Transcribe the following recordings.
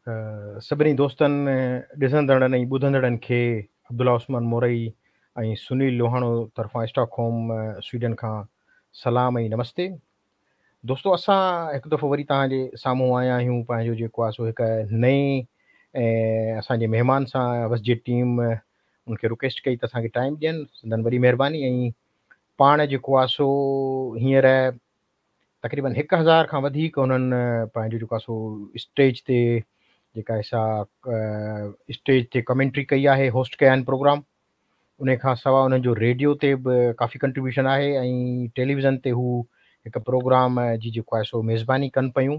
سڀني دوستن، ڏسندڙن ۽ ٻڌندڙن کي عبدالله عثمان مورئي ۽ سنيل لوهاڻو طرفان اسٽاڪ هوم سوئيڊن کان سلام ۽ نمستي. دوستو اسان هڪ دفعو وري توهان جي سامهون آيا آهيون پنهنجو جيڪو آهي سو هڪ نئين اسان جي مهمان سان وسجي ٽيم ان کي رڪويسٽ ڪئي ته اسان کي ٽائيم ڏين، سندن وڏي مهرباني ۽ پاڻ جيڪو آهي سو هينئر تقريبن 1000 کان وڌيڪ انهن پنهنجو جيڪو آهي سو اسٽيج تي جيڪا آهي سا اسٽيج تي ڪمينٽري ڪئي آهي، هوسٽ ڪيا آهن پروگرام. ان کان سواء انهن جو ريڊيو تي به ڪافي ڪنٽريبيوشن آهي ۽ ٽيليويزن تي هو هڪ پروگرام جي جيڪو آهي سو ميزباني ڪن پيون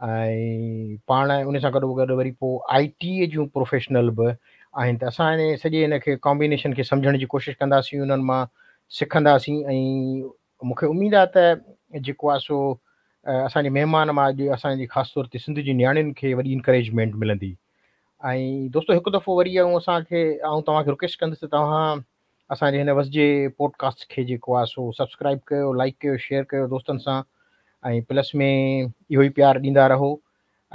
۽ پاڻ ان سان گڏو گڏ وري پوء آء ٽي جون پروفيشنل به آهن ته اسان ان سڄي ان کي ڪامبينيشن کي سمجهڻ جي ڪوشش ڪنداسين، انهن مان سکنداسين ۽ مون کي اميد آهي ته جيڪو آهي سو اسان جي مهمان مان اڄ اسان جي خاص طور تي سنڌ جي نياڻين کي وڏي انڪريجمينٽ ملندي. ۽ دوستو هڪ دفعو وري آئون اسان کي آئون توهان کي رڪويسٽ ڪندس ته توهان اسان جي هن وسجي پوڊڪاسٽ کي جيڪو آهي سو سبسڪرائب ڪيو، لائڪ ڪيو، شيئر ڪيو دوستن سان ۽ پلس ۾ اهو ئي پيار ڏيندا رهو.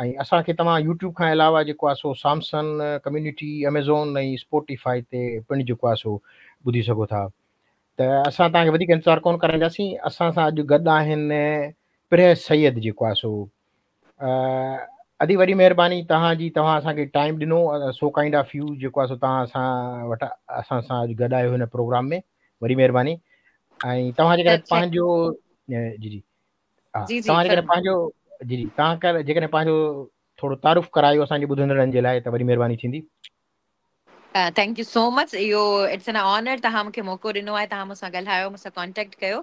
۽ اسان کي توهان يوٽيوب کان علاوه جيڪو آهي سو سامسن ڪميونٽي، اميزون ۽ اسپوٽيفائي تي پڻ جيڪو آهي سو ٻڌي سگهو ٿا. ته اسان توهان کي وڌيڪ انتظار ڪونه ڪرائينداسين. اسان سان اڄ گڏ آهن پرهه سيد جيڪو آهي سو ادي وڏي مهرباني توهان جي، توهان اسان کي ٽائيم ڏنو، سو ڪائنڊ آف يو جيڪو آهي سو توهان اسان وٽ اسان سان اڄ گڏ آهيو هن پروگرام ۾ وڏي مهرباني. ۽ توهان جيڪڏهن پنهنجو جي جي ها جي جي توهان جيڪڏهن پنهنجو جي جي توهان جيڪڏهن پنهنجو ٿورو تعارف ڪرايو اسان جي ٻڌندڙن جي لاء ته وڏي مهرباني ٿيندي. Thank you سو مچ، اهو it's an honour توهان مون کي موقعو ڏنو آهي، توهان مون سان ڳالهايو، مون سان ڪانٽيڪٽ ڪيو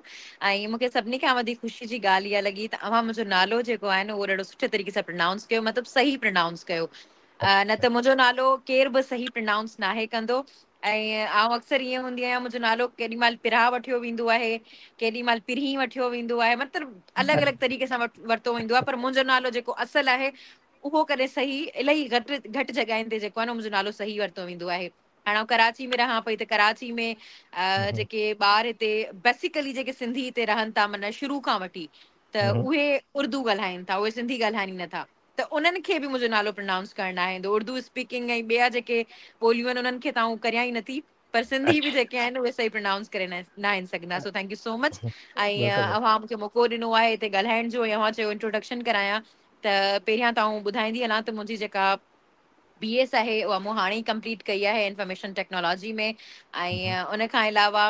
۽ مون کي سڀني کان وڌيڪ خوشي جي ڳالهه اها لڳي ته اوهان منهنجو نالو جيڪو آهي نه اهو ڏاڍو سٺي طريقي سان پرنائونس ڪيو، مطلب صحيح پرنائونس ڪيو، نه ته منهنجو نالو ڪير به صحيح پرنائونس ناهي ڪندو ۽ آئون اڪثر ائين هوندي آهيان منهنجو نالو ڪيڏي مهل پرها وٺيو ويندو آهي، ڪيڏي مهل پرهين وٺيو ويندو آهي، مطلب الڳ الڳ طريقي سان ورتو ويندو آهي، پر منهنجو نالو جيڪو اصل آهي اهو ڪڏهن صحيح الاهي گهٽ گهٽ جڳهين تي جيڪو آهي نه منهنجو نالو صحيح ورتو ويندو آهي. هاڻي آئون ڪراچي ۾ رهان پئي ته ڪراچي ۾ جيڪي ٻار هتي بيسيڪلي جيڪي سنڌي هتي رهن ٿا معنيٰ شروع کان وٺي ته اهي اردو ڳالهائين ٿا، اهي سنڌي ڳالهائين ئي نٿا ته انهن کي به منهنجو نالو پرنائونس ڪرڻ ناهي ايندو. اردو اسپيڪنگ ۽ ٻيا جيڪي ٻوليون آهن انهن کي ته آئون ڪريان ئي نٿي، پر سنڌي به جيڪي آهن اهي صحيح پرنائونس ڪري ناهن سگهندا. So thank you so much. ۽ اوهان مون کي موقعو ڏنو آهي هتي ڳالهائڻ جو ۽ اوهان چيو انٽروڊڪشن ڪرايان ته پهريان ته آئون ٻڌائيندي هلان ته منهنجي جيڪا بي ايس آهي اها مون هاڻي ئي ڪمپليٽ ڪئي آهي انفارميشن ٽيڪنالاجي ۾، ۽ ان کان علاوه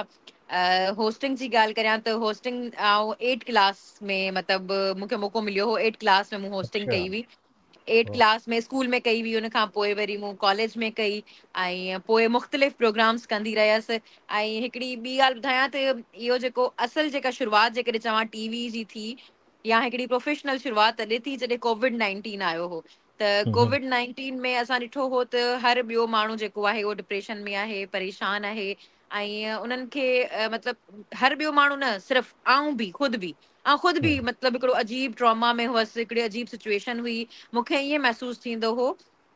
هوسٽنگ جي ڳالهه ڪريان ته هوسٽنگ آئون ايٽ ڪلاس ۾ مطلب مون کي موقعو مليو هو، ايٽ ڪلاس ۾ مون هوسٽنگ ڪئي هئي، ايٽ ڪلاس ۾ اسڪول ۾ ڪئي هئي، ان کان پوء وري مون ڪاليج ۾ ڪئي ۽ پوء مختلف پروگرامس ڪندي رهيس. ۽ هڪڙي ٻي ڳالهه ٻڌايان ته اهو جيڪو اصل جيڪا شروعات جيڪڏهن چوان ٽي وي جي ٿي يا هڪڙي پروفيشنل شروعات تڏهن ٿي جڏهن ڪووڊ 19 آيو هو. ته ڪووڊ 19 ۾ اسان ڏٺو هو ته هر ٻيو ماڻهو جيڪو آهي اهو ڊپريشن ۾ آهي، پريشان آهي ۽ انهن کي مطلب هر ٻيو ماڻهو نه صرف آئون به خود به آئون خود به مطلب هڪڙو عجيب ٽراما ۾ هئس، هڪڙي عجيب سچويشن هئي. مون کي ائين محسوس ٿيندو هو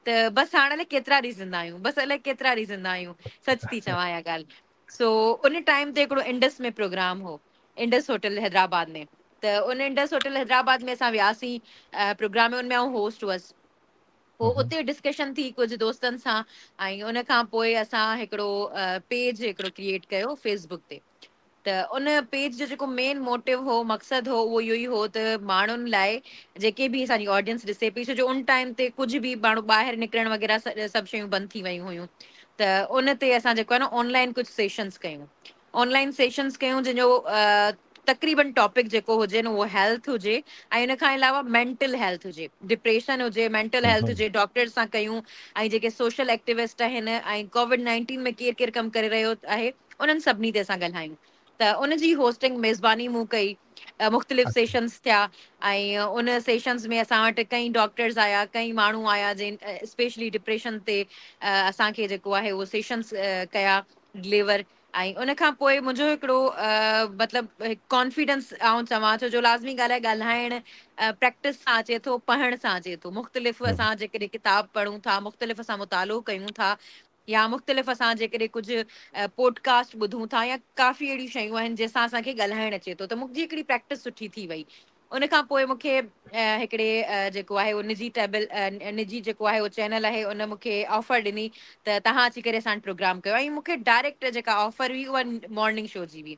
ته بس هاڻ الائي ڪيترا ڏينهن زنده آهيون، بس الائي ڪيترا ڏينهن زنده آهيون، سچ ٿي چوان اها ڳالهه. سو ان ٽائيم تي هڪڙو انڊس ۾ پروگرام هو، انڊس هوٽل حيدرآباد ۾، ته ان انڊس هوٽل حيدرآباد ۾ اسان وياسين پروگرام ۾ ان ۾ آئون هوسٽ هئس. پوء اتي ڊسڪشن ٿي ڪجهه دوستن سان ۽ ان کان پوء اسان هڪڙو پيج هڪڙو ڪريئيٽ ڪيو فيس بڪ تي. ته ان پيج جو جيڪو مين موٽو هو، مقصد هو، اهو اهو ئي هو ته ماڻهن لاء جيڪي به اسان جي آڊينس ڏسي پئي، ڇو جو ان ٽائيم تي ڪجهه به ماڻهو ٻاهر نڪرڻ وغيره سڀ شيون بند ٿي ويون هيون، ته ان تي اسان جيڪو آهي نه آن لائن ڪجهه سيشنز ڪيون، آن لائن سيشنز ڪيون جنهن جو تقريبن ٽاپڪ جيڪو هجي نه اهو هيلٿ هجي ۽ ان کان علاوه مينٽل هيلٿ هجي، ڊپريشن هجي، مينٽل هيلٿ هجي، ڊاڪٽرز سان ڪيون ۽ جيڪي سوشل ايڪٽيوسٽ آهن ۽ ڪووڊ 19 ۾ ڪير ڪير ڪم ڪري رهيو آهي انهن سڀني تي اسان ڳالهايون. ته ان جي هوسٽنگ ميزباني مون ڪئي، مختلف سيشنز ٿيا ۽ ان سيشنز ۾ اسان وٽ ڪئين ڊاڪٽرز آيا، ڪئين ماڻهو آيا جن اسپيشلي ڊپريشن تي اسان کي جيڪو آهي اهو سيشنز ڪيا ڊليور. ۽ ان کان پوء منهنجو هڪڙو مطلب ڪانفيڊنس آئون چوان ڇو جو لازمي ڳالهه آهي ڳالهائڻ پريڪٽس سان اچي ٿو، پڙهڻ سان اچي ٿو. مختلف اسان جيڪڏهن ڪتاب پڙهون ٿا، مختلف اسان مطالعو ڪيون ٿا يا مختلف اسان جيڪڏهن ڪجهه پوڊڪاسٽ ٻڌون ٿا يا ڪافي اهڙيون شيون آهن جنهن سان اسان کي ڳالهائڻ اچي ٿو، ته منهنجي هڪڙي پريڪٽس سٺي ٿي وئي. ان کان پوءِ مون کي هڪڙي جيڪو آهي اهو نجي ٽيبل نجي جيڪو آهي اهو چينل آهي ان مون کي آفر ڏني ته توهان اچي ڪري اسان وٽ پروگرام ڪيو ۽ مون کي ڊائريڪٽ جيڪا آفر هئي اها مارننگ شو جي هئي.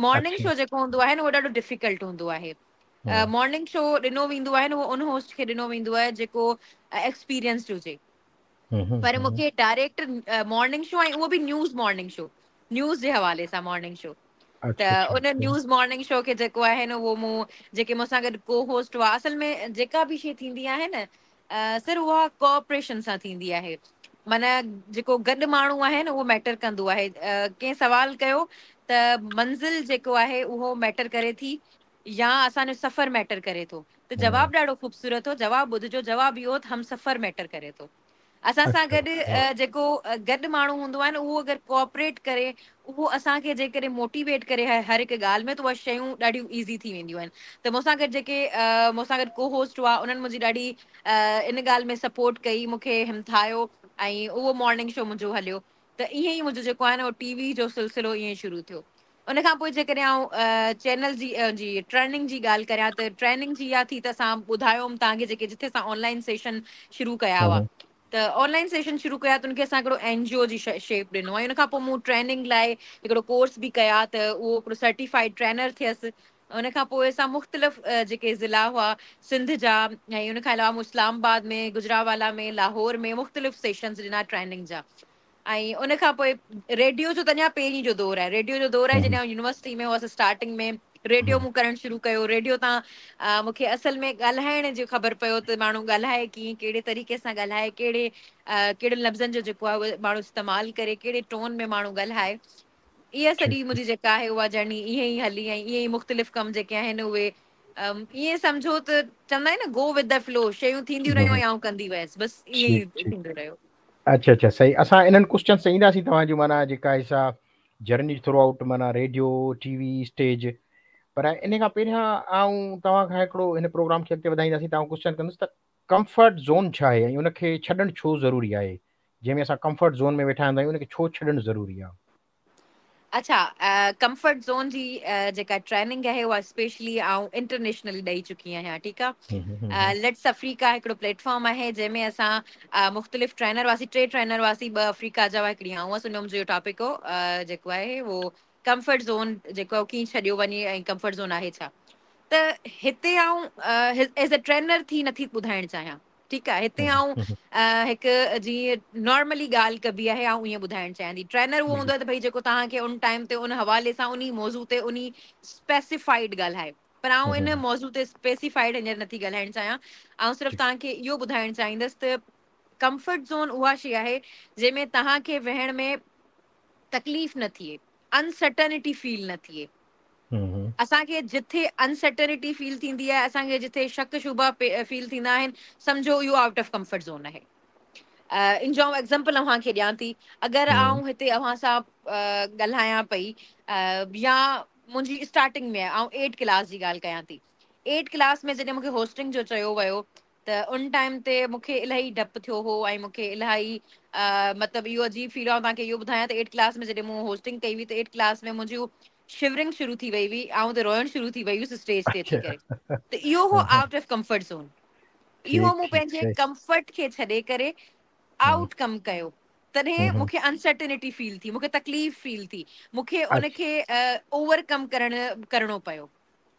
مارننگ شو جيڪو هوندو آهي نه اهو ڏاڍو ڊفيڪلٽ هوندو آهي. مارننگ شو ڏنو ويندو آهي نه اهو ان هوسٽ کي ڏنو ويندو آهي جيڪو ايڪسپيرينسڊ هجي. پر مون کي ڊائريڪٽ مارننگ شو ۽ اهو به نيوز مارننگ شو، نيوز جي حوالي سان مارننگ شو، ته ان نيوز مارننگ شو کي جيڪو آهي نه اهو مون جيڪي مون سان گڏ ڪو هوسٽ هئا، اصل ۾ جيڪا به شيء ٿيندي آهي نه سر اها ڪوآپريشن سان ٿيندي آهي، معنيٰ جيڪو گڏ ماڻهو آهي نه اهو ميٽر ڪندو آهي. ڪنهن سوال ڪيو ته منزل جيڪو آهي اهو ميٽر ڪري ٿي يا اسان جو سفر ميٽر ڪري ٿو، ته جواب ڏاڍو خوبصورت هو، جواب ٻڌجو، جواب اهو هو ته هم سفر ميٽر ڪري ٿو. اسان سان گڏ جيڪو گڏ ماڻهو هوندو آهي نه اهو اگر ڪوآپريٽ ڪري، اهو اسان کي جيڪڏهن موٽيويٽ ڪري هر هڪ ڳالهه ۾ ته اها شيون ڏاڍيون ايزي ٿي وينديون آهن. ته مون سان گڏ جيڪي مون سان گڏ ڪو هوسٽ هئا انهن منهنجي ڏاڍي ان ڳالهه ۾ سپورٽ ڪئي، مون کي همٿايو ۽ اهو مارننگ شو منهنجو هليو. ته ائين ئي منهنجو جيڪو آهي نه اهو ٽي وي جو سلسلو ائين ئي شروع ٿيو. ان کان پوء جيڪڏهن آئون چينل جي جي ٽريننگ جي ڳالهه ڪريان ته ٽريننگ جي اها ٿي ته اسان ٻڌايو هوم توهان کي جيڪي جتي اسان آنلائن سيشن شروع ڪيا هئا ته آنلائن سيشن شروع ڪيا ته ان کي اسان هڪڙو اين جي او جي شيپ ڏنو ۽ ان کان پوء مون ٽريننگ لاء هڪڙو ڪورس به ڪيا ته اهو هڪڙو سرٽيفائيڊ ٽرينر ٿيس. ان کان پوء اسان مختلف جيڪي ضلعا هئا سنڌ جا ۽ ان کان علاوه مون اسلام آباد ۾ گجرانوالا ۾ لاهور ۾ مختلف سيشنز ڏنا ٽريننگ جا. ۽ ان کان پوء ريڊيو جو ته اڃا پهرين جو دور آهي، ريڊيو جو دور آهي جڏهن آئون يونيورسٽي ۾ هئس اسٽارٽنگ ۾ ريڊيو مون ڪرڻ شروع ڪيو. ريڊيو تان مون کي اصل ۾ ڳالهائڻ جو خبر پيو ته ماڻهو ڳالهائي ڪيئن، ڪهڙي طريقي سان ڳالهائي، ڪهڙي ڪهڙن لفظن جو جيڪو آهي اهو ماڻهو استعمال ڪري، ڪهڙي ٽون ۾ ماڻهو ڳالهائي. اها سڄي منهنجي جيڪا آهي اها جرني ائين ئي هلي ۽ ائين ئي مختلف ڪم جيڪي آهن اهي ائين سمجهو ته چوندا آهن نه گو ود the flu, شيون ٿينديون رهيون ۽ آئون ڪندي ويس، بس ائين ئي ٿيندو رهيو. اڇا اڇا صحيح، اسان انهن ڪوسچنس تي اينداسين توهان جون معنيٰ جيڪا آهي سا جرني ٿرو آئوٽ معنيٰ ريڊيو ٽي وي اسٽيج، پر ان کان پهريان آئون توهان کان هڪڙو هن پروگرام کي اڳتي وڌائينداسين ته آئون ڪوسچن ڪندس ته ڪمفرٽ زون ڇا آهي ۽ ان کي ڇڏڻ ڇو ضروري آهي؟ جنهن ۾ اسان ڪمفرٽ زون ۾ ويٺا هوندا آهيون ان کي ڇو ڇڏڻ ضروري آهي؟ اڇا ڪمفرٽ زون جي جيڪا ٽريننگ آهي اها اسپيشلي آئون انٽرنيشنلي ڏئي چڪي آهيان ٺيڪ آهي. Let's Africa هڪڙو پليٽ فارم آهي جنهن ۾ اسان مختلف ٽرينر هئاسين، ٽي ٽرينر هئاسين، ٻه آفريڪا جا هئا هڪڙي آئون هئس. ان ۾ منهنجو اهو ٽاپڪ هو جيڪو آهي اهو ڪمفرٽ زون جيڪو آهي ڪيئن ڇڏيو وڃي ۽ ڪمفرٽ زون آهي ڇا. ته هتي آئون ايز اي ٽرينر ٿي نٿي ٻڌائڻ چاهيان ٺيڪ آهي. هتي آئون هڪ جيئن نارملي ڳالهه ڪبي آهي آئون ائين ٻڌائڻ چاهيان ٿي. ٽرينر اهو هوندو آهي ته ڀئي جيڪو توهان کي ان ٽائيم تي ان حوالي سان انهي موضوع تي انهي اسپيسيفائيڊ ڳالهائي، پر آئون ان موضوع تي اسپيسيفائيڊ هينئر نٿي ڳالهائڻ چاهيان. آئون صرف توهان کي اهو ٻڌائڻ چاهيندس ته ڪمفرٽ زون اها شيء آهي جنهن ۾ توهان کي ويهڻ ۾ تڪليف نه ٿئي، انسرٽنٽي فيل نه ٿئي. اسان کي جٿي انسرٽنٽي فيل ٿيندي آهي، اسان کي جٿي شڪ شبها فيل ٿيندا آهن، سمجهو اهو آئوٽ آف ڪمفرٽ زون آهي. ان جو آئون ايگزامپل اوهان کي ڏيان ٿي. اگر آئون هتي اوهان سان ڳالهايان پئي يا منهنجي اسٽارٽنگ ۾ آئون ايٽ ڪلاس جي ڳالهه ڪيان ٿي، ايٽ ڪلاس ۾ جڏهن مون کي هوسٽنگ جو چيو ويو ته ان ٽائيم تي مون کي الاهي ڊپ ٿيو هو ۽ مون کي الاهي مطلب اهو عجيب فيل هو. آئون توهان کي اهو ٻڌايان ته ايٽ ڪلاس ۾ جڏهن مون هوسٽنگ ڪئي هئي ته ايٽ ڪلاس ۾ منهنجون شورنگ شروع ٿي وئي هئي، آئون ته روئڻ شروع ٿي وئي هيس اسٽيج تي اچي ڪري. ته اهو هو آئوٽ آف ڪمفرٽ زون. اهو مون پنهنجي ڪمفرٽ کي ڇڏي ڪري آئوٽ ڪم ڪيو، تڏهن مون کي انسرٽنٽي فيل ٿي، مون کي تڪليف فيل ٿي، مون کي ان کي اوور ڪم ڪرڻو پيو.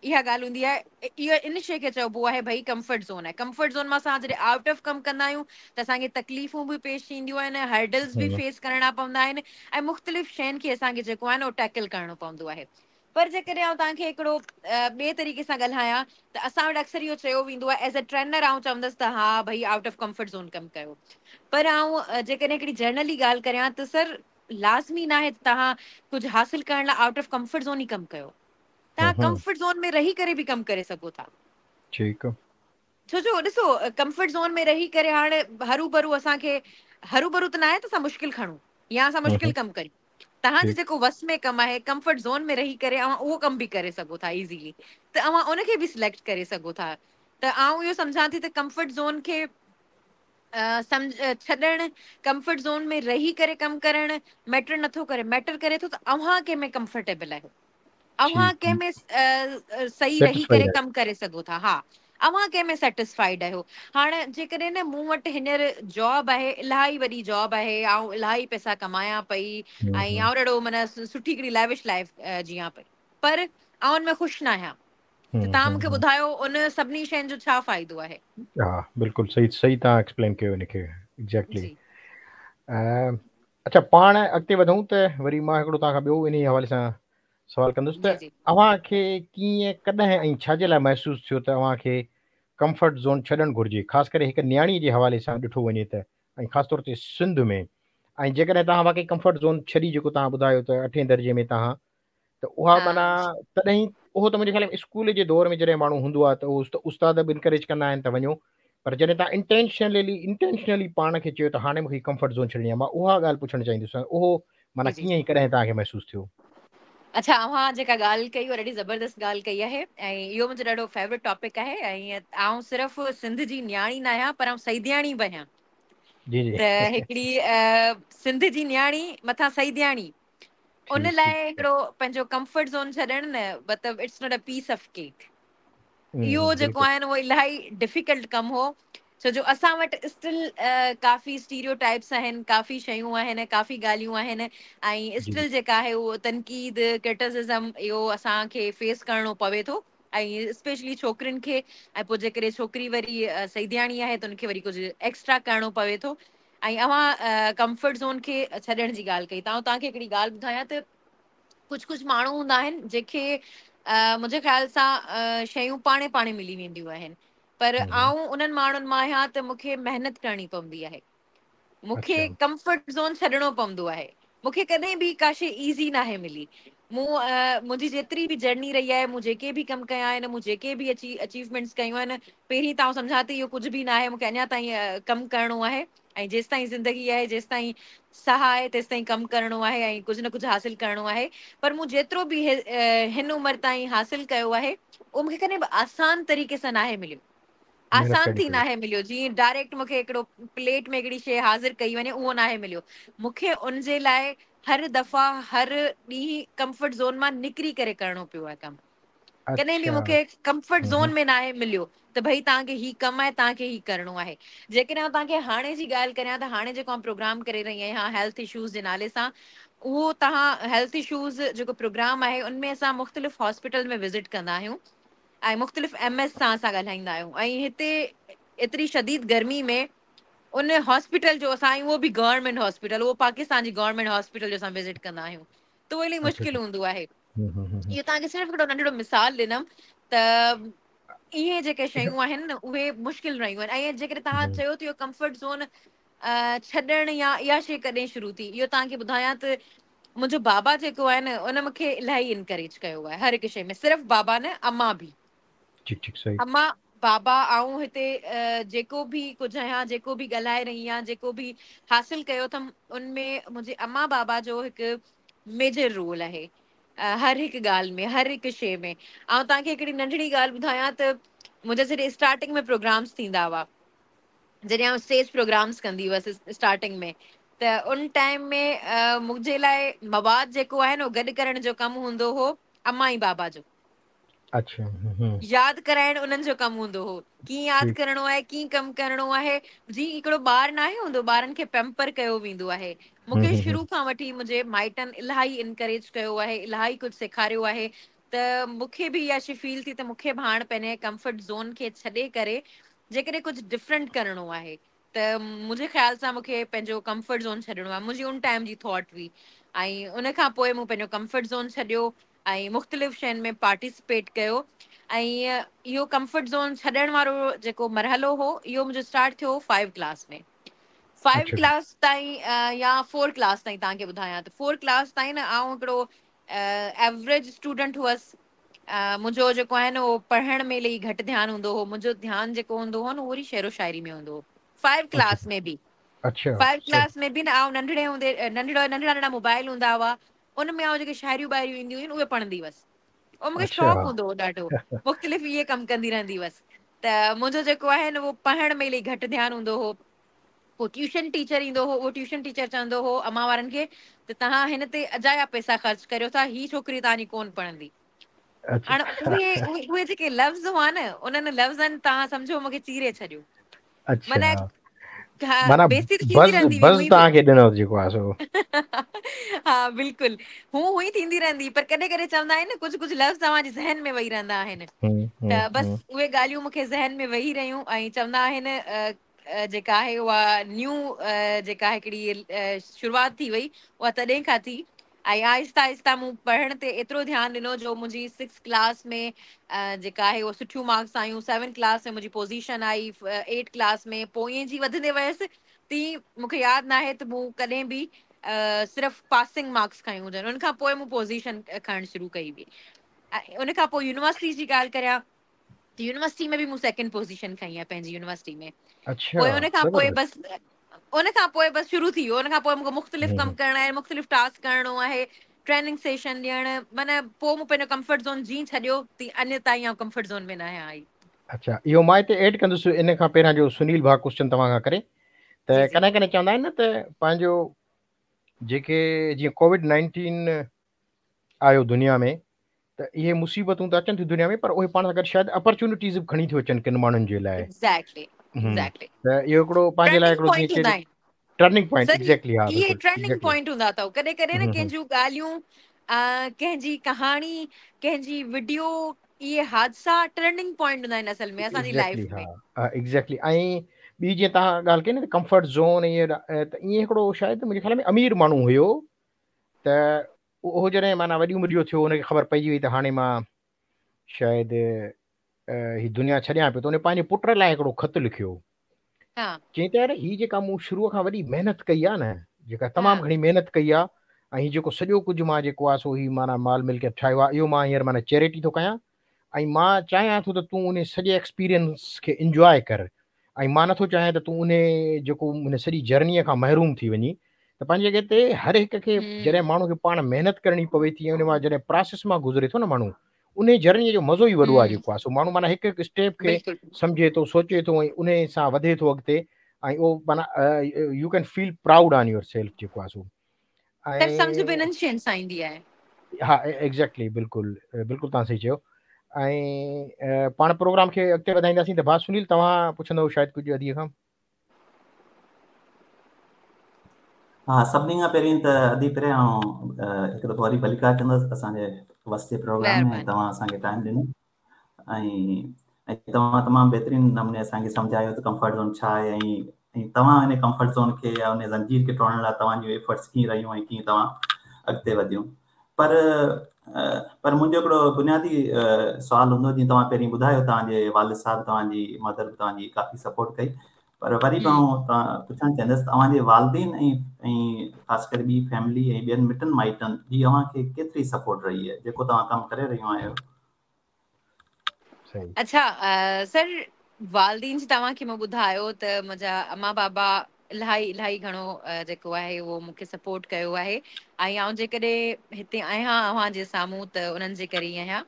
اها ڳالهه هوندي آهي، اهو ان شيء کي چئبو آهي ڀئي ڪمفرٽ زون آهي. ڪمفرٽ زون مان اسان جڏهن آئوٽ آف ڪم ڪندا آهيون ته اسان کي تڪليفون به پيش اينديون آهن، هرڊلز به فيس ڪرڻا پوندا آهن ۽ مختلف شين کي اسان کي جيڪو آهي نه اهو ٽيڪل ڪرڻو پوندو آهي. پر جيڪڏهن آئون توهان کي هڪڙو ٻئي طريقي سان ڳالهايان ته اسان وٽ اڪثر اهو چيو ويندو آهي ايز اي ٽرينر آئون چوندس ته ها ڀئي آئوٽ آف ڪمفرٽ زون ڪم ڪيو، پر آئون جيڪڏهن هڪڙي جنرلي ڳالهه ڪريان ته سر لازمي ناهي ته توهان ڪجهه حاصل ڪرڻ لاء آئوٽ آف ڪمفرٽ زون ئي ڪم ڪيو. توهان ڪمفرٽ زون ۾ رهي ڪري به ڪم ڪري سگهو ٿا. ٺيڪ. ڇو جو ڏسو ڪمفرٽ زون ۾ رهي ڪري هاڻي هرو ڀرو اسان کي هرو ڀرو ته ناهي ته اسان مشڪل کڻون يا اسان مشڪل ڪم ڪريون. توهان جو جيڪو وس ۾ ڪم آهي ڪمفرٽ زون ۾ رهي ڪري اوهان اهو ڪم به ڪري سگهو ٿا ايزيلي، ته اوهان ان کي به سليڪٽ ڪري سگهو ٿا. ته آئون اهو سمجهان ٿي ته ڪمفرٽ زون کي سمجھ ڇڏڻ، ڪمفرٽ زون ۾ رهي ڪري ڪم ڪرڻ ميٽر نٿو ڪري، ميٽر ڪري ٿو ته اوهان ڪنهن ۾ ڪمفرٽيبل آهيو. اوهان ٺيڪ ڪنهن ۾ صحيح رهي سيٽسفائيڊ ڪري آهيو. ڪم ڪري سگهو ٿا؟ ها، اوهان ڪنهن ۾ سيٽسفائيڊ آهيو؟ هاڻي جيڪڏهن نه مون وٽ هينئر جاب آهي، الاهي وڏي جاب آهي، آئون الاهي پئسا ڪمايان پئي همم ۽ همم آئون ڏاڍو معنيٰ سٺي هڪڙي ليوش لائيف جيئان پئي، پر آئون ان ۾ خوش نه آهيان، ته همم توهان همم مون کي همم ٻڌايو ان سڀني شين جو ڇا فائدو آهي؟ ها، بلڪل صحيح صحيح توهان ايڪسپلين ڪيو ان کي ايگزيڪٽلي. جي. اڇا، پاڻ اڳتي وڌون ته وري مان هڪڙو توهان کان ٻيو انهي حوالي سان سوال ڪندس ته جي جي. اوهان کي ڪيئن، ڪڏهن ۽ ڇا جي لاء محسوس ٿيو ته اوهان کي ڪمفرٽ زون ڇڏڻ گهرجي، خاص ڪري هڪ نياڻي جي حوالي سان ڏٺو وڃي ته، ۽ خاص طور تي سنڌ ۾؟ ۽ جيڪڏهن توهان واقعي ڪمفرٽ زون ڇڏي، جيڪو توهان ٻڌايو ته اٺين درجي ۾ توهان، ته اها ها معنيٰ تڏهن اهو ته منهنجي خيال ۾ اسڪول جي دور ۾ جڏهن ماڻهو هوندو آهي ته اهو استاد به انڪريج ڪندا آهن ته وڃو، پر جڏهن توهان انٽينشنلي پاڻ کي چيو ته هاڻي مون کي ڪمفرٽ زون ڇڏڻي آهي، مان اها ڳالهه پڇڻ چاهيندس، اهو جي معنيٰ جي. ڪيئن ۽ ڪڏهن توهان کي محسوس ٿيو؟ اڇا، اوهان جيڪا ڳالهه ڪئي اها ڏاڍي زبردست ڳالهه ڪئي آهي ۽ اهو منهنجو ڏاڍو فيورٽ ٽاپڪ آهي ۽ آئون صرف سنڌ جي نياڻي نه آهيان پر آئون سيدياڻي به آهيان. جي جي. ته هڪڙي سنڌ جي نياڻي مٿان سيدياڻي، ان ٺيڪ لاءِ ٺيڪ هڪڙو پنهنجو ڪمفرٽ زون ڇڏڻ نه مطلب it's not a piece of cake. اهو جيڪو بلڪل آهي نه اهو الاهي ڊفيڪلٽ ڪم هو، ڇو جو اسان وٽ اسٽل ڪافي اسٽيريو ٽائپس آهن، ڪافي شيون آهن، ڪافي ڳالهيون آهن ۽ جي جي. اسٽل جيڪا آهي اهو تنقيد، ڪرٽسزم اهو اسان کي فيس ڪرڻو پوي ٿو ۽ اسپيشلي ڇوڪرين کي. ۽ پوءِ جيڪڏهن ڇوڪري وري سيدياڻي آهي ته ان کي وري ڪجهه ايڪسٽرا ڪرڻو پوي ٿو. ۽ اوهان ڪمفرٽ زون کي ڇڏڻ جي ڳالهه ڪئي ته آئون توهان کي هڪڙي ڳالهه ٻڌايان ته ڪجهه ڪجهه ماڻهو هوندا آهن جيڪي منهنجي خيال سان شيون پاڻي پاڻي ملي وينديون آهن، پر همم همم آئون انهن ماڻهن مان آهيان ته مون کي محنت ڪرڻي پوندي آهي، مون کي اڇا ڪمفرٽ زون ڇڏڻو پوندو آهي. مون کي ڪڏهن به ڪا شيءِ ايزي ناهي ملي. مون منهنجي جيتري به جرني رهي آهي، مون جيڪي به ڪم ڪيا آهن، مون جيڪي به اچيومينٽس ڪيون آهن، پهرين ته آئون سمجهان ٿي اهو ڪجهه به نه آهي، مون کي اڃا تائين ڪم ڪرڻو آهي ۽ جيس تائين زندگي آهي، جيس تائين ساهه آهي، تيس تائين ڪم ڪرڻو آهي ۽ ڪجهه نه ڪجهه حاصل ڪرڻو آهي. پر مون جيترو به هن عمر تائين حاصل ڪيو آهي اهو مون کي ڪڏهن به آسان طريقي سان ناهي مليو، محنت آسان ڪرڻي ٿي پئي. ناهي مليو. جيئن ڊائريڪٽ مون کي هڪڙو پليٽ ۾ هڪڙي شيءِ حاضر ڪئي وڃي، اهو ناهي مليو مون کي. ان جي لاءِ هر دفعا هر ڏينهن ڪمفرٽ زون مان نڪري ڪري ڪرڻو پيو آهي ڪم. ڪڏهن به اڇا مون کي ڪمفرٽ همم زون همم ۾ ناهي مليو ته ڀئي توهان کي هي ڪم آهي، توهان کي هي ڪرڻو آهي. جيڪڏهن آئون توهان کي هاڻي جي ڳالهه ڪريان ته هاڻي جيڪو آئون پروگرام ڪري رهي آهيان هيلٿ اشوز جي نالي سان، اهو توهان هيلٿ اشوز جيڪو پروگرام آهي ان ۾ اسان مختلف هاسپيٽل ۾ وزٽ ڪندا آهيون ۽ مختلف ايم ايس سان اسان ڳالهائيندا آهيون. ۽ هتي ايتري شديد گرمي ۾ ان هاسپيٽل جو اسان، اهو به گورنمينٽ هاسپيٽل، اهو پاڪستان جي گورنمينٽ هاسپيٽل جو اسان وزٽ ڪندا آهيون ته اهو الاهي اڇا مشڪل اڇا هوندو آهي. همم همم همم اهو توهان کي صرف هڪڙو ننڍڙو مثال ڏنم ته اهي جيڪي اڇا شيون آهن نه اهي مشڪل رهيون آهن. ۽ جيڪڏهن توهان همم چيو ته اهو ڪمفرٽ زون ڇڏڻ يا اها شيءِ ڪڏهن شروع ٿي، اهو توهان کي ٻڌايان ته منهنجو بابا جيڪو آهي نه ان مون کي الاهي انڪريج ڪيو آهي هر هڪ شيءِ ۾. صرف بابا نه، امان به. ٺيڪ ٺيڪ صحيح. امان بابا، آئون هتي جيڪو به ڪجهه آهيان، جيڪو به ڳالهائي رهي آهيان، جيڪو به حاصل ڪيو اٿم، ان ۾ منهنجي امان بابا جو هڪ ميجر رول آهي هر هڪ ڳالهه ۾، هر هڪ شيءِ ۾. آئون توهان کي هڪڙي ننڍڙي ڳالهه ٻڌايان ته منهنجا جڏهن اسٽارٽنگ ۾ پروگرامس ٿيندا هئا، جڏهن آئون اسٽيج پروگرامس ڪندي هئس اسٽارٽنگ ۾، ته ان ٽائيم ۾ منهنجي لاءِ مواد جيڪو آهي نه اهو گڏ ڪرڻ جو ڪم هوندو هو امان ۽ بابا جو. اڇا همم همم ياد ڪرائڻ انهن جو ڪم هوندو هو، ڪيئن ياد ٺيڪ ڪرڻو آهي، ڪيئن ڪم ڪرڻو آهي. جيئن هڪڙو ٻار نه آهي هوندو، ٻارن کي پيمپر ڪيو ويندو آهي. همم مون کي همم شروع همم کان وٺي منهنجي مائٽن الاهي انڪريج ڪيو آهي، الاهي ڪجهه سيکاريو آهي. ته مون کي به اها شيءِ فيل ٿي ته مون کي به هاڻي پنهنجي ڪمفرٽ زون کي ڇڏي ڪري جيڪڏهن ڪجهه ڊفرنٽ ڪرڻو آهي ته منهنجي خيال سان مون کي پنهنجو ڪمفرٽ زون ڇڏڻو آهي. منهنجي ان ٽائيم جي ٿاٽ هئي ۽ ان کان پوءِ مون پنهنجو ڪمفرٽ زون ڇڏيو ۽ مختلف شين ۾ پارٽيسپيٽ ڪيو. ۽ اهو ڪمفرٽ زون ڇڏڻ وارو جيڪو مرحلو هو اهو منهنجو اسٽارٽ ٿيو 5 ڪلاس ۾. 5 اڇا ڪلاس تائين يا 4 ڪلاس تائين توهان کي ٻڌايان ته 4 ڪلاس تائين نه آئون هڪڙو ايوريج اسٽوڊنٽ هئس. منهنجو جيڪو آهي نه اهو پڙهڻ ۾ الاهي گهٽ ڌيان هوندو هو. منهنجو ڌيان جيڪو هوندو هو نه اهو وري شعر و شاعري ۾ هوندو هو. 5 اڇا ڪلاس ۾ به، اڇا 5 صحيح ڪلاس ۾ به نه آئون ننڍڙي هوندي ننڍڙا ننڍڙا ننڍڙا موبائل هوندا هئا، ان ۾ آئون جيڪي شاعريون ٻاعريون اينديون هيون اهي پڙهندي هئس. اهو مون کي اڇا شوق هوندو هو ڏاڍو، مختلف اهي ڪم ڪندي رهندي هئس. ته منهنجو جيڪو آهي نه اهو پڙهڻ ۾ الاهي گهٽ ڌيان هوندو هو. پوءِ ٽيوشن ٽيچر ايندو هو، اهو ٽيوشن ٽيچر چوندو هو امان وارن کي ته توهان هن تي اجايا پئسا خرچ ڪريو ٿا، هي ڇوڪري توهان جي ڪونه پڙهندي. هاڻي اهي اهي جيڪي لفظ هئا نه انهن لفظن توهان سمجهو مون کي چيري ڇڏيو. اڇا معنيٰ بيعزتي ته ٿيندي بز رهندي هئي بز هونئن به. توهان کي ڏنو جيڪو آهي سو. ها بلڪل هو هونئن ٿيندي رهندي پر ڪڏهن ڪڏهن چوندا آهن نه ڪجهه ڪجهه لفظ توهان جي ذهن ۾ ويهي رهندا آهن همم ته همم بس همم اهي ڳالهيون مون کي ذهن ۾ ويهي رهيون ۽ چوندا آهن جيڪا آهي اها نيو جيڪا هڪڙي شروعات ٿي وئي اها تڏهن کان ٿي ۽ آهسته آهسته مون پڙهڻ تي ايترو ڌيان ڏنو جو منهنجي سڪس ڪلاس ۾ جيڪا آهي اها سٺيون مارڪس آيون سيون ڪلاس ۾ منهنجي پوزيشن آئي ايٽ ڪلاس ۾ پوءِ ائين جي وڌندي ويس تيئن مون کي ياد ناهي ته مون ڪڏهن به صرف پاسنگ مارڪس کنيون هجن. ان کان پوءِ مون پوزيشن کڻڻ شروع ڪئي هئي. ۽ ان کان پوءِ يونيورسٽي جي ڳالهه ڪريان ته يونيورسٽي ۾ به مون سيڪنڊ پوزيشن کنئي آهي پنهنجي يونيورسٽي ۾. اڇا پوءِ ان کان پوءِ زبردست. بس ان کان پوءِ بس شروع ٿي ويو. ان کان پوءِ مون کي مختلف همم ڪم همم ڪرڻو آهي، مختلف ٽاسڪ ڪرڻو آهي، ٽريننگ سيشن ڏيڻ، معنيٰ پوءِ مون پنهنجو ڪمفرٽ زون جيئن ڇڏيو تيئن اڃا تائين آئون ڪمفرٽ زون ۾ نه آهيان آئي. اڇا اهو مان هتي ايڊ ڪندس ان کان پهريان جو سنيل ڀاء ڪوئسچن توهان کان ڪري ته جي جي ڪڏهن ڪڏهن چوندا آهن نه ته پنهنجو جيڪي جيئن ڪووڊ 19 آيو دنيا ۾ ته اهي مصيبتون ته اچن ٿيون دنيا ۾ پر اهي پاڻ سان گڏ شايد اپرچونٽيز به کڻي ٿيون اچن ڪن ماڻهن جي لاءِ. ايگزيڪٽلي همم ايگزيڪٽلي ته اهو هڪڙو پنهنجي لاءِ ٽرننگ هڪڙو جيئن پوائنٽ هوندا چئجي آهن. ٽرننگ پوائنٽ سر ايگزيڪٽلي ها اهي بلڪل ٽرننگ ايگزيڪٽلي. پوائنٽ هوندا اٿو. ڪڏهن ڪڏهن نه همم همم ڪنهن جون ڳالهيون ڪنهن جي ڪهاڻي، ڪنهن جي وڊيو، اهي حادثا ٽرننگ پوائنٽ هوندا آهن اصل ۾ اسان جي ايگزيڪٽلي لائيف ها ۾. ها ايگزيڪٽلي. ۽ ٻي جيئن توهان ڳالهه ڪئي نه ته ڪمفرٽ زون ائين ته ائين هڪڙو شايد منهنجي خيال ۾ امير ماڻهو هيو ته اهو جڏهن معنيٰ وڏي عمر جو ٿيو هن کي خبر پئجي وئي ته هاڻي مان شايد هي دنيا ڇڏيان پيو ته هن پنهنجي پٽ لاءِ هڪڙو خط لکيو. ها چئي ته يار هي جيڪا مون شروع کان وڏي محنت ڪئي آهي نه، جيڪا ها تمام گهڻي محنت ڪئي آهي ۽ هي جيڪو سڄو ڪجهه مان جيڪو آهي سو هي معنيٰ مال ملڪيت ٺاهيو آهي اهو مان هينئر معنيٰ چيرٽي ٿو ڪيان ۽ مان چاهيان ٿو ته تون ان سڄي ايڪسپيرينس کي انجواءِ ڪر ۽ مان نٿو چاهيان ته تون ان جيڪو ان سڄي جرنيءَ کان محروم ٿي وڃين. ته پنهنجي جڳهه تي هر هڪ کي جڏهن همم ماڻهو کي پاڻ محنت ڪرڻي پوي ٿي ۽ ان مان جڏهن پراسيس مان گذري ٿو نه ماڻهو ان جرنيءَ جو مزو ئي وڏو آهي همم جيڪو آهي سو ماڻهو معنيٰ هڪ هڪ اسٽيپ کي بلڪل سمجهي ٿو سوچي ٿو ۽ ان سان وڌي ٿو اڳتي ۽ اهو معنيٰ you can feel proud on your self جيڪو آهي سو. سر سمجهه به ۽ انهن شين سان ايندي آهي. ها ايگزيڪٽلي بلڪل بلڪل توهان صحيح چيو. ۽ پاڻ پروگرام کي اڳتي وڌائينداسين ته ڀاءُ سنيل توهان پڇندؤ شايد ڪجهه اديءَ کان. ها سڀني کان پهرين ته ادي پهريان آئون هڪ دفعو وري ڀليڪار چوندس اسان جي وس جي پروگرام ۾ مهرباني. توهان اسان کي ٽائيم ڏنو ۽ ۽ توهان تمام بهترين نموني اسان کي سمجهايو ته ڪمفرٽ زون ڇا آهي ۽ ۽ توهان هن ڪمفرٽ زون کي يا ان زنجير کي ٽوڙڻ لاءِ توهان جون ايفرٽس ڪيئن رهيون ۽ ڪيئن توهان اڳتي وڌيون. پر پر منهنجو هڪڙو بنيادي سوال هوندو جيئن توهان پهرين ٻڌايو توهان جي والد صاحب توهان جي مدر به توهان جي ڪافي سپورٽ ڪئي، پر وري به همم آئون توهان پڇڻ چاهيندس توهان جي والدين ۽ ۽ خاص ڪري ٻي فيملي ۽ ٻين مٽن مائٽن جي اوهان کي ڪيتري سپورٽ رهي آهي جيڪو توهان ڪم ڪري رهيون آهيو؟ صحيح. اڇا سر والدين جي توهان کي مون ٻڌايو ته منهنجا اما بابا الاهي الاهي گهڻو جيڪو آهي اهو مون کي سپورٽ ڪيو آهي ۽ آئون جيڪڏهن هتي آهيان اوهان جي سامهون ته انهن جي ڪري ئي آهيان.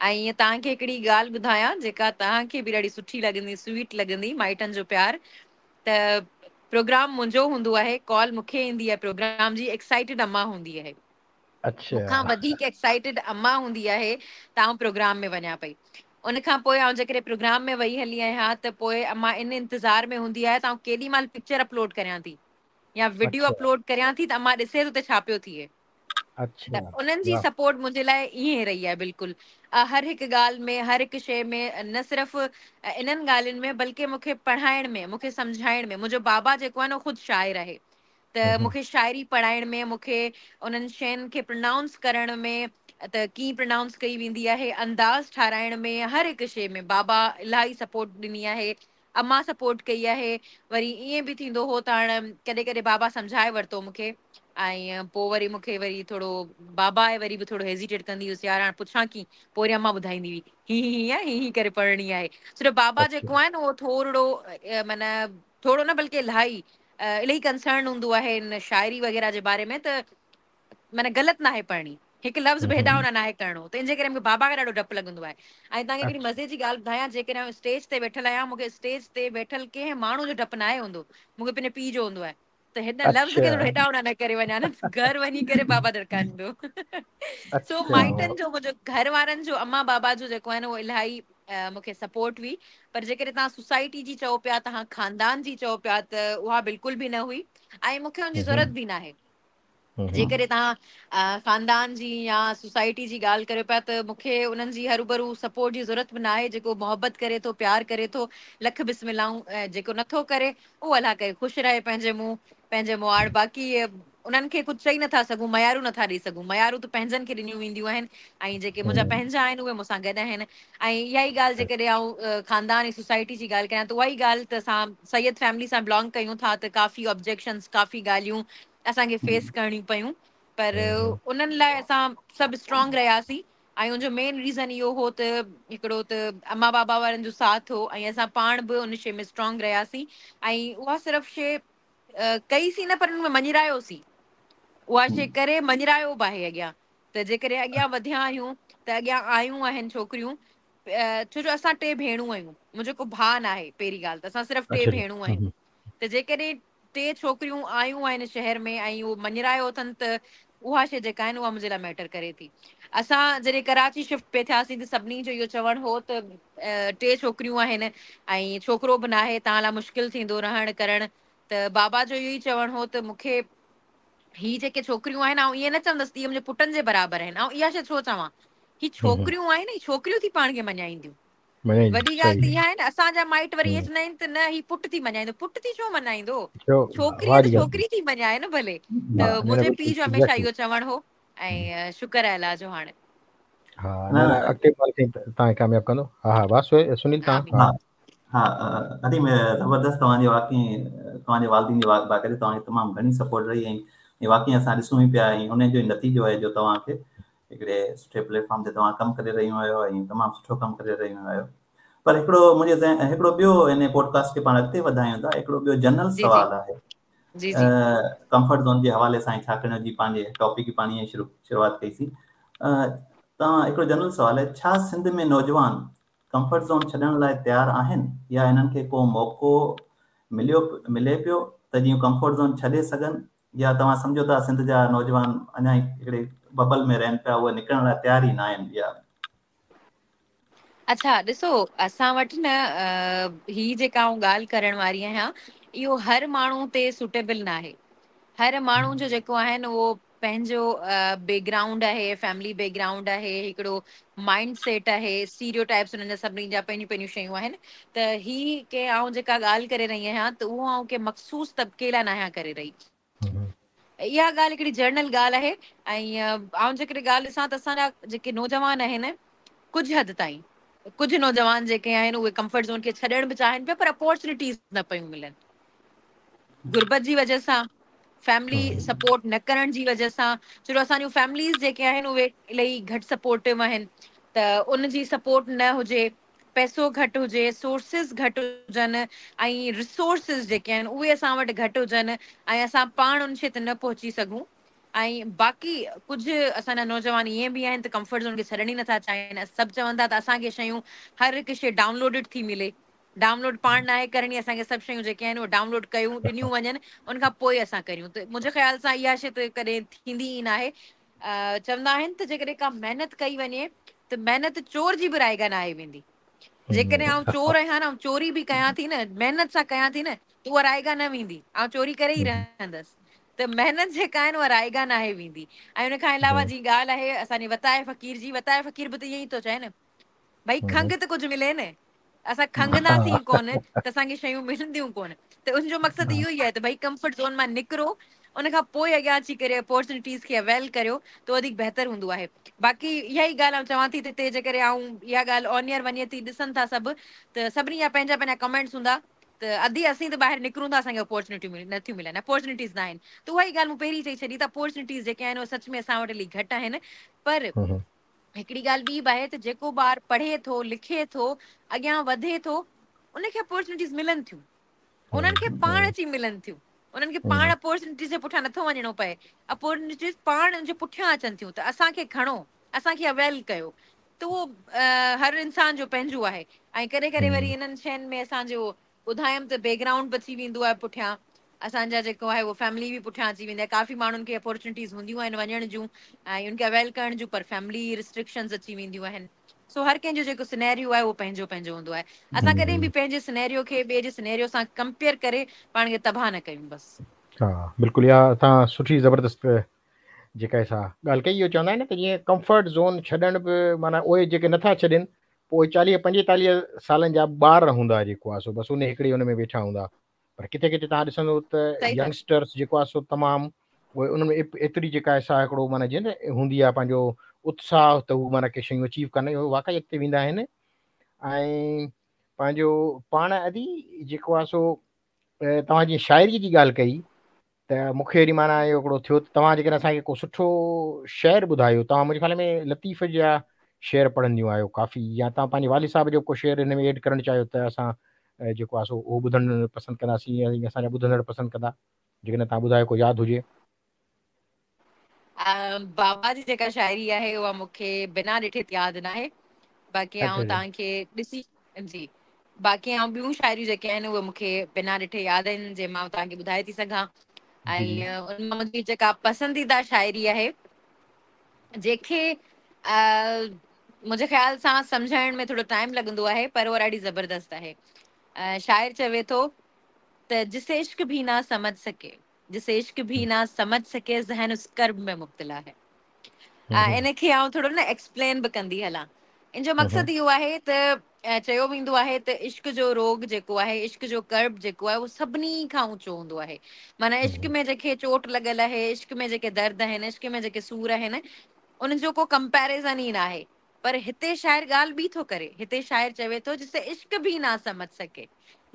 ۽ ائين توهان کي هڪڙي ڳالهه ٻڌايان جيڪا توهان کي به ڏاڍي سٺي لڳندي سويٽ لڳندي مائٽن جو پيار ته پروگرام منهنجو هوندو آهي، ڪال مون کي ايندي آهي پروگرام جي، ايڪسائيٽيڊ اما هوندي آهي. اڇا مون کان وڌيڪ ايڪسائيٽيڊ اما هوندي آهي ته آئون پروگرام ۾ وڃان پئي. ان کان پوءِ آئون جيڪڏهن پروگرام ۾ وئي هلي آهيان ته پوءِ اما ان انتظار ۾ هوندي آهي ته آئون ڪيڏي مهل پڪچر اپلوڊ ڪريان ٿي يا وڊيو اڇا اپلوڊ ڪريان ٿي ته اما ڏسي ته اتي ڇا پيو ٿئي. ته اڇا انهن جي واهه سپورٽ منهنجي لاءِ ائين رهي آهي بلڪل. هر هڪ ڳالهه ۾ هر هڪ شيءِ ۾ نه صرف انهن ڳالهين ۾ بلڪه مون کي پڙهائڻ ۾ مون کي سمجهائڻ ۾ منهنجو بابا جيڪو آهي نه اهو خود شاعر آهي ته همم همم مون کي شاعري پڙهائڻ ۾ مون کي انهن شين کي پرونائونس ڪرڻ ۾ ته ڪيئن پرونائونس ڪئي ويندي آهي انداز ٺاراهڻ ۾ هر هڪ شيءِ ۾ بابا الاهي سپورٽ ڏني آهي، اما سپورٽ ڪئي آهي. وري ائين به ٿيندو هو ته هاڻي ڪڏهن ڪڏهن بابا سمجهائي ورتو مون کي ۽ پوءِ وري مون کي وري ٿورو بابا آهي وري به ٿورو هيزيٽيٽ ڪندي هيس يار هاڻي پڇان ڪيئن پوءِ وري اما ٻڌائيندي هئي هي هي هيئن آهي هي هي ڪري پڙهڻي آهي. صرف بابا اڇا جيڪو آهي نه اهو ٿورو معنيٰ ٿورو نه بلڪه الاهي الاهي ڪنسرن هوندو آهي هن شاعري وغيره جي باري ۾ ته معنيٰ غلط نه آهي پڙهڻي، هڪ لفظ همم به هيڏان همم هوڏان نه آهي ڪرڻو ته ان جي ڪري مون کي بابا کان ڏاڍو ڊپ لڳندو آهي. ۽ توهان کي هڪڙي اڇا مزي جي ڳالهه ٻڌايان جيڪڏهن آئون اسٽيج تي ويٺل آهيان مون کي اسٽيج تي ويٺل ڪنهن ماڻهو جو ڊپ نه آهي هوندو، مون کي پنهنجي پيءُ جو هوندو آهي. ته هن لفظ کي ٿورو هيڏانهن هوڏانهن نه ڪري وڃان نه گهر وڃي ڪري بابا دڙڪا ڏيندو. سو مائٽن جو منهنجو گهر وارن جو اما بابا جو جيڪو آهي نه اهو الاهي مون کي سپورٽ هئي. پر جيڪڏهن توهان سوسائٽي جي چئو پيا توهان خاندان جي چئو پيا ته اها بلڪل به نه هئي ۽ مون کي ان جي ضرورت به ناهي. جيڪڏهن توهان خاندان جي يا سوسائٽي جي ڳالهه ڪريو پيا ته مون کي انهن جي هروڀرو سپورٽ جي ضرورت به ناهي. جيڪو محبت ڪري ٿو پيار ڪري ٿو لک بسم اللهون، جيڪو نٿو ڪري اهو الله ڪري خوش رهي پنهنجي منهن پنهنجي مواڙ. باقي انهن کي ڪجهه چئي نٿا سگهون، ميارون نٿا ڏئي سگهون. ميارون ته پنهنجن کي ڏنيون وينديون آهن ۽ جيڪي منهنجا پنهنجا آهن اهي مون سان گڏ آهن. ۽ اها ئي ڳالهه جيڪڏهن آئون خاندان ۽ سوسائٽي جي ڳالهه ڪريان ته اها ئي ڳالهه ته اسان سيد فيملي سان بلانگ ڪيون ٿا ته ڪافي آبجيڪشنس ڪافي ڳالهيون اسان کي فيس ڪرڻيون پيون، پر انهن لاء اسان سڀ اسٽرانگ رهياسين. ۽ ان جو مين ريزن اهو هو ته هڪڙو ته اما بابا وارن جو ساٿ هو ۽ اسان پاڻ به ان شيء ۾ اسٽرانگ رهياسين. ۽ اها صرف شيء ڪئيسين نه پر ان ۾ مڃرايوسين، اها شيء ڪري مڃرايو به آهي اڳيان ته جيڪڏهن اڳيان وڌيا آهيون ته اڳيان آيون آهن ڇوڪريون. ڇو جو اسان ٽي ڀيڻون آهيون، منهنجو ڪو ڀاء نه آهي. پهرين ڳالهه ته اسان صرف ٽي ڀيڻون آهيون ته جيڪڏهن ٽي ڇوڪريون آيون آهن شهر ۾ ۽ اهو مڃرايو اٿن ته اها شيء جيڪا آهي نه اها منهنجي لاء ميٽر ڪري ٿي. اسان جڏهن ڪراچي شفٽ پئي ٿياسين ته سڀني جو اهو چوڻ هو ته ٽي ڇوڪريون آهن ۽ ڇوڪرو به ناهي، توهان لاء مشڪل ٿيندو رهڻ ڪرڻ. ته بابا جو اهو ئي چوڻ هو ته مون کي هي جيڪي ڇوڪريون آهن آئون ائين نه چوندس ته اهي منهنجي پٽن جي برابر آهن، آئون اها شيء ڇو چوان، هي ڇوڪريون آهن هي ڇوڪريون ٿي پاڻ کي مڃائينديون. وڏي ڳالهه ته اها آهي نه اسان جا مائٽ وري ائين چوندا آهن ته نه هي پٽ ٿي مڃائيندو. پٽ ٿي ڇو مڃائيندو، ڇوڪري ته ڇوڪري ٿي مڃائي نه ڀلي. ته منهنجي پيء جو هميشه اهو چوڻ هو ۽ شڪر آهي الله جو هاڻي. ها نه نه اڳتي توهان ڪامياب ڪندو. ها ها بس سنيل توهان. ها ها ادي زبردست توهان جي واقعي توهان جي والدين جي باقاعده توهان کي تمام گهڻي سپورٽ رهي ۽ واقعي اسان ڏسون ئي پيا ۽ ان جو ئي نتيجو آهي جو توهان کي هڪڙي سٺي پليٽ فارم تي توهان ڪم ڪري رهيون آهيو ۽ تمام سٺو ڪم ڪري رهيون آهيو. پر هڪڙو منهنجي ذهن هڪڙو ٻيو ان پوڊڪاسٽ کي پاڻ اڳتي وڌايون ٿا، هڪڙو ٻيو جنرل سوال آهي ڪمفرٽ زون جي حوالي سان ڇاڪاڻ جي پنهنجي ٽاپڪ پاڻ ئي شروع شروعات ڪئي سين. توهان هڪڙو جنرل سوال آهي، ڇا سنڌ ۾ نوجوان ڪمفرٽ زون ڇڏڻ لاء تيار آهن يا انهن کي ڪو موقعو مليو ملي پيو ته جيئن ڪمفرٽ زون ڇڏي سگهن، يا توهان سمجهو ٿا سنڌ جا نوجوان اڃا ئي هڪڙي ببل ۾ رهن پيا، اهي نڪرڻ لاء تيار ئي نه آهن يا؟ اڇا ڏسو اسان وٽ نه هي جيڪا آئون ڳالهه ڪرڻ واري آهيان اهو هر ماڻهو تي سوٽيبل ناهي. هر ماڻهو جو جيڪو آهي نه اهو پنهنجو بيڪ گرائونڊ آهي، فيملي بيڪ گرائونڊ آهي، هڪڙو مائنڊ سيٽ آهي، اسٽيريو ٽائپس انهن جا سڀني جا پنهنجون پنهنجون شيون آهن. ته هي ڪي آئون جيڪا ڳالهه ڪري رهي آهيان ته اهو آئون ڪنهن مخصوص طبقي لاء ناهيان ڪري رهي. اها ڳالهه هڪڙي جنرل ڳالهه آهي. ۽ آئون جيڪڏهن ڳالهه ڏسان ته اسان جا جيڪي نوجوان آهن ڪجهه حد تائين ڪجهه نوجوان جيڪي آهن اهي ڪمفرٽ زون کي ڇڏڻ به چاهين پيا پر اپورچونيٽيز نه پيون ملن، غربت جي وجه سان، فيملي سپورٽ نه ڪرڻ جي وجه سان. ڇو جو اسان جون فيمليز جيڪي آهن اهي الاهي گهٽ سپورٽو آهن ته ان جي سپورٽ نه هجي، پئسو گهٽ هجي، سورسز گهٽ هجن ۽ ريسورسز جيڪي آهن اهي اسان وٽ گهٽ هجن ۽ اسان پاڻ ان شيء تي نه پهچي سگهون. ۽ باقي ڪجهه اسان جا نوجوان ائين به آهن ته ڪمفرٽ زون کي ڇڏڻ ئي نٿا چاهين. سڀ چون ٿا ته اسان کي شيون هر هڪ شيء ڊائونلوڊڊ ٿي ملي، ڊائونلوڊ پاڻ ناهي ڪرڻي، اسان کي سڀ شيون جيڪي آهن اهي ڊائونلوڊ ڪيون ڏنيون وڃن ان کان پوء اسان ڪريون. ته منهنجي خيال سان اها شيء ته ڪڏهن ٿيندي ئي ناهي. چوندا آهن ته جيڪڏهن ڪا محنت ڪئي وڃي ته محنت چور جي به رائيگان ناهي ويندي. جيڪڏهن آئون چور آهيان نه، آئون چوري به ڪيان ٿي نه، محنت سان ڪيان ٿي نه، ته اها رائيگان نه ويندي، آئون چوري ڪري ئي رهندس. ته محنت جيڪا آهي نه اها رائيگان ناهي ويندي. ۽ ان کان علاوه جي ڳالهه آهي اسان جي وتائي فقير جي، وتائي فقير به ته ائين ئي ٿو چئي نه، ڀئي کنگهه ته ڪجهه ملي نه، اسان کنگهنداسين ڪونه ته اسان کي شيون ملنديون ڪونه. ته ان جو مقصد اهو ئي آهي ته ڀئي ڪمفرٽ زون مان نڪرو، ان کان پوء اڳيان اچي ڪري اپورچونيٽيز کي اويل ڪريو ته وڌيڪ بهتر هوندو آهي. باقي اها ئي ڳالهه آئون چوان ٿي ته هتي جيڪڏهن آئون اها ڳالهه آن ايئر وڃي ٿي ڏسن ٿا سڀ ته سڀني جا پنهنجا پنهنجا ڪمينٽس هوندا ته ادي اسين ته ٻاهر نڪرون ٿا اسان کي اپورچونيٽيون نٿيون ملن، اپورچونيٽيز نه آهن. ته اها ئي ڳالهه مون پهرين چئي ڇڏي ته اپورچونيٽيز جيڪي آهن اهي سچ ۾ اسان وٽ الائي گهٽ آهن. پر هڪڙي ڳالهه ٻي به آهي ته جيڪو ٻار پڙهي ٿو، لکي ٿو، اڳيان وڌي ٿو، ان کي اپورچونيٽيز ملن ٿيون، انهن کي پاڻ اچي ملن ٿيون، انهن کي پاڻ اپورچونيٽيز جي پٺيان نٿو وڃڻو پئي، اپورچونيٽيز پاڻ ان جي پٺيان اچن ٿيون ته اسان کي کڻو، اسان کي اويل ڪيو. ته اهو هر انسان جو پنهنجو آهي. ۽ ڪڏهن ڪڏهن وري انهن شين ۾ اسان جو ٻڌايم ته بيڪ گرائونڊ به اچي ويندو آهي پٺيان، اسان جا جيڪو آهي اهو فيملي به پٺيان اچي ويندي آهي. ڪافي ماڻهن کي اپورچونٽيز هونديون آهن وڃڻ جون ۽ ان کي اويل ڪرڻ جون، پر فيملي ريسٽرڪشنز اچي وينديون آهن. سو هر ڪنهن جو جيڪو سنيريو آهي اهو پنهنجو پنهنجو هوندو آهي. اسان ڪڏهن به پنهنجي سنيريو کي ٻئي جي سنيريو سان ڪمپيئر ڪري پاڻ کي تباهه نه ڪيون بس. ها بلڪل اها توهان سٺي زبردست جيڪا سا ڳالهه ڪئي. اهو چوندا آهن نه ته جيئن ڪمفرٽ زون ڇڏڻ به معنيٰ اهي جيڪي نٿا ڇڏين پوء اهي 40 45 سالن جا ٻار هوندا جيڪو آهي سو بس ان هڪڙي ان ۾ ويٺا هوندا، پر ڪٿي ڪٿي توهان ڏسندو ته ينگسٽرس جيڪو آهي سو تمام اهي انهن ۾ ايتري جيڪا آهي سا هڪڙو معنيٰ جيئن نه هوندي آهي پنهنجو اتساهه ته هو معنيٰ ڪي شيون اچيو ڪن، اهي واقعي اڳتي ويندا آهن. ۽ پنهنجو پاڻ ادي جيڪو آهي سو توهان جيئن شاعري جي ڳالهه ڪئي ته مون کي وري معنيٰ اهو هڪڙو ٿيو ته توهان جيڪڏهن اسان کي ڪو سٺو شعر ٻڌايو، توهان منهنجي خيال ۾ لطيف جا شعر پڙهنديون آهيو ڪافي، يا توهان پنهنجي والد صاحب جو ڪو شعر هن ۾ ايڊ ڪرڻ چاهيو ته اسان جيڪو آهي سو اهو ٻڌڻ پسند ڪنداسين ۽ اسان جا ٻڌندڙ پسند ڪندا، جيڪڏهن توهان ٻڌايو ڪو ياد هجي. بابا جي جيڪا شاعري آهي اها مون کي بنا ڏٺي ياد ناهي، باقي آئون توهان کي ڏسي جي باقي آئون ٻيون شاعريون جيڪي آهن اهي مون کي بنا ڏٺي ياد آهن جي مان توهان کي ٻڌائي ٿي سگهان. ۽ ان مان منهنجي جيڪا پسنديده شاعري آهي جيڪي منهنجي خيال سان سمجهائڻ ۾ ٿورو ٽائيم لڳندو آهي پر اها ڏاڍي زبردست آهي. شاعر چوي ٿو ته جسي عشق ڀي نا سمجه سڪي، جسي عشق ڀي نا سمجه سڪي، ذهن اس ڪرب ۾ مبتلا هي. ان کي آئون ٿورو نه ايڪسپلين به ڪندي هلان. ان جو مقصد اهو آهي ته چيو ويندو آهي ته عشق جو روڳ جيڪو آهي، عشق جو ڪرب جيڪو آهي، اهو سڀني کان اوچو هوندو آهي. معنيٰ عشق ۾ جيڪي چوٽ لڳل آهي، عشق ۾ جيڪي درد آهن، عشق ۾ جيڪي سور آهن، ان جو ڪو ڪمپيريزن ئي ناهي. پر هتي شاعر ڳالهه ٻي ٿو ڪري. هتي شاعر چوي ٿو جسي عشق ڀي نا سمجه سڪي،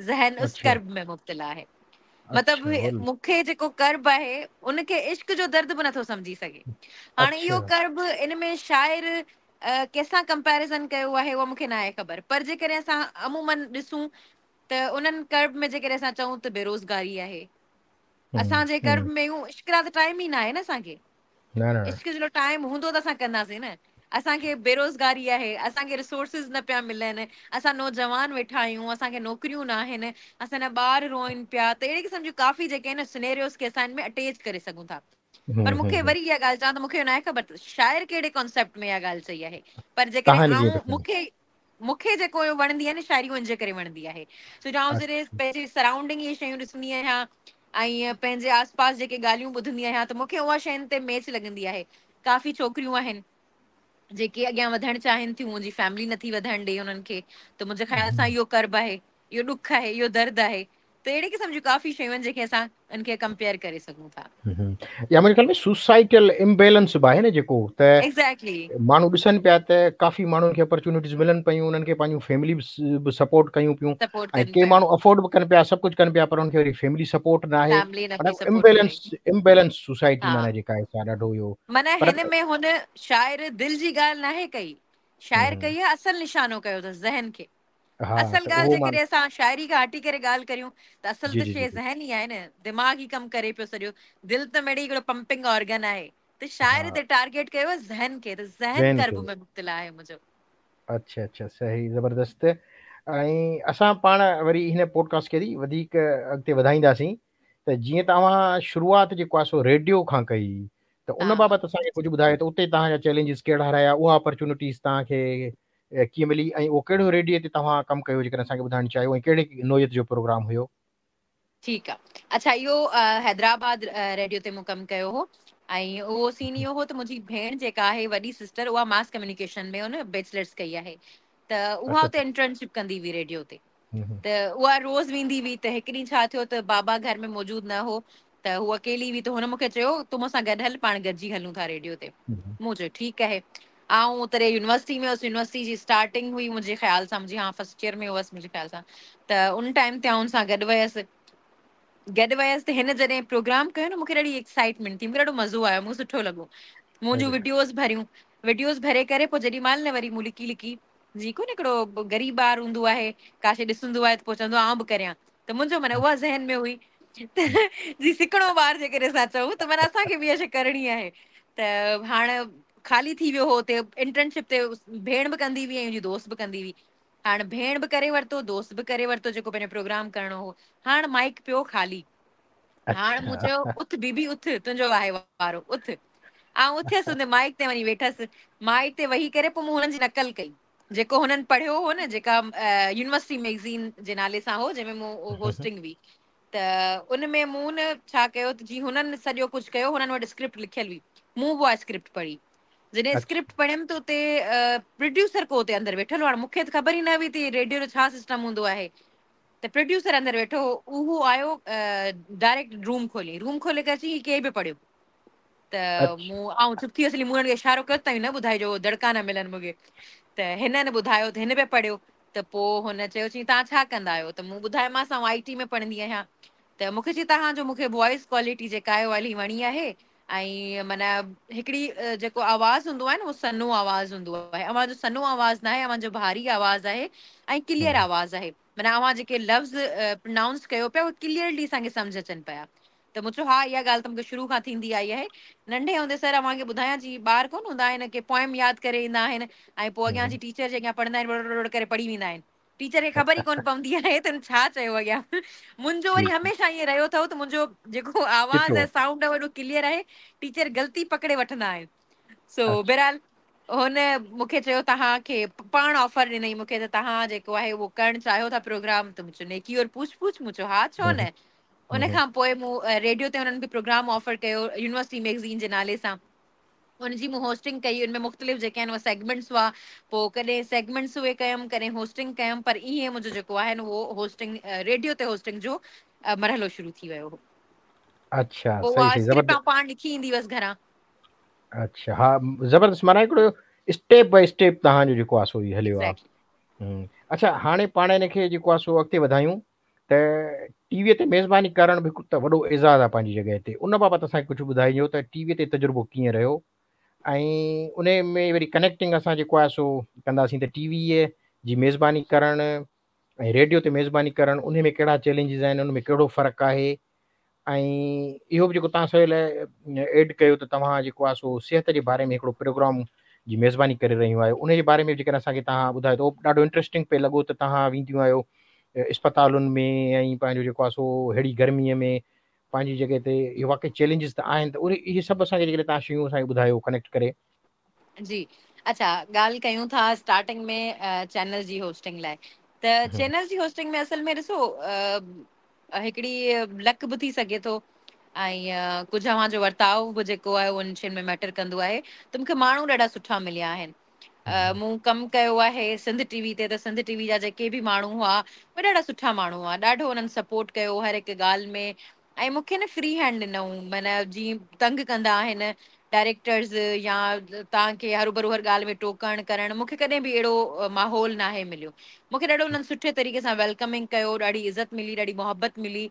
ذهن اس ڪرب ۾ مبتلا آهي. مطلب مون کي جيڪو ڪرب آهي ان کي عشق جو درد به نٿو سمجهي سگهي. هاڻي اهو ڪرب ان ۾ شاعر ڪنهن سان ڪمپيريزن ڪيو آهي اها مون کي ناهي خبر، پر جيڪڏهن اسان عمومن ڏسون ته انهن ڪرب ۾ جيڪڏهن اسان چئون ته بيروزگاري آهي، اسان جي ڪرب ۾ عشق لاء ته ٽائيم ئي ناهي نه اسان کي. عشق جو ٽائيم هوندو ته اسان ڪنداسين نه. اسان کي بيروزگاري آهي، اسان کي ريسورسز نه پيا ملن، اسان نوجوان ويٺا آهيون، اسان کي نوڪريون نه آهن، اسان جا ٻار روئن پيا، ته اهڙي قسم جون ڪافي جيڪي آهن سنيريوز کي اسان ان ۾ اٽيچ ڪري سگهون ٿا. پر مون کي وري اها ڳالهه چوان ته مون کي اهو ناهي خبر ته شاعر ڪهڙي ڪانسيپٽ ۾ اها ڳالهه چئي آهي، پر جيڪڏهن آئون مون کي جيڪو اهو وڻندي آهي نه شاعري ان جي ڪري وڻندي آهي. ڇو جو آئون جڏهن پنهنجي سرائونڊنگ اهي شيون ڏسندي آهيان ۽ پنهنجي آس پاس جيڪي ڳالهيون ٻڌندي آهيان ته مون کي اها شين تي ميچ لڳندي آهي. ڪافي ڇوڪريون آهن جيڪي اڳيان وڌڻ چاهين ٿيون، منهنجي فيملي نٿي وڌڻ ڏي انهن کي، ته منهنجي خيال سان اهو ڪرب آهي، اهو ڏک آهي، اهو درد آهي. ته اهڙي قسم جون ڪافي شيون آهن جيڪي اسان ان کي ڪمپيئر ڪري سگهون ٿا. يا منهنجي خيال ۾ سوسائيٽل امبيلنس به آهي نه جيڪو ته ايگزيڪٽلي ماڻهو ڏسن پيا ته ڪافي ماڻهن کي اپرچونٽيز ملن پيون، انهن کي پنهنجون فيملي به سپورٽ ڪيون پيون سپورٽ ۽ ڪن ڪي پيون، ماڻهو افورڊ به ڪن پيا، سڀ ڪجهه ڪن پيا، پر انهن کي وري فيملي سپورٽ نه آهي. فيملي نه پئي معنيٰ سپورٽ ڪري. امبيلنس سوسائٽي ها معنيٰ جيڪا آهي سا ڏاڍو اهو معنيٰ پر هن ۾ هن شاعر دل جي ڳالهه ناهي ڪئي، شاعر ڪئي آهي اصل نشانو ڪيو اٿس ذهن کي. ها اصل ته ڳالهه اهو مان جيڪڏهن اسان شاعري کان هٽي ڪري ڳالهه ڪريون ته اصل جي ته جي شيء جي جي ذهن ئي آهي نه، دماغ ئي ڪم ڪري پيو سڄو، دل ته مڙئي هڪڙو پمپنگ آرگن آهي، ته ها شاعر هتي ٽارگيٽ ڪيو آهي ذهن کي ته ذهن ذهن ڪرب کي ۾ مبتلا آهي منهنجو. اڇا اڇا صحيح زبردست. ۽ اسان پاڻ وري هن پوڊڪاسٽ کي وڌيڪ اڳتي وڌائينداسين ته جيئن ته اوهان شروعات جيڪو آهي سو ريڊيو کان ڪئي ته ان بابت اسان کي ڪجهه ٻڌايو ته اتي توهان جا چئلينجز ڪهڙا رهيا، اها اپرچونٽيز توهان کي ڪيئن ملي ۽ اهو ڪهڙو ريڊيو تي توهان ڪم ڪيو جيڪڏهن اسان کي ٻڌائڻ چاهيو ۽ ڪهڙي نوعيت جو پروگرام هيو؟ ٺيڪ آ. اڇا اهو حيدرآباد ريڊيو تي مون ڪم ڪيو هو ۽ اهو سين اهو هو ته منهنجي ڀيڻ جيڪا آهي وڏي سسٽر اها ماس ڪميونيڪيشن ۾ ان بيچلرس ڪئي آهي ته اها اتي انٽرنشپ ڪندي هئي ريڊيو تي، ته اها روز ويندي هئي. ته هڪ ڏينهن ڇا ٿيو ته بابا گهر ۾ موجود نه هو ته هوء اڪيلي هئي، ته هن مون کي چيو تون مون سان گڏ هل، پاڻ گڏجي هلون ٿا ريڊيو تي. مون چيو ٺيڪ آهي. آئون تڏهن يونيورسٽي ۾ هئس، يونيورسٽي جي اسٽارٽنگ هئي منهنجي خيال سان، منهنجي ها فرسٽ ايئر ۾ هئس منهنجي خيال سان، ته ان ٽائيم تي آئون ان سان گڏ ويس. گڏ ويس ته هن جڏهن پروگرام ڪيو نه، مون کي ڏاڍي ايڪسائٽمينٽ ٿي، مون کي ڏاڍو مزو آيو، مون کي سٺو لڳو. مون جون وڊيوز ڀريون، وڊيوز ڀري ڪري پوء جيڏي مهل نه وري مون لڪي لڪي، جي ڪونه هڪڙو غريب ٻار هوندو آهي، ڪا شيء ڏسندو آهي ته پوء چوندو آهي آئون به ڪريان، ته منهنجو معنيٰ اها ذهن ۾ هئي ته جي سڪڻو ٻار جيڪڏهن اسان چئون ته معنيٰ اسان کي به اها شيء ڪرڻي آهي. ته هاڻ خالي ٿي ويو هو اتي انٽرنشپ تي، ڀيڻ به ڪندي هئي ۽ منهنجي دوست به ڪندي هئي. هاڻ ڀيڻ به ڪري ورتو، دوست به ڪري ورتو جيڪو پنهنجو پروگرام ڪرڻو هو. هاڻ مائيڪ پيو خالي. هاڻ مون چيو اٿ بيبي اٿ، تنهنجو آهي وارو، اٿ. آئون اٿيس ان مائيڪ تي وڃي ويٺس. مائيڪ تي ويهي ڪري پوءِ مون هنن جي نقل ڪئي. جيڪو هنن پڙهيو هو نه، جيڪا يونيورسٽي ميگزين جي نالي سان هو، جنهن ۾ مون هوسٽنگ هئي، ته ان ۾ مون نه ڇا ڪيو ته جي هنن سڄو ڪجهه ڪيو، هنن وٽ اسڪرپٽ لکيل هئي، مون به اها اسڪرپٽ پڙهي. جڏهن اسڪرپٽ پڙهيم ته اتي پروڊيوسر ڪو اتي اندر ويٺل هو. هاڻي مون کي ته خبر ئي نه هئي ته ريڊيو جو ڇا سسٽم هوندو آهي. ته پروڊيوسر اندر ويٺو هو، اهو آيو ڊائريڪٽ روم کولي، روم کولي ڪري چئي هي ڪنهن پيو پڙهيو؟ ته مون آئون چپ ٿي ويس، مون هن کي اشارو ڪيو ته نه ٻڌائجو، دڙڪا نه ملن مون کي. ته هنن ٻڌايو ته هن پيو پڙهيو. ته پوءِ هن چيو، چئي توهان ڇا ڪندا آهيو؟ ته مون ٻڌايومانس آئون I ٽي ۾ پڙهندي آهيان. ته مون کي چئي توهان جو مون کي وائس ڪوالٽي جيڪا آهي اها الاهي وڻي آهي، ۽ معنيٰ هڪڙي جيڪو آواز هوندو آهي نه اهو سنهو آواز هوندو آهي، اوهان جو سنهو آواز نه آهي، اوهان جو ڀاري آواز آهي ۽ ڪليئر آواز آهي، معنيٰ اوهان جيڪي لفظ پرنائونس ڪيو پيا اهي ڪليئرلي اسان کي سمجهه اچن پيا. ته مون چيو ها اها ڳالهه ته مون کي شروع کان ٿيندي آئي آهي. ننڍي هوندي سر اوهان کي ٻڌايان، جي ٻار ڪونه هوندا آهن ڪي پوئم ياد ڪري ايندا آهن ۽ پوءِ اڳيان اچي ٽيچر جي اڳيان پڙهندا آهن، بڙ بڙ ڪري پڙهي ويندا آهن، ٽيچر کي خبر ئي ڪونه پوندي آهي ته هن ڇا چيو اڳيان. منهنجو وري هميشه ائين رهيو اٿو ته منهنجو جيڪو آواز ۽ سائونڊ آهي ايڏو ڪليئر آهي، ٽيچر غلطي پڪڙي وٺندا آهن. سو بهرحال هن مون کي چيو توهان کي پاڻ آفر ڏنئي مون کي ته توهان جيڪو آهي اهو ڪرڻ چاهيو ٿا پروگرام؟ ته مون چيو نيڪي اور پوڇ پوڇ، مون چيو ها ڇو نه. ان کان پوءِ مون ريڊيو تي هنن کي پروگرام آفر ڪيو يونيورسٽي ميگزين جي نالي سان، ان جي مون هوسٽنگ ڪئي. ان ۾ مختلف جيڪي آهن اهي سيگمينٽس هئا، پوءِ ڪڏهن سيگمينٽس اهي ڪيم، ڪڏهن هوسٽنگ ڪيم، پر ائين منهنجو جيڪو آهي نه اهو هوسٽنگ ريڊيو تي هوسٽنگ جو مرحلو شروع ٿي ويو هو. اڇا، پوءِ اها اسڪرپٽ آئون پاڻ لکي ايندي هئس گهران. اڇا، ها زبردست، معنيٰ هڪڙو اسٽيپ باءِ اسٽيپ توهان جو جيڪو آهي سو هليو آهي. اڇا، هاڻي پاڻ هن کي جيڪو آهي سو اڳتي وڌايون ته ٽي ويء تي ميزباني ڪرڻ به هڪ ته وڏو اعزاز آهي پنهنجي جڳهه تي، ان بابت اسان کي ڪجهه ٻڌائجو ته ٽي ويء تي تجربو ڪيئن رهيو ۽ ان ۾ وري ڪنيڪٽنگ اسان جيڪو آهي سو ڪنداسين ته ٽي ويء جي ميزباني ڪرڻ ۽ ريڊيو تي ميزباني ڪرڻ ان ۾ ڪهڙا چئلينجز آهن، ان ۾ ڪهڙو فرق آهي، ۽ اهو به جيڪو توهان سهيل ايڊ ڪيو ته توهان جيڪو آهي سو صحت جي باري ۾ هڪڙو پروگرام جي ميزباني ڪري رهيون آهيو، ان جي باري ۾ جيڪڏهن اسان کي توهان ٻڌايو ته اهو ڏاڍو انٽريسٽنگ پئي لڳو ته توهان وينديون آهيو اسپتالن ۾ ۽ پنهنجو جيڪو آهي سو ههڙي گرميء ۾ پنهنجي جڳهه تي اهو واقعي چئلينجز ته آهن، ته اهي سڀ اسان کي جيڪڏهن توهان شيون اسان کي ٻڌايو ڪنيڪٽ ڪري. جي اڇا، ڳالهه ڪيون ٿا اسٽارٽنگ ۾ چينل جي هوسٽنگ لاءِ، ته چينل جي هوسٽنگ ۾ اصل ۾ ڏسو هڪڙي لڪ به ٿي سگهي ٿو ۽ ڪجهه اوهان جو ورتاءُ به جيڪو آهي اهو ان شين ۾ ميٽر ڪندو آهي. ته مون کي ماڻهو ڏاڍا سٺا مليا آهن. مون ڪم ڪيو آهي سنڌ ٽي وي تي، ته سنڌ ٽي وي جا جيڪي به ماڻهو هئا اهي ڏاڍا سٺا ماڻهو هئا، ڏاڍو انهن سپورٽ ڪيو هر هڪ ڳالهه ۾، ۽ مون کي نه فري هينڊ ڏنئون، معنيٰ جيئن تنگ ڪندا آهن ڊائريڪٽرز يا توهان کي هروڀرو هر ڳالهه ۾ ٽوڪڻ ڪرڻ، مون کي ڪڏهن به اهڙو ماحول ناهي مليو. مون کي ڏاڍو انهن سٺي طريقي سان ويلڪمنگ ڪيو، ڏاڍي عزت ملي، ڏاڍي محبت ملي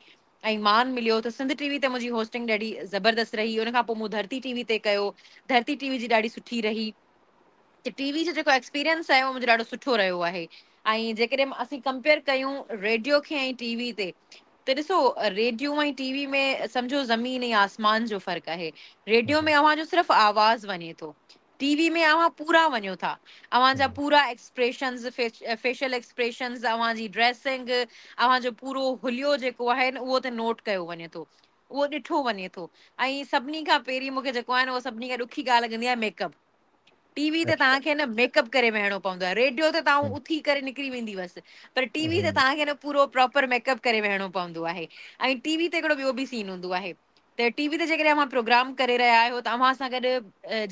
۽ مان مليو. ته سنڌ ٽي وي تي منهنجي هوسٽنگ ڏاڍي زبردست رهي. ان کان پوءِ مون ڌرتي ٽي وي تي ڪيو، ڌرتي ٽي وي جي ڏاڍي سٺي رهي. ته ٽي وي جو جيڪو ايڪسپيرينس آهي اهو منهنجو ڏاڍو سٺو رهيو آهي. ۽ جيڪڏهن اسين ڪمپيئر ڪيون ريڊيو کي ۽ ٽي وي تي، ته ڏسو ريڊيو ۽ ٽي وي ۾ سمجهو زمين ۽ آسمان جو فرق آهي. ريڊيو ۾ اوهان جو صرف آواز وڃي ٿو، ٽي وي ۾ اوهان پورا وڃو ٿا، اوهان جا پورا ايڪسپريشنز، فيشل ايڪسپريشنز، اوهان جي ڊريسنگ، اوهان جو پورو حليو جيڪو آهي نه اهو ته نوٽ ڪيو وڃي ٿو، اهو ڏٺو وڃي ٿو. ۽ سڀني کان پهرين مون کي جيڪو آهي نه اهو سڀني کان ڏکي ڳالهه لڳندي آهي ميڪ اپ. ٽي وي تي توهان کي نه ميڪ اپ ڪري ويهڻو پوندو آهي، ريڊيو تي توهان اٿي ڪري نڪري ويندي هئس، پر ٽي وي تي توهان کي نه پورو پراپر ميڪ اپ ڪري ويهڻو پوندو آهي. ۽ ٽي وي تي هڪڙو ٻيو به سين هوندو آهي ته ٽي وي تي جيڪڏهن اوهان پروگرام ڪري رهيا آهيو ته اوهان سان گڏ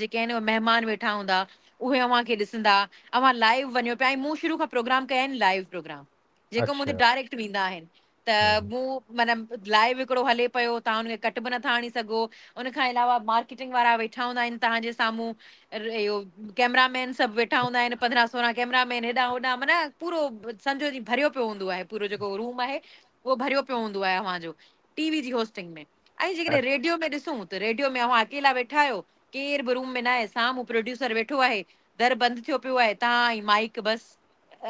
جيڪي آهن اهي مهمان ويٺا هوندا، اهي اوهان کي ڏسندا، اوهان لائيو وڃو پيا. ۽ مون شروع کان پروگرام ڪيا آهن لائيو پروگرام، جيڪو منهنجو ڊائريڪٽ ويندا آهن، ته مون معنيٰ لائيو هڪڙو هلي پيو، توهان ان کي ڪٽ به نٿا هڻي سگهو. ان کان علاوه مارڪيٽنگ وارا ويٺا هوندا آهن توهان جي سامهون، اهو ڪئميرا مين سڀ ويٺا هوندا آهن، 15 16 ڪئميرا مين هيڏان هوڏان، معنيٰ پورو سمجهو جي ڀريو پيو هوندو آهي، پورو جيڪو روم آهي اهو ڀريو پيو هوندو آهي اوهان جو ٽي وي جي هوسٽنگ ۾. ۽ جيڪڏهن ريڊيو ۾ ڏسون ته ريڊيو ۾ اوهان اڪيلا ويٺا آهيو، ڪير به روم ۾ نه آهي، سامهون پروڊيوسر ويٺو آهي، در بند ٿيو پيو آهي، توهان ۽ مائيڪ بس،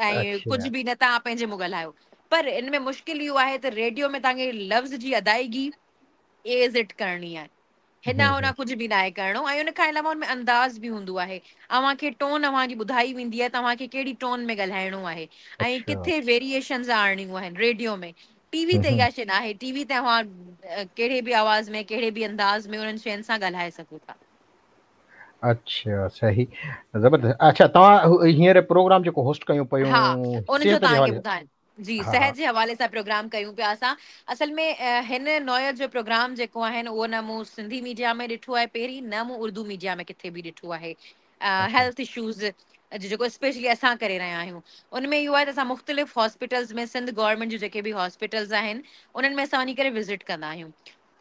۽ ڪجهه به نه، توهان پنهنجي منهن ڳالهايو. پر ان ۾ مشڪل اهو آهي ته ريڊيو ۾ توهان کي لفظ جي ادائگي ايز it ڪرڻي آهي، هيڏان هوڏان ڪجهه به ناهي ڪرڻو. ۽ ان کان علاوه ان ۾ انداز به هوندو آهي، اوهان کي ٽون اوهان جي ٻڌائي ويندي آهي ته اوهان کي ڪهڙي ٽون ۾ ڳالهائڻو آهي ۽ ڪٿي ويريئيشنز آڻڻيون آهن ريڊيو ۾. ٽي وي تي اها شيءِ نه آهي. ٽي وي تي اوهان ڪهڙي به آواز ۾ ڪهڙي به انداز ۾ انهن شين سان ڳالهائي سگهو ٿا. اڇا صحيح زبردست اڇا توهان هينئر پروگرام جيڪو هوسٽ ڪيون پيون ها ان جو توهان کي ٻڌايان جي صحت جي حوالي سان پروگرام ڪيون پيا اسان. اصل ۾ هن نوعيت جو پروگرام جيڪو آهي اهو نه مون سنڌي ميڊيا ۾ ڏٺو آهي پهرين نه مون اردو ميڊيا ۾ ڪٿي به ڏٺو آهي. هيلٿ اشوز جيڪو اسپيشلي اسان ڪري رهيا آهيون ان ۾ اهو آهي ته اسان مختلف هاسپيٽلز ۾ سنڌ گورنمينٽ جون جيڪي به هاسپيٽلز آهن انهن ۾ اسان وڃي ڪري وزٽ ڪندا آهيون.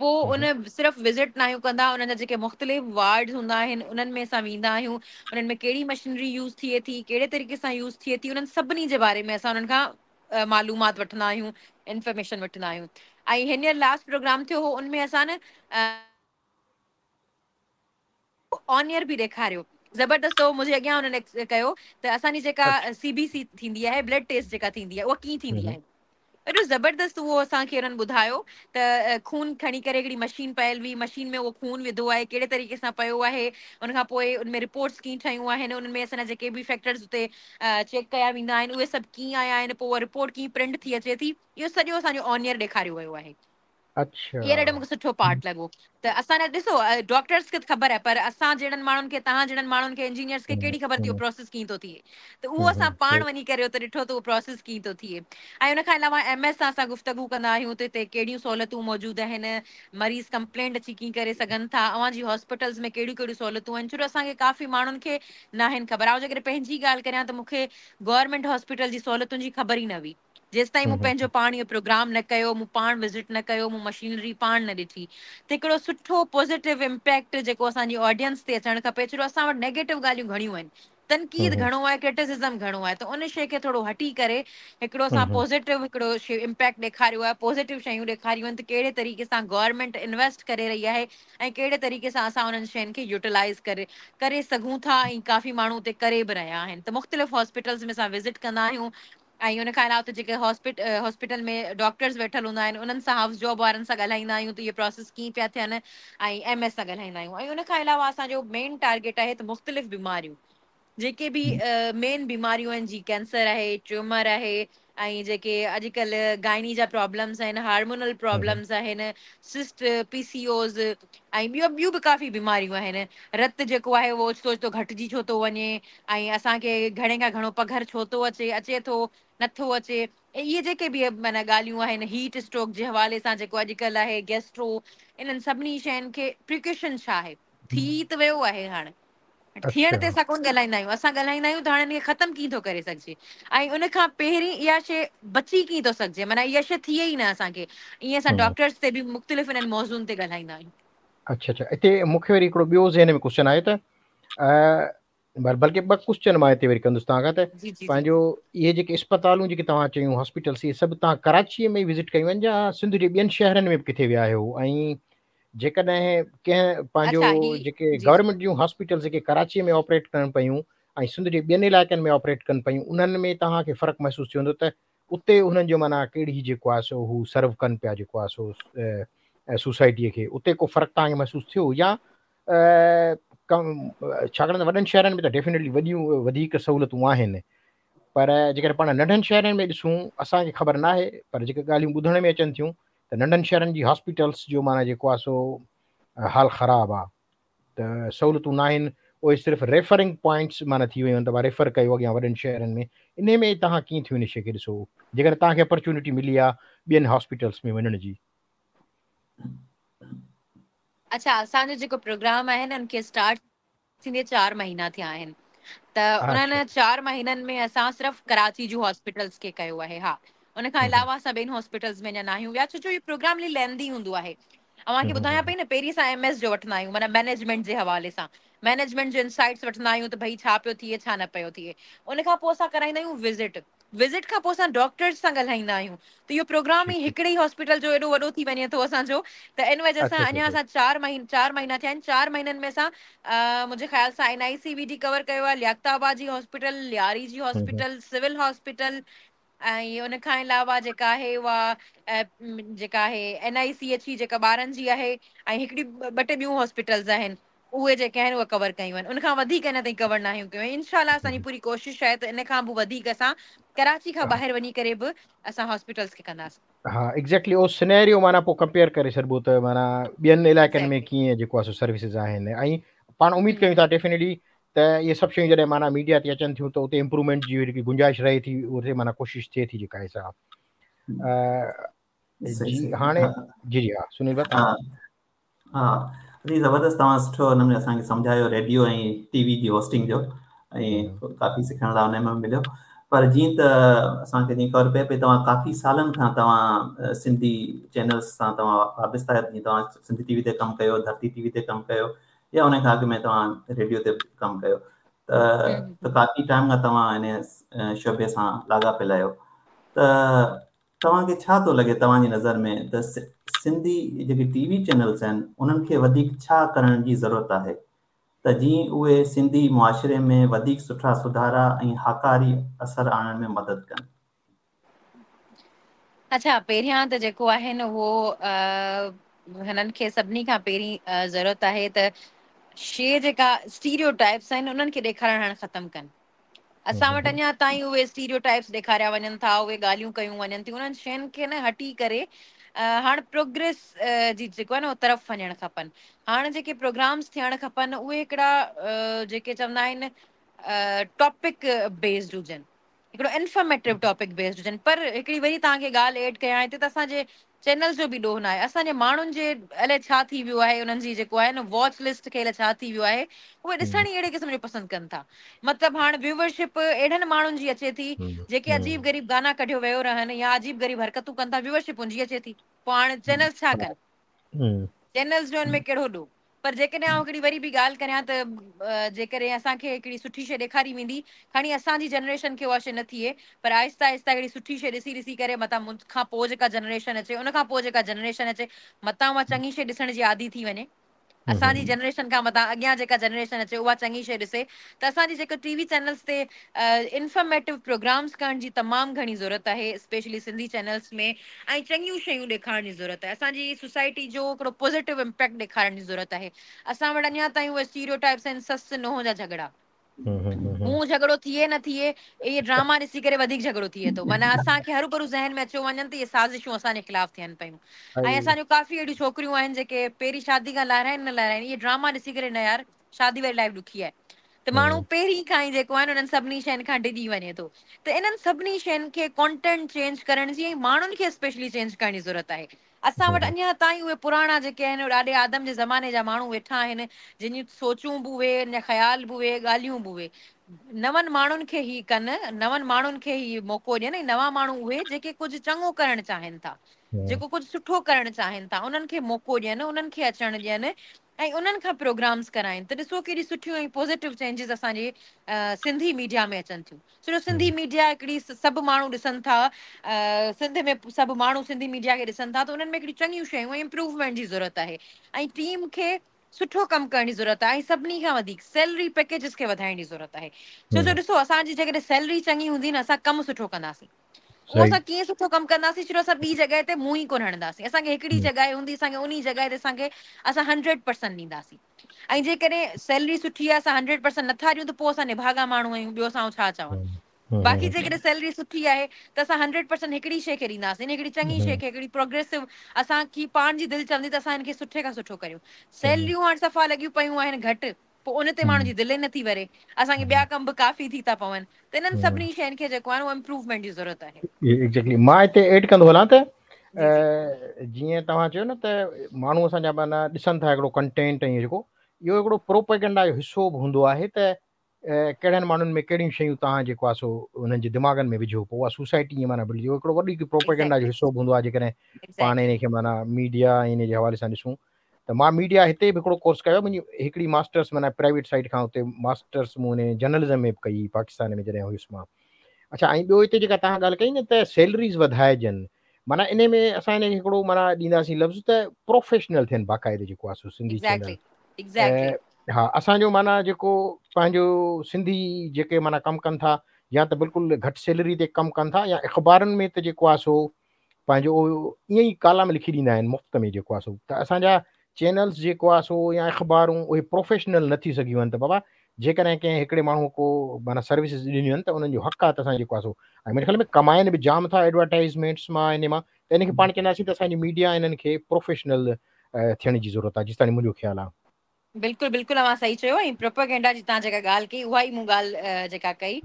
پوء ان صرف وزٽ ناهيون ڪندا انهن جا جيڪي مختلف وارڊز هوندا آهن انهن ۾ اسان ويندا آهيون انهن ۾ ڪهڙي مشينري يوز ٿئي ٿي ڪهڙي طريقي سان يوز ٿئي ٿي انهن سڀني جي باري ۾ اسان انهن کان معلومات وٺندا آهيون انفارميشن وٺندا آهيون ۽ هينئر لاسٽ پروگرام ٿيو هو ان ۾ اسان آن ايئر به ڏيکاريو زبردست هو منهنجي اڳيان انهن ڪيو ته اسان جي جيڪا سي بي سي ٿيندي آهي بلڊ ٽيسٽ جيڪا ٿيندي آهي اها ڪيئن ٿيندي آهي ايڏو زبردست اهو اسان کي انهن ٻڌايو ته خون کڻي ڪري هڪڙي مشين پيل هئي مشين ۾ اهو خون وڌو آهي ڪهڙي طريقي سان پيو آهي ان کان پوء ان ۾ رپورٽس ڪيئن ٺهيون آهن انهن ۾ اسان جا جيڪي به فيڪٽرز اتي چيڪ ڪيا ويندا آهن اهي سڀ ڪيئن آيا آهن پوء اها رپورٽ ڪيئن پرنٽ ٿي اچي ٿي اهو سڄو اسان جو آن ايئر ڏيکاريو ويو آهي. اڇا. اهو ڏاڍو مونکي سٺو پارٽ لڳو ته اسان جا ڏسو ڊاڪٽرس کي ته خبر آهي پر اسان جهڙن ماڻهن کي توهان جهڙن ماڻهن کي انجنيئرس کي ڪهڙي خبر ته اهو پروسيس ڪيئن ٿو ٿئي ته اهو اسان پاڻ وڃي ڪري اتي ڏٺو ته اهو پروسيس ڪيئن ٿو ٿئي ۽ ان کان علاوه ايم ايس سان اسان گفتگو ڪندا آهيون ته هتي ڪهڙيون سهولتون موجود آهن مريض ڪمپلينٽ اچي ڪيئن ڪري سگهن ٿا اوهان جي هاسپيٽلز ۾ ڪهڙيون ڪهڙيون سهولتون آهن ڇو جو اسان کي ڪافي ماڻهن کي ناهن خبر آئون جيڪڏهن پنهنجي ڳالهه ڪريان ته مونکي گورنمينٽ هاسپيٽل جي سهولتن جي خبر ئي نه هئي. جيستائين مون پنهنجو پاڻ اهو پروگرام نه ڪيو، مون پاڻ وزٽ نه ڪيو، مون مشينري پاڻ نه ڏٺي ته هڪڙو سٺو پازيٽو امپيڪٽ جيڪو اسان جي آڊينس تي اچڻ کپي ڇو جو اسان وٽ نيگيٽو ڳالهيون گهڻيون آهن، تنقيد گهڻو آهي، ڪرٽيسزم گهڻو آهي ته ان شيء کي ٿورو هٽي ڪري هڪڙو اسان پازيٽو هڪڙو امپيڪٽ ڏيکاريو آهي، پازيٽو شيون ڏيکاريون آهن ته ڪهڙي طريقي سان گورنمينٽ انويسٽ ڪري رهي آهي ۽ ڪهڙي طريقي سان اسان انهن شين کي يوٽيلائيز ڪري ڪري سگهون ٿا ۽ ڪافي ماڻهو اتي ڪري به رهيا آهن ته مختلف هاسپيٽلز ۾ اسان وزٽ ڪندا آهيون ۽ ان کان علاوه اتي جيڪي هاسپيٽل ۾ ڊاڪٽرز ويٺل هوندا آهن انهن سان هائوس جاب وارن سان ڳالهائيندا آهيون ته اهي پراسيس ڪيئن پيا ٿين ۽ ايم ايس سان ڳالهائيندا آهيون ۽ ان کان علاوه اسان جو مين ٽارگيٽ آهي ته مختلف بيماريون جيڪي به مين بيماريون آهن جي ڪينسر آهي ٽيومر آهي ۽ جيڪي اڄڪلهه گائني جا پرابلمس آهن هارمونل پرابلمس آهن سسٽ پي سي اوز ۽ ٻيو ٻيون به ڪافي بيماريون آهن رت جيڪو آهي اهو اوچتو اوچتو گهٽجي ڇو ٿو وڃي ۽ اسان کي گهڻي کان گهڻو پگهر ڇو ٿو اچي، اچي ٿو، نٿو اچي، ۽ اهي جيڪي به معنيٰ ڳالهيون آهن، هيٽ اسٽروڪ جي حوالي سان جيڪو اڄڪلهه آهي، گيسٽرو، انهن سڀني شين کي پريڪاشن ڇا آهي؟ ٿي ته ويو آهي هاڻ ٿيڻ تي اسان ڪونه ڳالهائيندا آهيون، اسان ڳالهائيندا آهيون ته هاڻي ان کي ختم ڪيئن ٿو ڪري سگهجي ۽ ان کان پهرين اها شيء بچي ڪيئن ٿو سگهجي، معنيٰ اها شيء ٿئي ئي نه اسان کي، ائين اسان ڊاڪٽرس تي به مختلف انهن موضوعن تي ڳالهائيندا آهيون. اڇا اڇا اتي مون کي وري هڪڙو ٻيو ذهن ۾ ڪوشچن آيو ته بلڪه ٻه ڪوشچن مان هتي وري ڪندس توهان کان ته پنهنجو اهي جيڪي اسپتالون جيڪي توهان چيون هاسپيٽلس اهي سڀ توهان ڪراچيء ۾ وزٽ ڪيون آهن يا سنڌ جي ٻين شهرن ۾ به ڪٿي ويا آهيو ۽ جيڪڏهن ڪنهن پنهنجو جيڪي گورنمينٽ جون هاسپيٽلس جيڪي ڪراچيء ۾ آپريٽ ڪن پيون ۽ سنڌ جي ٻين علائقن ۾ آپريٽ ڪن پيون انهن ۾ توهان کي فرق محسوس ٿيو هوندو ته اتي انهن جو معنيٰ ڪهڙي جيڪو آهي سو هو سرو ڪن پيا جيڪو آهي سو سوسائٽيء کي اتي ڪو فرق توهان کي محسوس ٿيو يا ڇاڪاڻ ته وڏن شهرن ۾ ته ڊيفينيٽلي وڏيون وڌيڪ سهولتون آهن پر جيڪڏهن پاڻ ننڍن شهرن ۾ ڏسون اسان کي خبر ناهي پر جيڪي ڳالهيون ٻڌڻ ۾ اچن ٿيون ته ننڍن شهرن جي هاسپيٽلس جو معنيٰ جيڪو آهي سو حال خراب آهي ته سهولتون ناهن اهي صرف ريفرنگ پوائنٽس معنيٰ ٿي ويون آهن ته ريفر ڪيو اڳيان وڏن شهرن ۾ انهي ۾ توهان ڪيئن ٿيون ان شيء کي ڏسو جيڪڏهن توهان کي اپرچونٽي ملي آهي ٻين هاسپيٽلس ۾ وڃڻ جي. اڇا اسان جو جيڪو پروگرام آهي نه ان کي اسٽارٽ ٿيندي چار مهينا ٿيا آهن ته انهن چار مهينن ۾ اسان صرف ڪراچي جون هاسپيٽلس کي ڪيو آهي ها ان کان علاوه اسان ٻين هاسپيٽلس ۾ اڃا ناهيون ويا ڇو جو اهو پروگرام ليندي هوندو آهي اوهان کي ٻڌايان پئي نه پهرين اسان ايم ايس جو وٺندا آهيون معنيٰ مئنيجمينٽ جي حوالي سان مئنيجمينٽ جو انسائٽس وٺندا آهيون ته ڀئي ڇا پيو ٿئي ڇا نه پيو ٿئي ان کان پوء اسان ڪرائيندا آهيون وزٽ وزٽ کان پوء اسان ڊاڪٽرز سان ڳالهائيندا آهيون ته اهو پروگرام ئي هڪڙي ئي هاسپيٽل جو ايڏو وڏو ٿي وڃي ٿو اسان جو ته ان وجه سان اڃا اسان چار مهينا چار مهينا ٿيا آهن چار مهينن ۾ اسان منهنجي خيال سان N I C V D cover ڪيو آهي لياقت آباد جي هاسپيٽل لياري جي هاسپيٽل سول هاسپيٽل ۽ ان کان علاوه جيڪا آهي اها جيڪا آهي اين آء سي ايڇ اي جيڪا ٻارن جي آهي ۽ هڪڙي ٻه ٽي ٻيون هاسپيٽلز آهن اهي جيڪي آهن اهي ڪور ڪيون آهن ان کان وڌيڪ اڃا تائين ڪور ناهيون ڪيون ۽ انشاء الله اسان جي پوري ڪوشش آهي ته ان کان به وڌيڪ اسان ڪراچي کان ٻاهر وڃي ڪري به اسان هاسپيٽلس کي ڪنداسين. ها ايگزيڪٽلي اهو سينيريو معنيٰ پوء ڪمپيئر ڪري ڇڏبو ته معنيٰ ٻين علائقن ۾ ڪيئن جيڪو آهي سو سروسز آهن ۽ پاڻ اميد ڪيون ٿا ڊيفينيٽلي ته اهي سڀ شيون جڏهن معنيٰ ميڊيا تي اچن ٿيون ته اتي امپروومينٽ جي هڪ گنجائش رهي ٿي اتي معنيٰ ڪوشش ٿئي ٿي جيڪا آهي سا جي هاڻي جي جي ها سنيل ڀاء ها جي زبردست توهان سٺو نموني اسان کي سمجهايو ريڊيو ۽ ٽي وي جي هوسٽنگ جو ۽ ڪافي سکڻ لاء ان ۾ مليو پر جيئن ته اسان کي جيئن خبر پئي پئي توهان ڪافي سالن کان توهان سنڌي چينلز سان توهان وابسته آهيو جيئن توهان سنڌي ٽي وي تي ڪم ڪيو ڌرتي ٽي وي تي ڪم ڪيو يا ان کان اڳ ۾ توهان ريڊيو تي ڪم ڪيو ته ته ڪافي ٽائيم کان توهان ان شعبي سان لاڳاپيل آهيو ته توهان کي ڇا ٿو لڳي توهان جي نظر ۾ ته سنڌي جيڪي ٽي وي چينلز آهن انهن کي وڌيڪ ڇا ڪرڻ جي ضرورت آهي ته جيئن اهي سنڌي معاشري ۾ وڌيڪ سٺا سڌارا ۽ هاڪاري اثر آڻڻ ۾ مدد ڪن؟ اڇا پهريان ته جيڪو آهي نه اهو هنن کي سڀني کان پهرين ضرورت آهي ته شي جيڪا اسٽيريو ٽائپس آهن انهن کي ڏيکارڻ هاڻ ختم ڪن. اسان وٽ اڃا تائين اهي اسٽيريو ٽائپس ڏيکاريا وڃن ٿا، اهي ڳالهيون ڪيون وڃن ٿيون، انهن شين کي نه هٽي ڪري هاڻ پروگريس جي جيڪو آهي نه طرف وڃڻ کپن. هاڻ جيڪي پروگرامس ٿيڻ کپن اهي هڪڙا جيڪي چوندا آهن ٽاپڪ بيسڊ هجن، هڪڙو انفارميٽو ٽاپڪ بيسڊ هجن. پر هڪڙي وري توهان کي ڳالهه ايڊ ڪيان هتي ته اسان جي چينلز جو به ڏوهه ناهي اسان جي ماڻهن جي الائي ڇا ٿي ويو آهي انهن جي جيڪو آهي نه واچ لسٽ کي الائي ڇا ٿي ويو آهي اهي ڏسڻ ئي اهڙي قسم جو پسند ڪن ٿا مطلب هاڻ ويوئرشپ اهڙن ماڻهن جي اچي ٿي جيڪي عجيب غريب گانا ڪڍيو ويو رهن يا عجيب غريب حرڪتون ڪن ٿا ويوئرشپ ان جي اچي ٿي پوء هاڻ چينلز ڇا ڪن چينلز جو ان ۾ ڪهڙو ڏوهه پر جيڪڏهن آئون هڪڙي وري به ڳالهه ڪريان ته جيڪڏهن اسان کي هڪڙي سٺي شيء ڏيکاري ويندي، کڻي اسان جي جنريشن کي اها شيء نه ٿئي، پر آهستي آهستي هڪڙي سٺي شيء ڏسي ڏسي ڪري متان مون کان پوء جيڪا جنريشن اچي، ان کان پوء جيڪا جنريشن اچي، متان اها چڱي شيء ڏسڻ جي عادي ٿي وڃي. اسان جي جنريشن کان متان اڳيان جيڪا جنريشن اچي اها چڱي شيء ڏسي ته اسان جي جيڪو ٽي وي چينلز تي انفارميٽو پروگرامز ڪرڻ جي تمام گهڻي ضرورت آهي اسپيشلي سنڌي چينلز ۾ ۽ چڱيون شيون ڏيکارڻ جي ضرورت آهي اسان جي سوسائٽي جو هڪڙو پازيٽو امپيڪٽ ڏيکارڻ جي ضرورت آهي اسان وٽ اڃا تائين اهي اسٽيريو ٽائپس آهن سس نونهن جا جهڳڙا هون جهڳڙو ٿئي نه ٿئي اهي ڊراما ڏسي ڪري وڌيڪ جهڳڙو ٿئي ٿو معنيٰ اسان کي هروڀرو ذهن ۾ اچيو وڃن ته اهي سازشون اسان جي خلاف ٿين پيون ۽ اسان جون ڪافي اهڙيون ڇوڪريون آهن جيڪي پهرين شادي کان لاهرائن نه لاهرائن اهي ڊراما ڏسي ڪري نه يار شادي واري لائف ڏکي آهي ته ماڻهو پهرين کان ئي جيڪو آهي نه انهن سڀني شين کان ڊڄي وڃي ٿو ته انهن سڀني شين کي ڪانٽينٽ چينج ڪرڻ جي ۽ ماڻهن کي اسپيشلي چينج ڪرڻ جي ضرورت آهي اسان وٽ اڃا تائين اهي پراڻا جيڪي آهن ڏاڏي آدم جي زماني جا ماڻهو ويٺا آهن جن جون سوچون به اهي ان جا خيال به اهي ڳالهيون به اهي نون ماڻهن کي هي ڪن نون ماڻهن کي هي موقعو ڏين ۽ نوان ماڻهو اهي جيڪي ڪجهه چڱو ڪرڻ چاهين ٿا جيڪو ڪجهه سٺو ڪرڻ چاهين ٿا انهن کي موقعو ڏين انهن کي اچڻ ڏين ۽ انهن کان پروگرامز ڪرائين ته ڏسو ڪيڏي سٺيون ۽ پازيٽو چينجز اسان جي سنڌي ميڊيا ۾ اچن ٿيون ڇو جو سنڌي ميڊيا هڪڙي سڀ ماڻهو ڏسن ٿا سنڌ ۾ سڀ ماڻهو سنڌي ميڊيا کي ڏسن ٿا ته انهن ۾ هڪڙيون چڱيون شيون ۽ امپروومينٽ جي ضرورت آهي ۽ ٽيم کي سٺو ڪم ڪرڻ جي ضرورت آهي ۽ سڀني کان وڌيڪ سيلري پيڪيجز کي وڌائڻ جي ضرورت آهي ڇو جو ڏسو اسان جي جيڪڏهن سيلري چڱي هوندي نه اسان ڪم سٺو ڪنداسين اهو اسان ڪيئن سٺو ڪم ڪنداسين ڇو جو اسان ٻي جڳهه تي منهن ئي ڪونه هڻنداسين اسان کي هڪڙي جڳهه هوندي اسان کي انهي جڳهه تي اسان کي اسان هنڊريڊ پرسنٽ ڏينداسين ۽ جيڪڏهن سيلري سٺي آهي اسان هنڊريڊ پرسنٽ نٿا ڏيون ته پوء اسان نڀاڳا ماڻهو آهيون ٻيو اسان ڇا چوان باقي جيڪڏهن سيلري سٺي آهي ته اسان هنڊريڊ پرسنٽ هڪڙي شيء کي ڏينداسين هڪڙي چڱي شيء کي هڪڙي پروگريسو اسان کي پاڻ جي دل چوندي ته اسان هن کي سٺي کان سٺو ڪريون سيلريون هاڻ صفا لڳيون پيون آهن گهٽ پوء ان تي ماڻهن جي دل ئي نٿي ڀري. اسان کي ٻيا ڪم به ڪافي ٿي ٿا پون ته انهن سڀني شين کي جيڪو آهي نه اهو امپروومينٽ جي ضرورت آهي. ايگزيڪٽلي مان هتي ايڊ ڪندو هلان ته جيئن توهان چيو نه ته ماڻهو اسان جا معنيٰ ڏسن ٿا هڪڙو ڪنٽينٽ ۽ جيڪو اهو هڪڙو پروپيگنڊا جو حصو به هوندو آهي ته ڪهڙن ماڻهن ۾ ڪهڙيون شيون توهان جيڪو آهي سو انهن جي دماغن ۾ وجهو پوء اها سوسائٽي ائين معنيٰ بلڊ اهو هڪڙو وڏو هڪ پروپيگنڊا جو حصو به هوندو آهي جيڪڏهن پاڻ ان کي معنيٰ ميڊيا ۽ ان جي حوالي سان ڏسون ته مان ميڊيا هتي به هڪڙو ڪورس ڪيو منهنجي هڪڙي ماسٽرس معنيٰ پرائيويٽ سائيڊ کان اتي ماسٽرس مون ان جرنلزم ۾ به ڪئي پاڪستان ۾ جڏهن هيس مان اڇا ۽ ٻيو هتي جيڪا توهان ڳالهه ڪئي نه ته سيلريز وڌائجن معنيٰ ان ۾ اسان ان کي هڪڙو معنيٰ ڏينداسين لفظ ته پروفيشنل ٿين باقاعدي جيڪو آهي سو سنڌي چينل ها اسان جو معنيٰ جيڪو پنهنجو سنڌي جيڪي معنيٰ ڪم ڪن ٿا يا ته بلڪل گهٽ سيلري تي ڪم ڪن ٿا يا اخبارن ۾ ته جيڪو آهي سو پنهنجو ائين ئي ڪالم لکي ڏيندا آهن مفت ۾ جيڪو آهي سو ته اسان جا چينلز جيڪو آهي سو يا اخبارون اهي پروفيشنل نه ٿي سگهيون آهن ته بابا جيڪڏهن ڪنهن هڪڙي ماڻهو ڪو معنيٰ سروسز ڏنيون آهن ته انهن جو حق آهي ته اسان جيڪو آهي سو ۽ منهنجي خيال ۾ ڪمائن به جام ٿا ايڊورٽائزمينٽس مان ان مان ته ان کي پاڻ چونداسين ته اسان جي ميڊيا انهن کي پروفيشنل ٿيڻ جي ضرورت آهي جيستائين منهنجو خيال آهي. بلڪل بلڪل اوهان صحيح چيو ۽ پروپيگنڊا جي توهان جيڪا ڳالهه ڪئي اها ئي مون ڳالهه جيڪا ڪئي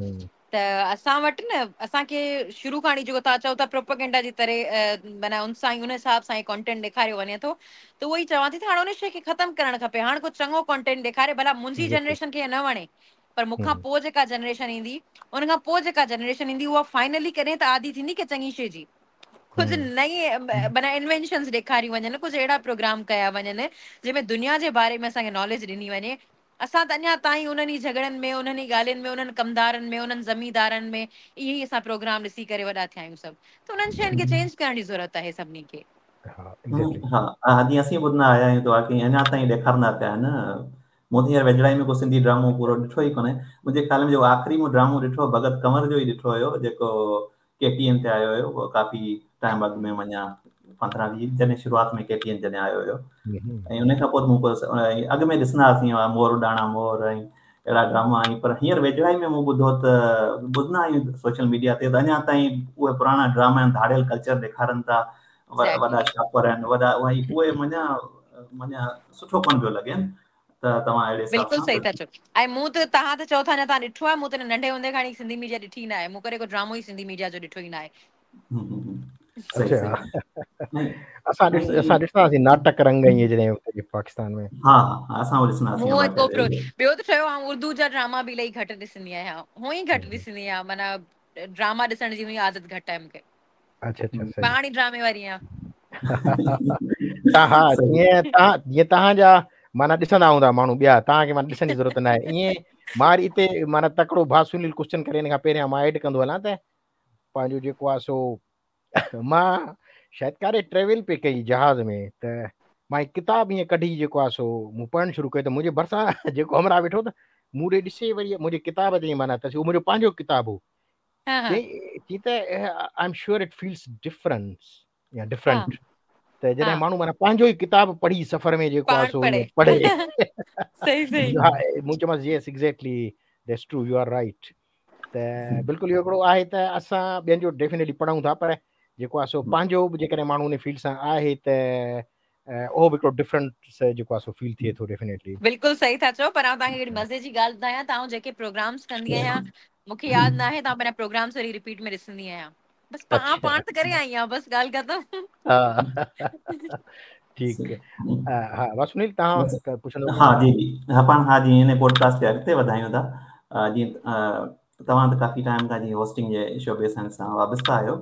ته اسان وٽ نه اسان کي شروع کان وٺي جيڪو توهان چئو ٿا پروپيگنڊا جي طرح معنيٰ ان سان ئي ان حساب سان ئي ڪانٽينٽ ڏيکاريو وڃي ٿو ته اهو ئي چوان ٿي ته هاڻ ان شيء کي ختم ڪرڻ کپي هاڻ ڪو چڱو ڪانٽينٽ ڏيکاري ڀلا منهنجي جنريشن کي نه وڻي پر مون کان پوء جيڪا جنريشن ايندي ان کان پوء جيڪا جنريشن ايندي اها فائنلي ڪڏهن ته عادي ٿيندي ڪنهن چڱي شيء جي ڪجهه نئين معنيٰ انوينشنز ڏيکاريون وڃن ڪجهه اهڙا پروگرام ڪيا وڃن جنهن ۾ دنيا جي باري ۾ اسان کي ناليج ڏني وڃي اسان ته اڃا تائين انهن ئي جهڳڙن ۾ انهن ئي ڳالهين ۾ انهن ڪمدارن ۾ انهن زميندارن ۾ اهي ئي اسان پروگرام ڏسي ڪري وڏا ٿيا آهيون سڀ ته انهن شين کي چينج ڪرڻ جي ضرورت آهي سڀني کي. ها ايگزيڪٽلي. ها ها جيئن اسين ٻڌندا آيا آهيون ته واقعي اڃا تائين ڏيکارندا پيا آهن مون ته هينئر ويجهڙائي ۾ ڪو سنڌي ڊرامو پورو ڏٺو ئي ڪونهي منهنجي خيال ۾ جيڪو آخري مون ڊرامو ڏٺو ڀڳت ڪنور جو ئي ڏٺو هيو جيڪو ڪي ٽي اين تي آيو هيو اهو ڪافي ٽائيم اڳ ۾ معنيٰ 15 20 جڏهن شروعات ۾ ڪي ٽي اين جڏهن آيو هيو ۽ ان کان پوء مون اڳ ۾ ڏسندا هئاسين مور اڏاڻا مور ۽ اهڙا ڊراما ۽ پر هينئر ويجهڙائي ۾ مون ٻڌو ته ٻڌندا آهيون سوشل ميڊيا تي ته اڃا تائين اهي پراڻا ڊراما آهن ڌاڙيل ڪلچر ڏيکارن ٿا وڏا شاپر آهن وڏا اهي معنيٰ معنيٰ سٺو ڪونه پيو لڳي ته توهان اهڙي حساب بلڪل صحيح ٿا چئو ۽ مون ته توهان ته چئو ٿا اڃا توهان ڏٺو آهي مون ته ننڍي هوندي کان سنڌي ميڊيا ڏٺي نه آهي مون ڪڏهن ڪو ڊرامو ئي سنڌي ميڊيا جو ڏٺو ئي نه آهي. صحيح صحيح اسان ڏس اسان ڏسندا هئاسين ناٽڪ رنگ ائين جڏهن پاڪستان ۾ ها ها اسان به ڏسندا هئاسين مون ڪو ٻيو ته ٺهيو آئون اردو جا ڊراما به الاهي گهٽ ڏسندي آهيان هونئن ئي گهٽ ڏسندي آهيان معنيٰ ڊراما ڏسڻ جي هونئن عادت گهٽ آهي مونکي. اڇا اڇا صحيح پاڻ ئي ڊرامي واري آهيان. ها ها جيئن توهان جيئن توهان جا معنيٰ ڏسندا هوندا ماڻهو ٻيا توهان کي معنيٰ ڏسڻ جي ضرورت نه آهي ائين مان وري اتي معنيٰ تڪڙو ڀاء سنيل ڪوشچن ڪري ان کان پهريان مان ايڊ ڪندو هلان ته پنهنجو جيڪو آهي سو مان شايد ڪاڏي ٽريول پئي ڪئي جهاز ۾ ته مان هڪ ڪتاب ائين ڪڍي جيڪو آهي سو مون پڙهڻ شروع ڪيو ته منهنجي ڀرسان جيڪو همراهه ويٺو ته مون ڏي ڏسي وري منهنجي ڪتاب تي معنيٰ ته اهو منهنجو پنهنجو ڪتاب هو چي ته I am sure it feels difference يا ڊفرنٽ ته جڏهن ماڻهو معنيٰ پنهنجو ئي ڪتاب پڙهي سفر ۾ جيڪو آهي سو پڙهي صحيح صحيح ها مون چيومانس yes exactly that's true you are right ته بلڪل اهو هڪڙو آهي ته اسان ٻين جو ڊيفينيٽلي پڙهون ٿا پر جيڪو آهي سو پنهنجو به جيڪڏهن ماڻهو ان فيلڊ سان آهي ته اهو به هڪڙو ڊفرنٽ جيڪو آهي سو فيل ٿئي ٿو ڊيفينيٽلي. بلڪل صحيح ٿا چئو پر آئون توهان کي هڪڙي مزي جي ڳالهه ٻڌايان ته آئون جيڪي پروگرامس ڪندي آهيان مون کي ياد ناهي ته آئون پنهنجا پروگرامس وري رپيٽ ۾ ڏسندي آهيان بس آئون پاڻ ته ڪري آئي آهيان بس ڳالهه ختم. ٺيڪ ها ها سنيل توهان پڇندو ها جي جي ها پاڻ ها جي هن پوڊڪاسٽ کي اڳتي وڌايون ٿا جيئن توهان ته ڪافي ٽائيم کان جي هوسٽنگ جي شعبي سان وابسته آهيو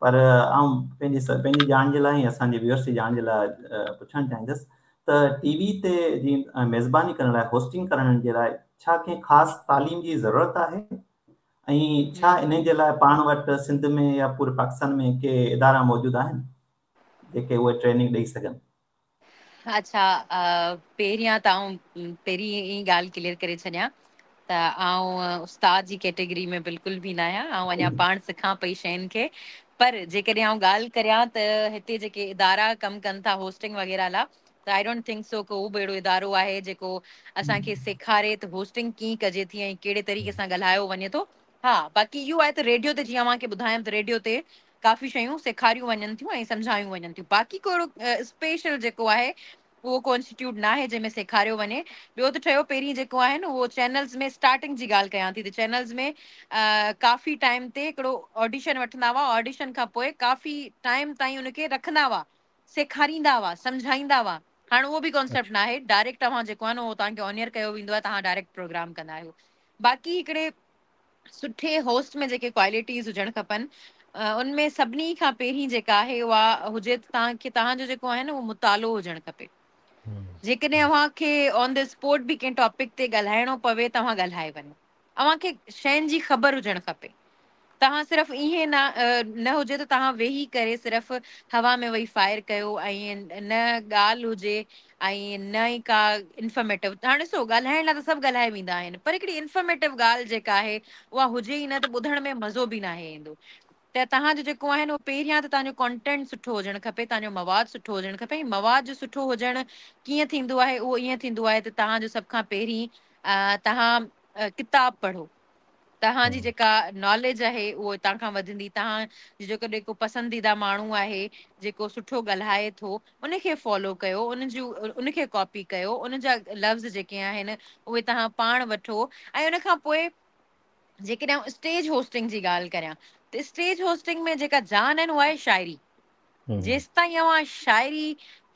پر آئون پنهنجي پنهنجي ڄاڻ جي لاء ۽ اسان جي ويورس جي ڄاڻ جي لاء پڇڻ چاهيندس ته ٽي وي تي جي ميزباني ڪرڻ لاء هوسٽنگ ڪرڻ جي لاء ڇا ڪنهن خاص تعليم جي ضرورت آهي ۽ ڇا انهي جي لاء پاڻ وٽ سنڌ ۾ يا پوري پاڪستان ۾ ڪي ادارا موجود آهن جيڪي اهي ٽريننگ ڏئي سگهن؟ اڇا پهريان ته آئون پهرين ئي ڳالهه ڪليئر ڪري ڇڏيان ته آئون استاد جي ڪيٽيگري ۾ بلڪل به نه آهيان آئون اڃا پاڻ سکان پئي شين کي پر جيڪڏهن آئون ڳالهه ڪريان ته هتي جيڪي ادارا ڪم ڪن ٿا هوسٽنگ وغيره لا ته I don't think سو ڪو به اهڙو ادارو آهي جيڪو اسان کي سيکاري ته هوسٽنگ ڪيئن ڪجي ٿي ۽ ڪهڙي طريقي سان ڳالهايو وڃي ٿو ها باقي اهو آهي ته ريڊيو تي جيئن اوهان کي ٻڌايم ته ريڊيو تي ڪافي شيون سيکاريون وڃن ٿيون ۽ سمجهايون وڃن ٿيون باقي ڪو اهڙو اسپيشل جيڪو آهي اهو ڪو انسٽيٽيوٽ ناهي جنهن ۾ سيکاريو وڃي ٻيو ته ٺهيو پهرين جيڪو آهي نه اهو چينلز ۾ اسٽارٽنگ جي ڳالهه ڪيان ٿي ته چينلز ۾ ڪافي ٽائيم تي هڪڙو آڊيشن وٺندا هئا آڊيشن کان پوء ڪافي ٽائيم تائين ان کي رکندا هئا سيکاريندا هئا سمجهائيندا هئا هاڻ اهو به ڪانسيپٽ ناهي ڊائريڪٽ اوهان جيڪو آهي نه اهو توهان کي آن ايئر ڪيو ويندو آهي توهان ڊائريڪٽ پروگرام ڪندا آهيو باقي هڪڙي سٺي هوسٽ ۾ جيڪي ڪوالٽيز هجڻ کپن ان ۾ سڀني کان پهرين جيڪا آهي اها هجي ته توهان کي توهان جو جيڪو آهي نه اهو مطالعو هجڻ کپي جيڪڏهن اوهان کي آن the spot به ڪنهن ٽاپڪ تي ڳالهائڻو پوي ته اوهان ڳالهائي وڃو اوهان کي شين جي خبر هجڻ کپي توهان صرف ائين نه نه هجي ته توهان ويهي ڪري صرف هوا ۾ ويهي فائر ڪيو ۽ نه ڳالهه هجي ۽ نه ئي ڪا انفارميٽو هاڻي ڏسو ڳالهائڻ لاء ته سڀ ڳالهائي ويندا آهن پر هڪڙي انفارميٽو ڳالهه جيڪا آهي اها هجي ئي نه ته ٻڌڻ ۾ مزو به ناهي ايندو ته توهان جو جيڪو آهي نه اهو پهريان ته توهان جو ڪانٽينٽ سٺو هجڻ کپي، توهان جو مواد سٺو هجڻ کپي ۽ مواد جو سٺو هجڻ ڪيئن ٿيندو آهي اهو ائين ٿيندو آهي ته توهان جو سڀ کان پهرين توهان ڪتاب پڙهو، توهان جي جيڪا ناليج آهي اهو توهان کان وڌندي، توهان جو جيڪو جيڪو پسنديده ماڻهو آهي جيڪو سٺو ڳالهائي ٿو ان کي فالو ڪيو، ان جون ان کي ڪاپي ڪيو، ان جا لفظ جيڪي آهن اهي توهان پاڻ وٺو ۽ ان کان پوء جيڪڏهن آئون اسٽيج هوسٽنگ جي ڳالهه ڪريان ته اسٽيج هوسٽنگ ۾ جيڪا جان آهي نه اها آهي شاعري. جيستائين اوهان شاعري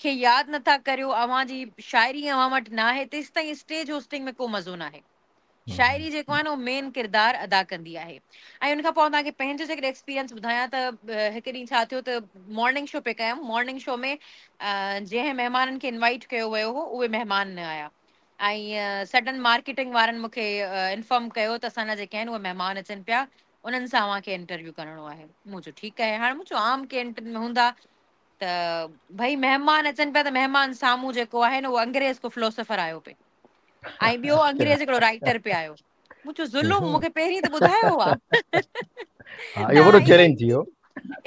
کي ياد نٿا ڪريو، اوهان جي شاعري اوهان وٽ ناهي تيستائين اسٽيج هوسٽنگ ۾ ڪو مزو ناهي. شاعري جيڪو آهي نه اهو مين ڪردار ادا ڪندي آهي. ۽ ان کان پوء آئون توهان کي پنهنجو جيڪڏهن ايڪسپيرينس ٻڌايان ته هڪ ڏينهن ڇا ٿيو ته مارننگ شو پئي ڪيم، مارننگ شو ۾ جنهن مهمانن کي انوائيٽ ڪيو ويو هو اهي مهمان نه آيا. ۽ سڊن مارڪيٽنگ وارن مون کي انفارم ڪيو ته اسان جا جيڪي آهن اهي مهمان اچن پيا انهن سان اوهان کي انٽرويو ڪرڻو آهي. مون چيو ٺيڪ آهي. هاڻي مون چيو عام ڪنهن ۾ هوندا ته ڀئي مهمان اچن پيا ته مهمان سامهون جيڪو آهي نه اهو انگريز ڪو فلوسفر آيو پئي ۽ ٻيو انگريز هڪڙو رائيٽر پئي آيو. مون چيو ظلم مون کي پهرين ته ٻڌايو ها. ها اهو وڏو چئلينج ٿي ويو.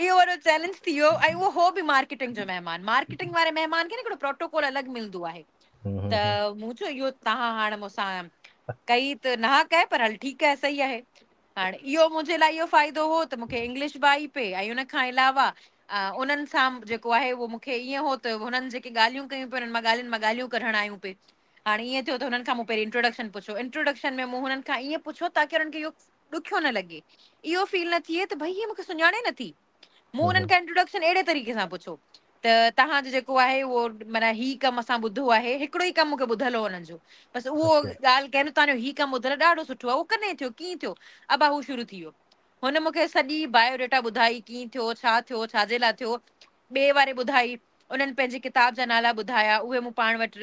اهو وڏو چئلينج ٿي ويو ۽ اهو هو به مارڪيٽنگ جو مهمان. مارڪيٽنگ واري مهمان کي نه هڪڙو پروٽوڪول الڳ ملندو آهي. ته مون چيو اهو توهان هاڻ مون سان ڪئي ته ناحق آهي پر هل ٺيڪ آهي صحيح آهي. هاڻ اهو منهنجي لاء اهو فائدو هو ته مون کي انگلش به آئي پئي ۽ ان کان علاوه انهن سان جيڪو آهي اهو مون کي ائين هو ته هنن جيڪي ڳالهيون ڪيون پئي انهن مان ڳالهين مان ڳالهيون ڪڍڻ آيون پئي. هاڻ ائين ٿيو ته هنن کان مون پهرين انٽروڊڪشن پڇيو. انٽروڊڪشن ۾ مون هنن کان ائين پڇيو تاڪه انهن کي اهو ڏکيو نه لڳي. اهو فيل نه ٿئي ته ڀئي هي مون کي سڃاڻي نٿي. مون انهن کان انٽروڊڪشن اهڙي طريقي سان پڇيو ته توهان جو جيڪو آهي اهو معنيٰ هي ڪم اسان ٻڌو آهي، هڪڙو ئي ڪم مون کي ٻڌل هو انهن جو، بس اهو ڳالهه ڪيم ته توهان جو هي ڪم ٻڌل ڏاڍو سٺو آهي، اهو ڪڏهن ٿيو، ڪيئن ٿيو، ابا هو شروع ٿي ويو. هن مون کي سڄي بايو ڊيٽا ٻڌائي، ڪيئن ٿيو، ڇا ٿيو، ڇا جي لاء ٿيو، ٻئي واري ٻڌائي، انهن پنهنجي ڪتاب جا نالا ٻڌايا، اهي مون پاڻ وٽ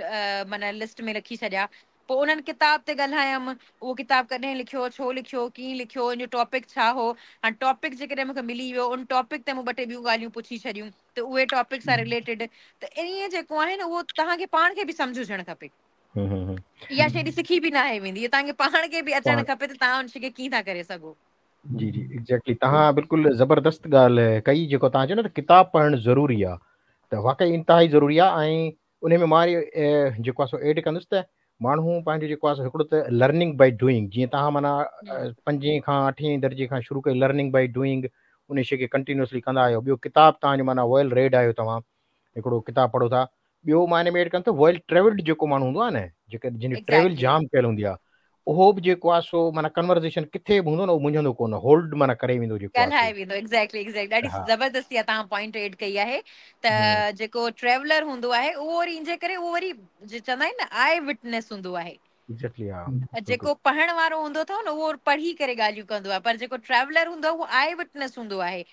معنيٰ لسٽ ۾ رکي ڇڏيا. پوء انهن ڪتاب تي ڳالهايم، اهو ڪتاب ڪڏهن لکيو، ڇو لکيو، ڪيئن لکيو، ان جو ٽاپڪ ڇا هو؟ هاڻ ٽاپڪ جيڪڏهن مون کي ملي ويو، ان ٽاپڪ تي مون ٻه ٽي ٻيون ڳالهيون پڇي ڇڏيون ته اهي ٽاپڪ سان رليٽيڊ ته ائين جيڪو آهي نه اهو توهان کي پاڻ کي به سمجهه هجڻ کپي. اها شيء ايڏي سکي به ناهي ويندي، اهو توهان کي پاڻ کي به اچڻ کپي ته توهان ان شيء کي ڪيئن ٿا ڪري سگهو. جي جي ايگزيڪٽلي توهان بلڪل زبردست ڳالهه ڪئي جيڪو توهان چيو نه ته ڪتاب پڙهڻ ضروري آهي ته واقعي انتهائي ضروري آهي ۽ انهي ۾ مان وري جيڪو آهي سو ايڊ ڪندس ته ماڻهو پنهنجو جيڪو آهي سو هڪڙو ته لرننگ بائي ڊوئنگ جيئن توهان معنيٰ پنجين کان اٺين درجي کان شروع ڪئي لرننگ بائي ڊوئنگ انهي شي کي ڪنٽينيوسلي ڪندا آهيو ٻيو ڪتاب توهان جو معنيٰ ويل ريڊ آهيو توهان هڪڙو ڪتاب پڙهو ٿا ٻيو مان ان ۾ ايڊ ڪندس ته ويل ٽريولڊ جيڪو ماڻهو هوندو آهي نه جيڪي جن جي ٽريول جام ڪيل هوندي آهي اهو به جيڪو آهي سو معنيٰ ڪنورزيشن ڪٿي به هوندو نه اهو منجهندو ڪونه هولڊ معنيٰ ڪري ويندو جيڪو آهي ڳالهائي ويندو ايگزيڪٽلي ايگزيڪٽلي ڏاڍي زبردست اها توهان پوائنٽ ايڊ ڪئي آهي ته جيڪو ٽريولر هوندو آهي اهو وري ان جي ڪري اهو وري جي چوندا آهن نه آئي وٽنيس هوندو آهي ايگزيڪٽلي ها جيڪو پڙهڻ وارو هوندو اٿو نه اهو پڙهي ڪري ڳالهيون ڪندو آهي پر جيڪو ٽريولر هوندو آهي اهو آئي وٽنيس هوندو آهي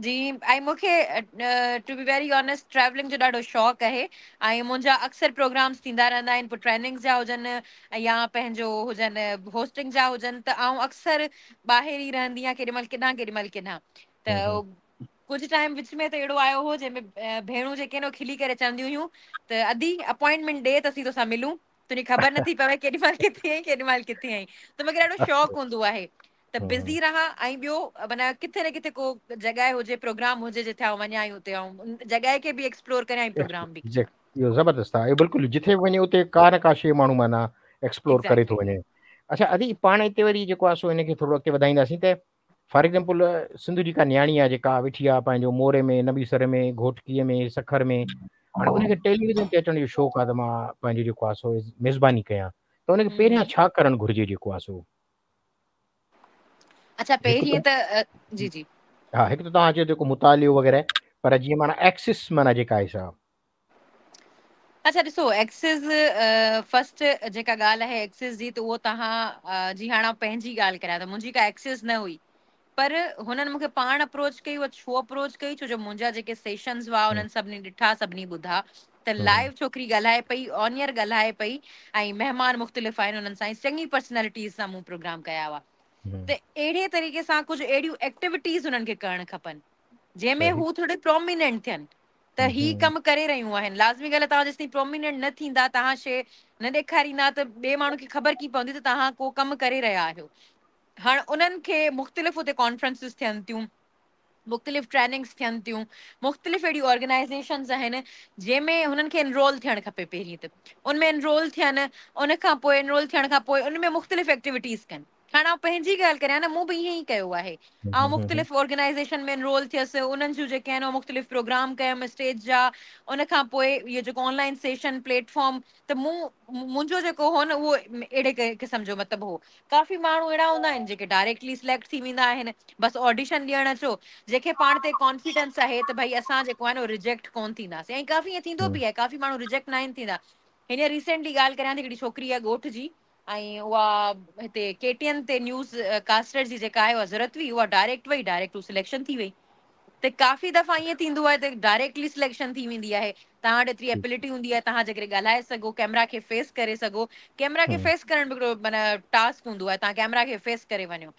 جي ۽ مون کي to be very honest travelling جو ڏاڍو شوق آهي ۽ منهنجا اڪثر پروگرامس ٿيندا رهندا آهن پوء ٽريننگس جا هجن يا پنهنجو هجن هوسٽنگ جا هجن ته آئون اڪثر ٻاهر ئي رهندي آهيان ڪيڏي مهل ڪيڏانهن ڪيڏي مهل ڪيڏانهن ته ڪجهه ٽائيم وچ ۾ ته اهڙو آيو هو جنهن ۾ ڀيڻون جيڪي آهن اهي کلي ڪري چونديون هيون ته ادي اپوائنٽمينٽ ڏي ته اسين توسان ملون تنهنجي خبر نٿي پوي ڪيڏي مهل ڪٿي آهين ڪيڏي مهل ڪٿي آهين ته مونکي ڏاڍو شوق هوندو آهي ته بزي رهان ۽ ٻيو معنيٰ ڪٿي نه ڪٿي ڪو جڳهه هجي پروگرام هجي جتي آئون وڃان ۽ اتي آئون جڳهه کي به ايڪسپلور ڪريان ۽ پروگرام به ڪريان. اهو زبردست آهي اهو بلڪل جٿي به وڃي اتي ڪا نه ڪا شيء ماڻهو معنيٰ ايڪسپلور ڪري ٿو وڃي. اڇا ادي پاڻ هتي وري جيڪو آهي سو ان کي ٿورو اڳتي وڌائينداسين ته فار ايگزامپل سنڌ جي ڪا نياڻي آهي جيڪا ويٺي آهي پنهنجو موري ۾ نبي سر ۾ گهوٽڪي ۾ سکر ۾ هاڻي ان کي ٽيليويزن تي اچڻ جو شوق آهي ته مان پنهنجو جيڪو آهي سو ميزباني ڪيان ته ان کي پهريان ڇا ڪرڻ گهرجي جيڪو آهي سو اڇا پهرين ته جي جي ها هڪ ته توهان چيو جيڪو مطالعو وغيره پر جيئن معنيٰ ايڪسس معنيٰ جيڪا آهي سا اڇا ڏسو ايڪسس فرسٽ جيڪا ڳالهه آهي ايڪسس جي ته اهو توهان جي هاڻ آئون پنهنجي ڳالهه ڪريان ته منهنجي ڪا ايڪسس نه هئي پر هنن مونکي پاڻ اپروچ ڪئي اها ڇو اپروچ ڪئي ڇو جو منهنجا جيڪي سيشنز هئا انهن سڀني ڏٺا سڀني ٻڌا ته لائيو ڇوڪري ڳالهائي پئي آن ايئر ڳالهائي پئي ۽ مهمان مختلف آهن انهن سان چڱي پرسنالٽيز سان مون پروگرام ڪيا هئا ته اهڙي طريقي سان ڪجهه اهڙيون ايڪٽيوٽيز انهن کي ڪرڻ کپن جنهن ۾ هو ٿوري پروميننٽ ٿين ته هي ڪم ڪري رهيون آهن. لازمي ڳالهه آهي توهان جيستائين پروميننٽ نه ٿيندا، توهان شيء نه ڏيکاريندا ته ٻئي ماڻهو کي خبر ڪيئن پوندي ته توهان ڪو ڪم ڪري رهيا آهيو. هاڻ انهن کي مختلف اتي ڪانفرنسز ٿين ٿيون، مختلف ٽريننگس ٿين ٿيون، مختلف اهڙيون آرگنائيزيشنز آهن جنهن ۾ هنن کي انرول ٿيڻ کپي پهرين ته ان ۾ انرول ٿين، ان کان پوء انرول ٿيڻ کان پوء ان ۾ مختلف ايڪٽيوٽيز ڪن. هاڻ آئون پنهنجي ڳالهه ڪريان نه، مون به ائين ئي ڪيو آهي. آئون مختلف آرگنائيزيشن ۾ انرول ٿيس، انهن جون جيڪي آهن مختلف پروگرام ڪيم اسٽيج جا، ان کان پوء اهو جيڪو on line session plate form ته مون منهنجو جيڪو هو نه اهو اهڙي قسم جو مطلب هو. ڪافي ماڻهو اهڙا هوندا آهن جيڪي ڊائريڪٽلي سليڪٽ ٿي ويندا آهن، بس آڊيشن ڏيڻ اچو، جنهن کي پاڻ تي ڪانفيڊنس آهي ته ڀئي اسان جيڪو آهي نه رجيڪٽ ڪونه ٿينداسين، ۽ ڪافي ائين ٿيندو به آهي، ڪافي ماڻهو رجيڪٽ ناهن ٿيندا. هينئر ريسينٽلي ڳالهه ڪريان ٿي، هڪڙي ڇوڪري آهي ڳوٺ جي ۽ اها هتي ڪي ٽي اين تي نيوز ڪاسٽر جي جيڪا آهي اها ضرورت هئي، اها ڊائريڪٽ وئي، ڊائريڪٽ هو سليڪشن ٿي وئي. ته ڪافي دفعا ائين ٿيندو آهي ته ڊائريڪٽلي سليڪشن ٿي ويندي آهي، توهان وٽ ايتري ايبلٽي هوندي آهي، توهان جيڪڏهن ڳالهائي سگهو، ڪيمرا کي فيس ڪري سگهو، ڪيمرا کي فيس ڪرڻ به هڪڙو معنيٰ ٽاسڪ هوندو آهي، توهان ڪيمرا کي فيس ڪري وڃو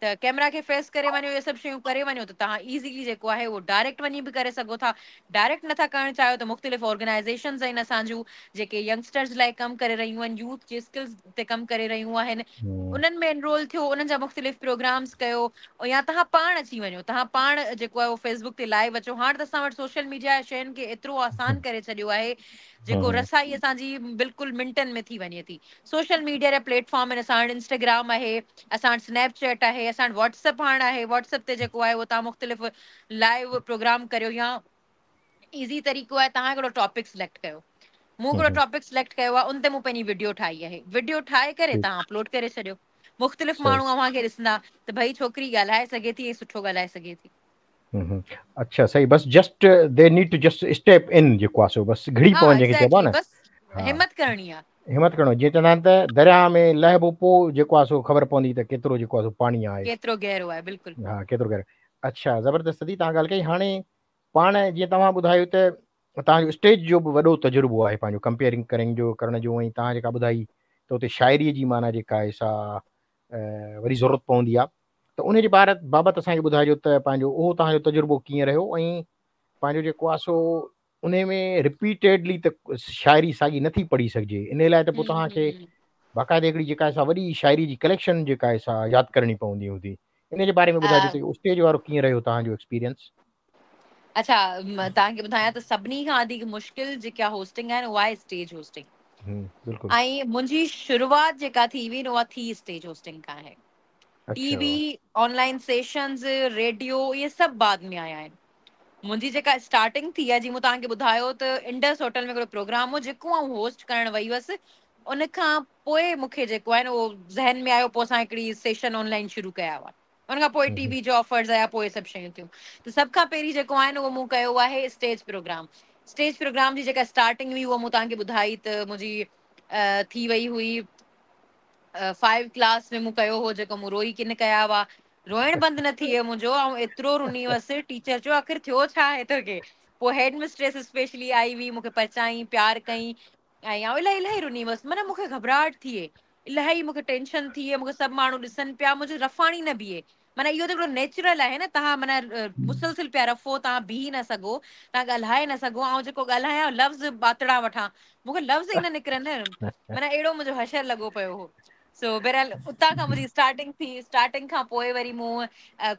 ته ڪيمرا کي فيس ڪري وڃو، اهي سڀ شيون ڪري وڃو ته توهان ايزيلي جيڪو آهي اهو ڊائريڪٽ وڃي به ڪري سگهو ٿا. ڊائريڪٽ نٿا ڪرڻ چاهيو ته مختلف آرگنائيزيشنز آهن اسان جون جيڪي ينگسٽرز لاء ڪم ڪري رهيون آهن، يوٿ جي اسڪلز تي ڪم ڪري رهيون آهن، انهن ۾ انرول ٿيو، انهن جا مختلف پروگرامز ڪيو، يا توهان پاڻ اچي وڃو، توهان پاڻ جيڪو آهي اهو فيس بڪ تي لائيو اچو. هاڻ ته اسان وٽ سوشل ميڊيا شين کي ايترو آسان ڪري ڇڏيو آهي جيڪو رسائي اسان جي بلڪل منٽن ۾ ٿي وڃي ٿي. سوشل ميڊيا جا پليٽ فارم آهن اسان وٽ، انسٽاگرام آهي، اسان وٽ سنيپ چيٽ آهي، اسان وٽ واٽس ايپ هاڻ آهي، واٽس ايپ تي جيڪو آهي اهو توهان مختلف لائيو پروگرام ڪريو، يا ايزي طريقو آهي توهان هڪڙو ٽاپڪ سليڪٽ ڪيو، مون هڪڙو ٽاپڪ سليڪٽ ڪيو آهي، ان تي مون پنهنجي وڊيو ٺاهي آهي، وڊيو ٺاهي ڪري توهان اپلوڊ ڪري ڇڏيو، مختلف ماڻهو اوهان کي ڏسندا ته ڀئي ڇوڪري ڳالهائي سگهي ٿي ۽ سٺو ڳالهائي سگهي ٿي. اڇا صحيح، بس just they need to just step in جيڪو آهي سو بس گهڙي پون جنهن کي چئبو آهي نه، بس همت ڪرڻي آهي، همت ڪرڻو، جيئن چوندا آهن ته درياهه ۾ لهبو پوء جيڪو آهي سو خبر پوندي ته ڪيترو جيڪو آهي سو پاڻي آهي، ڪيترو گهرو آهي، بلڪل ها ڪيترو گهرو. اڇا زبردست ادي توهان ڳالهه ڪئي. هاڻي پاڻ جيئن توهان ٻڌايو ته توهان جو اسٽيج جو به وڏو تجربو آهي پنهنجو ڪمپيئرنگ ڪرڻ جو ڪرڻ جو ۽ توهان جيڪا ٻڌائي ته اتي شاعري جي معنيٰ جيڪا آهي سا وڏي ضرورت پوندي آهي ته ان جي بارت بابت اسان کي ٻڌائجو ته پنهنجو اهو توهان جو تجربو ڪيئن رهيو ۽ پنهنجو جيڪو آهي سو ان ۾ رپيٽيڊلي ته شاعري ساڳي نٿي پڙهي سگهجي ان لاء ته پوء توهان کي باقاعده هڪڙي جيڪا آهي سا وڏي شاعري جي ڪليڪشن جيڪا آهي سا ياد ڪرڻي پوندي هوندي ان جي باري ۾ ٻڌائجو ته اسٽيج وارو ڪيئن رهيو توهان جو ايڪسپيرينس. اڇا توهان کي ٻڌايان ته سڀني کان وڌيڪ مشڪل جيڪا هوسٽنگ آهي نه اها آهي اسٽيج هوسٽنگ. بلڪل. ۽ منهنجي شروعات جيڪا ٿي هئي نه اها ٿي اسٽيج هوسٽنگ کان آهي. ٽي V, on line sessions, radio اهي سڀ بعد ۾ آيا آهن. منهنجي جيڪا اسٽارٽنگ ٿي آهي جيئن مون توهان کي ٻڌايو ته انڊس هوٽل ۾ هڪڙو پروگرام هو جيڪو آئون هوسٽ ڪرڻ وئي هئس، ان کان پوء مون کي جيڪو آهي نه اهو ذهن ۾ آيو، پوء اسان هڪڙي سيشن آن لائن شروع ڪيا هئا، ان کان پوء ٽي وي جا آفرز آيا، پوء سڀ شيون ٿيون. ته سڀ کان پهرين جيڪو آهي نه اهو مون ڪيو آهي اسٽيج پروگرام. اسٽيج پروگرام جي جيڪا اسٽارٽنگ هئي اها مون توهان کي ٻڌائي ته منهنجي ٿي وئي هئي فائيو ڪلاس ۾ مون ڪيو هو، جيڪو مون روئي ڪن ڪيا هئا، روئڻ بند نه ٿي ويو منهنجو، آئون ايترو رني هئس، ٽيچر چيو آخر ٿيو ڇا آهي توکي؟ پوء هيڊ مسٽريس اسپيشلي آئي هئي، مون کي پرچائين، پيار ڪئين، ۽ آئون الاهي الاهي رني هئس، معنيٰ مون کي گهٻراهٽ ٿئي، الاهي مون کي ٽينشن ٿئي، مون کي سڀ ماڻهو ڏسن پيا، منهنجو رفاڻي نه بيهي، معنيٰ اهو ته هڪڙو نيچرل آهي نه، توهان معنيٰ مسلسل پيا رفو، توهان بيهي نه سگهو، توهان ڳالهائي نه سگهو، آئون جيڪو ڳالهايان لفظ ٻاتڙا وٺان، مون کي لفظ ئي نه نڪرن، معنيٰ اهڙو منهنجو حشر لڳو پيو هو. سو بهرحال اتان کان منهنجي اسٽارٽنگ ٿي، اسٽارٽنگ کان پوء وري مون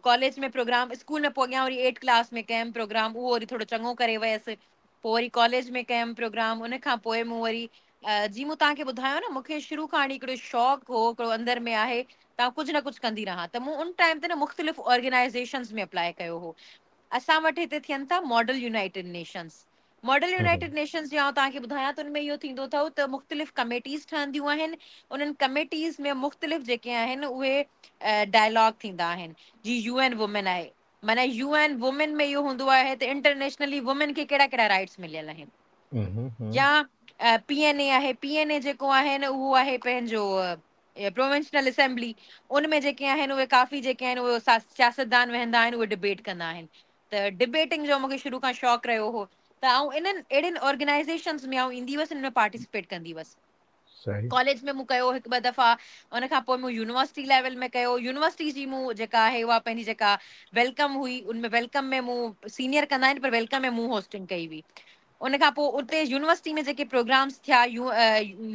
ڪاليج ۾ پروگرام، اسڪول ۾ پوء اڳيان وري ايٽ ڪلاس ۾ ڪيم پروگرام، اهو وري ٿورو چڱو ڪري ويس، پوء وري ڪاليج ۾ ڪيم پروگرام، ان کان پوء مون وري جيئن مون توهان کي ٻڌايو نه مون کي شروع کان وٺي هڪڙو شوق هو، هڪڙو اندر ۾ آهي ته آئون ڪجهه نه ڪجهه ڪندي رهان، ته مون ان ٽائيم تي نه مختلف آرگنائيزيشنز ۾ اپلائي ڪيو هو. اسان وٽ هتي ٿين ٿا model united nations, model united nations جي آئون توهان کي ٻڌايان ته ان ۾ اهو ٿيندو اٿو ته مختلف ڪميٽيز ٺهنديون آهن، انهن ڪميٽيز ۾ مختلف جيڪي آهن اهي ڊائلاگ ٿيندا آهن، جي يو اين وومين آهي، معنيٰ يو اين وومين ۾ اهو هوندو آهي ته انٽرنيشنلي وومين کي ڪهڙا ڪهڙا رائٽس مليل آهن، يا پي اين اي آهي، پي اين اي جيڪو آهي نه اهو آهي پنهنجو پروونشنل اسيمبلي، ان ۾ جيڪي آهن اهي ڪافي جيڪي آهن اهي سياستدان ويهندا آهن، اهي ڊبيٽ ڪندا آهن. ته ڊبيٽنگ جو مونکي شروع کان شوق رهيو هو ته آئون انهن اهڙين آرگنائيزيشنز ۾ آئون ايندي هئس، ان ۾ پارٽيسپيٽ ڪندي هئس. ڪاليج ۾ مون ڪيو هڪ ٻه دفعا، ان کان پوء مون يونيورسٽي ليول ۾ ڪيو، يونيورسٽي جي مون جيڪا آهي اها پنهنجي جيڪا welcome هئي ان ۾ welcome ۾ مون سينيئر ڪندا آهن پر welcome ۾ مون هوسٽنگ ڪئي هئي. ان کان پوء اتي يونيورسٽي ۾ جيڪي پروگرامس ٿيا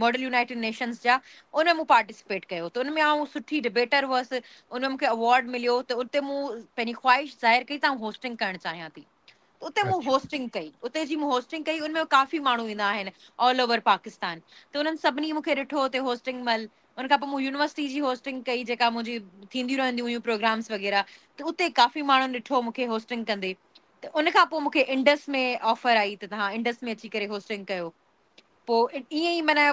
ماڊل يونائيٽيڊ نيشنز جا ان ۾ مون پارٽيسپيٽ ڪيو ته ان ۾ آئون سٺي ڊبيٽر هئس ان ۾ مونکي اوارڊ مليو ته اتي مون پنهنجي خواهش ظاهر ڪئي ته آئون هوسٽنگ ڪرڻ چاهيان ٿي ته اتي مون هوسٽنگ ڪئي اتي جي مون هوسٽنگ ڪئي ان ۾ ڪافي ماڻهو ايندا آهن آل اوور پاڪستان ته انهن سڀني مونکي ڏٺو اتي هوسٽنگ مهل ان کان پوء مون يونيورسٽي جي هوسٽنگ ڪئي جيڪا منهنجي ٿينديون رهنديون هيون پروگرامس وغيره ته اتي ڪافي ماڻهن ڏٺو مونکي هوسٽنگ ڪندي ته ان کان پوء مونکي انڊس ۾ آفر آئي ته توهان انڊس ۾ اچي ڪري هوسٽنگ ڪيو پوء ائين ئي معنيٰ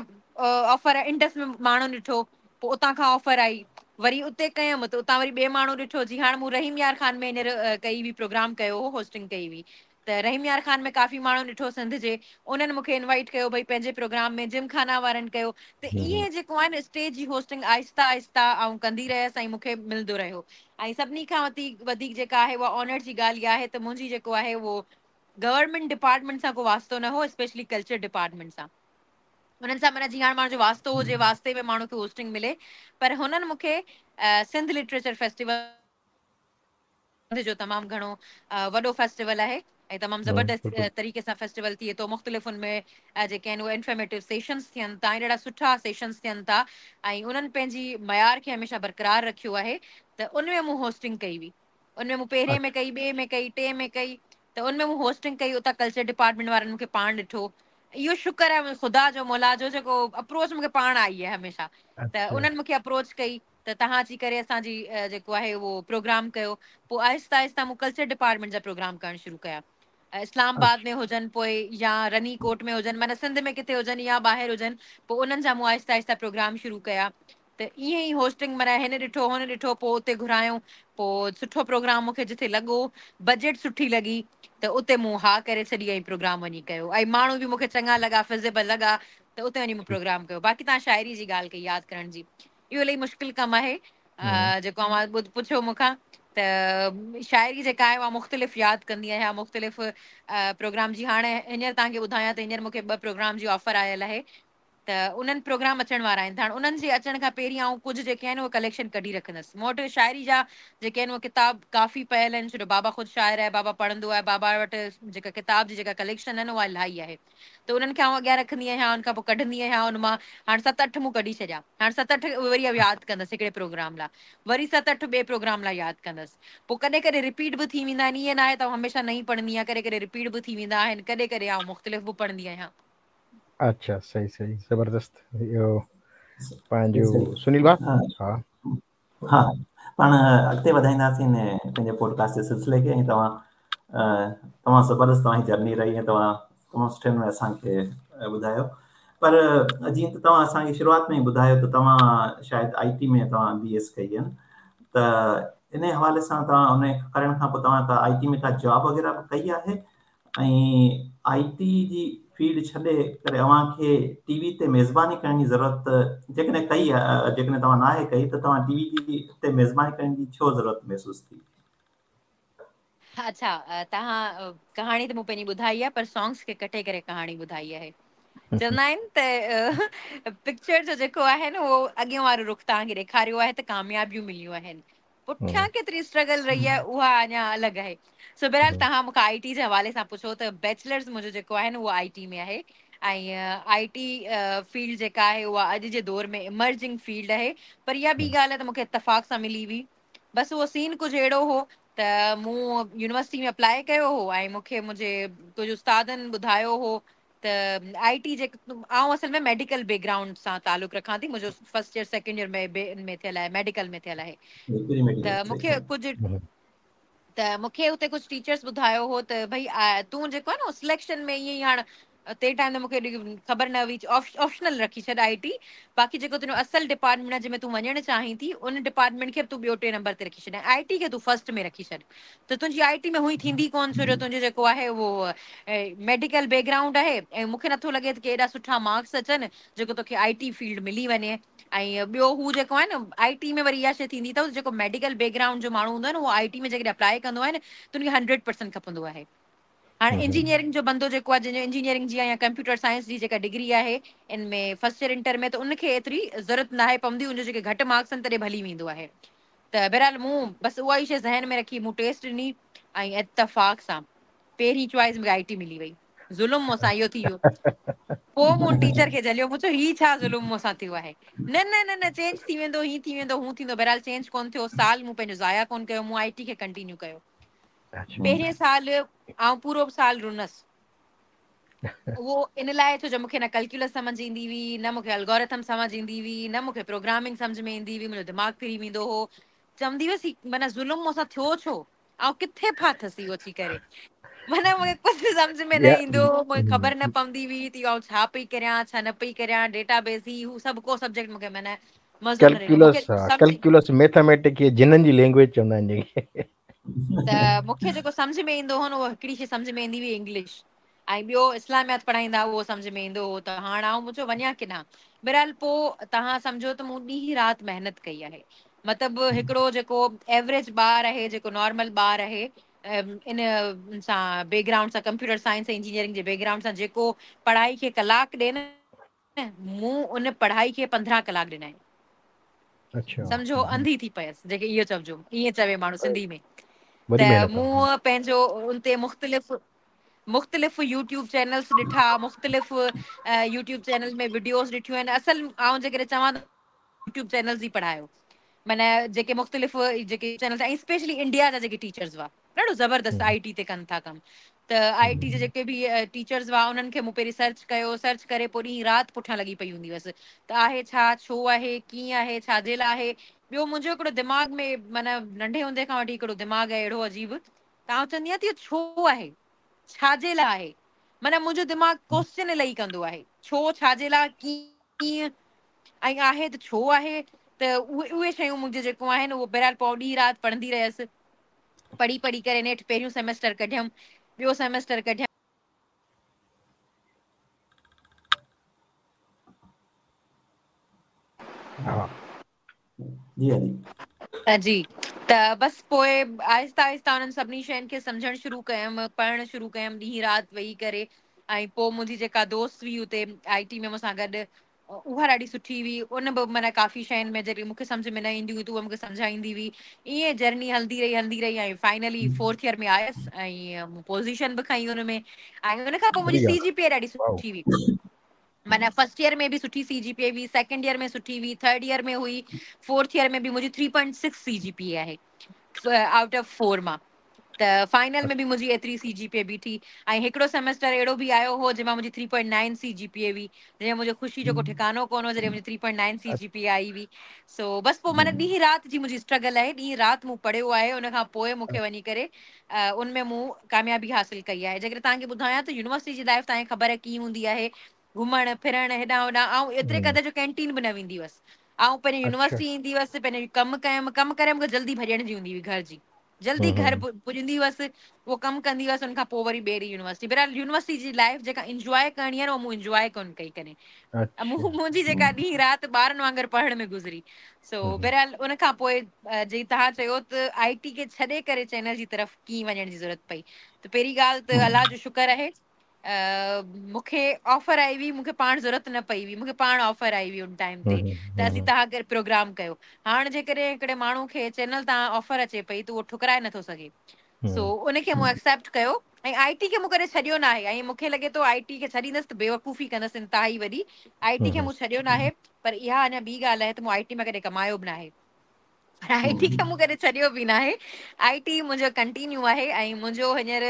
آفر انڊس ۾ ماڻهن ڏٺو پوء اتان کان آفر آئي وري اتي ڪيم ته اتان وري ٻئي ماڻهو ڏٺو جي هاڻ مون رحيم يار خان ۾ هينئر ڪئي هئي پروگرام ڪيو هو هوسٽنگ ڪئي هئي ته رحيم يار خان ۾ ڪافي ماڻهن ڏٺو سنڌ جي انهن مونکي انوائيٽ ڪيو ڀئي پنهنجي پروگرام ۾ جم خانا وارن ڪيو ته ائين جيڪو آهي نه اسٽيج جي هوسٽنگ آهسته آهسته آئون ڪندي رهيس ۽ مونکي ملندو رهيو ۽ سڀني کان وڌيڪ وڌيڪ جيڪا آهي اها آنر جي ڳالهه اها آهي ته منهنجي جيڪو آهي اهو گورنمينٽ ڊپارٽمينٽ سان ڪو واسطو نه هو اسپيشلي ڪلچر ڊپارٽمينٽ سان انهن سان معنيٰ جيئن هاڻ ماڻهو جو واسطو هجي واسطي ۾ ماڻهو کي هوسٽنگ ملي پر هنن مونکي سنڌ لٽريچر فيسٽيول سنڌ جو تمام گهڻو وڏو فيسٽيول آهي ۽ تمام زبردست طريقي سان فيسٽيول ٿئي ٿو مختلف ان ۾ جيڪي آهن اهي انفارميٽو سيشنز ٿين ٿا ۽ ڏاڍا سٺا سيشنز ٿين ٿا ۽ انهن پنهنجي معيار کي هميشه برقرار رکيو آهي ته ان ۾ مون هوسٽنگ ڪئي هئي ان ۾ مون پهرين ۾ ڪئي ٻئي ۾ ڪئي ٽئين ۾ ڪئي ته ان ۾ مون هوسٽنگ ڪئي اتان ڪلچر ڊپارٽمينٽ وارن مون کي پاڻ ڏٺو اهو شڪر آهي خدا جو مولا جو جيڪو اپروچ مون کي پاڻ آئي آهي هميشه ته انهن مون کي اپروچ ڪئي ته توهان اچي ڪري اسان جي جيڪو آهي اهو پروگرام ڪيو پوء آهستي آهستي مون ڪلچر ڊپارٽمينٽ جا پروگرام ڪرڻ شروع ڪيا اسلام آباد ۾ هجن پوء يا رني ڪوٽ ۾ هجن معنيٰ سنڌ ۾ ڪٿي هجن يا ٻاهر هجن پوء انهن جا مون آهستي آهستي پروگرام شروع ڪيا ته ائين ئي هوسٽنگ معنيٰ هن ڏٺو هن ڏٺو پوء اتي گهرايو پوء سٺو پروگرام مون کي جٿي لڳو بجيٽ سٺي لڳي ته اتي مون ها ڪري ڇڏي ۽ پروگرام وڃي ڪيو ۽ ماڻهو به مون کي چڱا لڳا فزيبل لڳا ته اتي وڃي مون پروگرام ڪيو باقي توهان شاعري جي ڳالهه ڪئي ياد ڪرڻ جي اهو الاهي مشڪل ڪم آهي جيڪو اوهان پڇيو مون کان ته شاعري جيڪا آهي اها مختلف ياد ڪندي آهيان مختلف پروگرام جي هاڻي هينئر توهان کي ٻڌايان ته هينئر مون کي ٻه پروگرام جي آفر آيل آهي ته انهن پروگرام اچڻ وارا آهن ته هاڻي انهن جي اچڻ کان پهرين آئون ڪجهه جيڪي آهن اهي ڪليڪشن ڪڍي رکندس مون وٽ شاعري جا جيڪي آهن اهي ڪتاب ڪافي پيل آهن ڇو جو بابا خود شاعر آهي بابا پڙهندو آهي بابا وٽ جيڪا ڪتاب جي جيڪا ڪليڪشن آهي نه اها الاهي آهي ته انهن کي آئون اڳيان رکندي آهيان ان کان پوء ڪڍندي آهيان ان مان هاڻ ست اٺ مون ڪڍي ڇڏيا هاڻ ست اٺ وري ياد ڪندس هڪڙي پروگرام لاء وري ست اٺ ٻئي پروگرام لاء ياد ڪندس پوء ڪڏهن ڪڏهن رپيٽ به ٿي ويندا آهن ائين ناهي ته آئون هميشه نئين پڙهندي آهيان ڪڏهن ڪڏهن رپيٽ به ٿي ويندا آهن ڪڏهن ڪڏهن آئون مختلف به پڙهندي آهيان. اڇا صحيح صحيح زبردست اهو پنهنجو سنيل ڀاء ها ها پاڻ اڳتي وڌائينداسين پنهنجي پوڊڪاسٽ جي سلسلي کي ۽ توهان تمام زبردست توهان جي جرني رهي ۽ توهان تمام سٺي نموني اسان کي ٻڌايو پر جيئن ته توهان اسان کي شروعات ۾ ئي ٻڌايو ته توهان شايد آئي ٽي ۾ توهان بي ايس ڪئي آهي ته ان حوالي سان توهان ان ڪرڻ کان پوء توهان ڪا آئي ٽي ۾ ڪا جاب وغيره به ڪئي آهي ۽ آئي ٽي جي فيلڊ ڇڏي ڪري اوهان کي ٽي وي تي ميزباني ڪرڻ جي ضرورت جيڪڏهن ڪئي جيڪڏهن توهان ناهي ڪئي ته توهان ٽي وي جي تي ميزباني ڪرڻ جي ڇو ضرورت محسوس ٿي؟ اڇا توهان ڪهاڻي ته مون پنهنجي ٻڌائي آهي پر سانگس کي ڪٽي ڪري ڪهاڻي ٻڌائي آهي چوندا آهن ته پڪچر جو جيڪو آهي نه اهو اڳيون وارو رخ توهان کي ڏيکاريو آهي ته ڪاميابيون مليون آهن پٺيان ڪيتري اسٽرگل رهي آهي اها اڃا الڳ آهي سو بهرحال توهان مون کان آئي ٽي جي حوالي سان پڇو ته بيچلرز منهنجو جيڪو آهي نه اهو آئي ٽي ۾ آهي ۽ آئي ٽي فيلڊ جيڪا آهي اها اڄ جي دور ۾ ايمرجنگ فيلڊ آهي پر اها ٻي ڳالهه آهي ته مون کي اتفاق سان ملي هئي بس اهو سين ڪجهه اهڙو هو ته مون يونيورسٽي ۾ اپلائي ڪيو هو ۽ مون کي منهنجي ڪجهه استادن ٻڌايو هو ته آئي ٽي جي آئون اصل ۾ ميڊيڪل بيڪ گرائونڊ سان تعلق رکان ٿي منهنجو فرسٽ ايئر سيڪنڊ ايئر ۾ ۾ ٿيل آهي ميڊيڪل ۾ ٿيل آهي ته مونکي ڪجهه ته مونکي اتي ڪجهه ٽيچرس ٻڌايو هو ته ڀئي تون جيڪو آهي نه سليڪشن ۾ ائين ئي هاڻ تنهن ٽائيم تي مونکي ايڏي خبر نه هئي آپشنل رکي ڇڏ آئي ٽي باقي جيڪو تنهنجو اصل ڊپارٽمينٽ آهي جنهن ۾ تون وڃڻ چاهين ٿي ان ڊپارٽمينٽ کي به تون ٻيو ٽي نمبر تي رکي ڇڏ ۽ آئي ٽي کي تون فرسٽ ۾ رکي ڇڏ ته تنهنجي آئي ٽي ۾ هونئن ٿيندي ڪونه ڇو جو تنهنجو جيڪو آهي اهو ميڊيڪل بيڪ گرائونڊ آهي ۽ مونکي نٿو لڳي ته ڪي ايڏا سٺا مارڪس اچن جيڪو توکي آئي ٽي فيلڊ ملي وڃي ۽ ٻيو هو جيڪو آهي نه آئي ٽي ۾ وري اها شي ٿيندي اٿس جيڪو ميڊيڪل بيڪ گرائونڊ جو ماڻهو هوندو آهي نه اهو آئي ٽي ۾ جيڪڏهن اپلائي ڪندو آهي نه ته ان کي هنڊريڊ پرسنٽ کپندو آهي هاڻي انجنيئرنگ جو بندو جيڪو آهي جنهن جو انجنيئرنگ جي يا ڪمپيوٽر سائنس جي جيڪا ڊگري آهي ان ۾ فرسٽ ايئر انٽر ۾ ته ان کي ايتري ضرورت ناهي پوندي ان جو جيڪي گهٽ مارڪس آهن تڏهن به هلي ويندو آهي ته بهرحال مون بس اها ئي شيء ذهن ۾ رکي مون ٽيسٽ ڏني ۽ اتفاق سان پهرين چوائس مونکي آئي ٽي ملي وئي ظلم مون سان اهو ٿي ويو. پوءِ مون ٽيچر کي جهليو، مون چيو هي ڇا ظلم مون سان ٿيو آهي؟ نه نه نه نه چينج ٿي ويندو، هي ٿي ويندو، هو ٿيندو. بهرحال چينج ڪونه ٿيو. سال مون پنهنجو ضايع ڪونه ڪيو، مون I ٽي کي ڪنٽينيو ڪيو. پهرين سال آئون پورو سال رنس. اهو ان لاءِ ڇو جو مون کي نه ڪيلڪيولس سمجهه ايندي هئي، نه مون کي الگورٿم سمجهه ايندي هئي، نه مون کي پروگرامنگ سمجهه ۾ ايندي هئي. منهنجو دماغ ڦري ويندو هو. چوندي هئس هي معنيٰ ظلم مون سان ٿيو ڇو؟ آئون ڪٿي ڦاٿس اهو اچي ڪري؟ معنيٰ مون کي ڪجهه سمجهه ۾ نه ايندو هو، مون کي خبر نه پوندي هئي ته آئون ڇا پئي ڪريان، ڇا نه پئي ڪريان. ڊيٽا بيس هي هو سڀ ڪو سبجيڪٽ مون کي معنيٰ مزو نه ڏنو. ڪيلڪيولس ڪيلڪيولس ميٿاميٽڪ جنن جي لينگويج چوندا آهن جيڪي. ته مون کي جيڪو سمجهه ۾ ايندو هو نه، اهو هڪڙي شيءِ سمجهه ۾ ايندي هئي انگلش، ۽ ٻيو اسلاميات پڙهائيندا اهو سمجهه ۾ ايندو هو. ته هاڻي آئون مون چيو وڃان ڪيڏانهن؟ بهرحال پوءِ توهان سمجهو ته مون ڏينهن رات محنت ڪئي آهي. مطلب هڪڙو جيڪو ايوريج ٻار آهي، جيڪو نارمل ٻار آهي، ان سان بيڪ گرائونڊ سان، ڪمپيوٽر سائنس ۽ انجنيئرنگ جي بيڪ گرائونڊ سان، جيڪو پڙهائي کي ڪلاڪ ڏي نه، مون ان پڙهائي کي 15 ڪلاڪ ڏنا آهن. سمجهو انڌي ٿي پيس، جيڪي اهو چئجو، ائين چوي ماڻهو سنڌي ۾. ته مون پنهنجو ان تي مختلف مختلف يوٽيوب چينلز ڏٺا، مختلف يوٽيوب چينل ۾ وڊيوز ڏٺيون آهن. اصل آئون جيڪڏهن چوان ته يوٽيوب چينلز ئي پڙهايو، معنيٰ جيڪي مختلف جيڪي چينلز ۽ اسپيشلي انڊيا جا جيڪي ٽيچرز هئا، ڏاڍو زبردست I ٽي تي ڪن ٿا ڪم. ته I ٽي جا جيڪي به ٽيچرز هئا انهن کي مون پهرين سرچ ڪيو، سرچ ڪري پوءِ ڏينهن رات پٺيان لڳي پئي هوندي هئس ته آهي ڇا، ڇو آهي، ڪيئن آهي، ڇا جي لاءِ آهي. ٻيو منهنجو هڪڙو دماغ ۾ معنيٰ ننڍي هوندي کان وٺي هڪڙو دماغ آهي اهڙو عجيب، ته آئون چوندي آهيان ته اهو ڇو آهي، ڇا جي لاءِ آهي. معنيٰ منهنجو دماغ ڪوئسچن الاهي ڪندو آهي، ڇو، ڇا جي لاءِ، ڪيئن ۽ آهي ته ڇو آهي. ته اهي اهي شيون منهنجي جيڪو آهن اهو بهرحال پوءِ ڏينهن رات پڙهندي رهيس. پڙهي پڙهي ڪري نيٺ پهريون سيمسٽر ڪڍيم، ٻيو سيمسٽر ڪڍيم. جي جي، ته بس پوءِ آهسته آهسته انهن سڀني شين کي سمجهڻ شروع ڪيم، پڙهڻ شروع ڪيم ڏينهن رات ويهي ڪري. ۽ پوءِ منهنجي جيڪا دوست هئي هتي I ٽي ۾ مون سان گڏ، اها ڏاڍي سٺي هئي. ان به معنيٰ ڪافي شين ۾ جڏهن مون کي سمجهه ۾ نه ايندي هئي ته اها مون کي سمجهائيندي هئي. ائين جرني هلندي رهي، هلندي رهي ۽ فائنلي فورٿ ايئر ۾ آيس ۽ مون پوزيشن به کنئي هن ۾. ۽ ان کان پوءِ منهنجي سي جي پي اي ڏاڍي سٺي هئي. معنيٰ فرسٽ ايئر ۾ به سٺي سي جي پي اي هئي، سيڪنڊ ايئر ۾ سٺي هئي، ٿرڊ ايئر ۾ هئي، فورٿ ايئر ۾ به منهنجي 3.6 سي جي پي اي آهي آئوٽ آف 4 مان. ته فائنل ۾ به منهنجي ايتري سي جي پي اي بيٺي. ۽ هڪڙو سيمسٽر اهڙو به آيو هو جنهن مان منهنجي 3.9 سي جي پي اي هئي، جنهن ۾ منهنجو خوشي جو ڪو ٺڪانو ڪونه هو جڏهن منهنجي 3.9 سي جي پي اي آئي هئي. سو بس پوءِ معنيٰ ڏينهن رات جي منهنجي اسٽرگل آهي، ڏينهن رات مون پڙهيو آهي، ان کان پوءِ مون کي وڃي ڪري ان ۾ مون ڪاميابي حاصل ڪئي آهي. جيڪڏهن توهان کي ٻڌايان ته يونيورسٽي جي لائيف توهان کي خبر آهي ڪيئن هوندي آهي، گهمڻ ڦرڻ هيڏان هوڏان. آئون ايتري قدر جو ڪينٽين به نه ويندي هئس. آئون پنهنجي يونيورسٽي ايندي هئس، پنهنجو ڪم ڪيم، ڪم ڪري مون کي جلدي ڀڄڻ جي هوندي هئي گهر جي، جلدي گهر پڄندي هئس، اهو ڪم ڪندي هئس، ان کان پوءِ وري ٻئي ڏينهن يونيورسٽي. بهرحال يونيورسٽي جي لائيف جيڪا انجواءِ ڪرڻي آهي نه، اها مون انجواءِ ڪونه ڪئي ڪڏهن. منهنجي جيڪا ڏينهن رات ٻارن وانگر پڙهڻ ۾ گذري. سو بهرحال ان کان پوءِ جي توهان چيو ته I ٽي کي ڇڏي ڪري چينل جي طرف ڪيئن وڃڻ جي ضرورت پئي، ته پهرين ڳالهه ته الله جو شڪر آهي مون کي آفر آئي هئي، مون کي پاڻ ضرورت نه پئي هئي، مون کي پاڻ آفر آئي هئي ان ٽائيم تي ته اسين توهان ڪري پروگرام ڪيو. هاڻي جيڪڏهن هڪڙي ماڻهو کي چينل تان آفر اچي پئي ته اهو ٺڪرائي نٿو سگهي. سو ان کي مون ايڪسيپٽ ڪيو ۽ I ٽي کي مون ڪڏهن ڇڏيو نه آهي. ۽ مون کي لڳي ٿو I ٽي کي ڇڏيندس ته بيوقوفي ڪندس انتهائي وڏي. I ٽي کي مون ڇڏيو نه آهي، پر اها اڃا ٻي ڳالهه آهي ته مون I ٽي مان ڪڏهن ڪمايو به نه آهي، پر I ٽي کي مون ڪڏهن ڇڏيو به نه آهي. I ٽي منهنجو ڪنٽينيو آهي ۽ منهنجو هينئر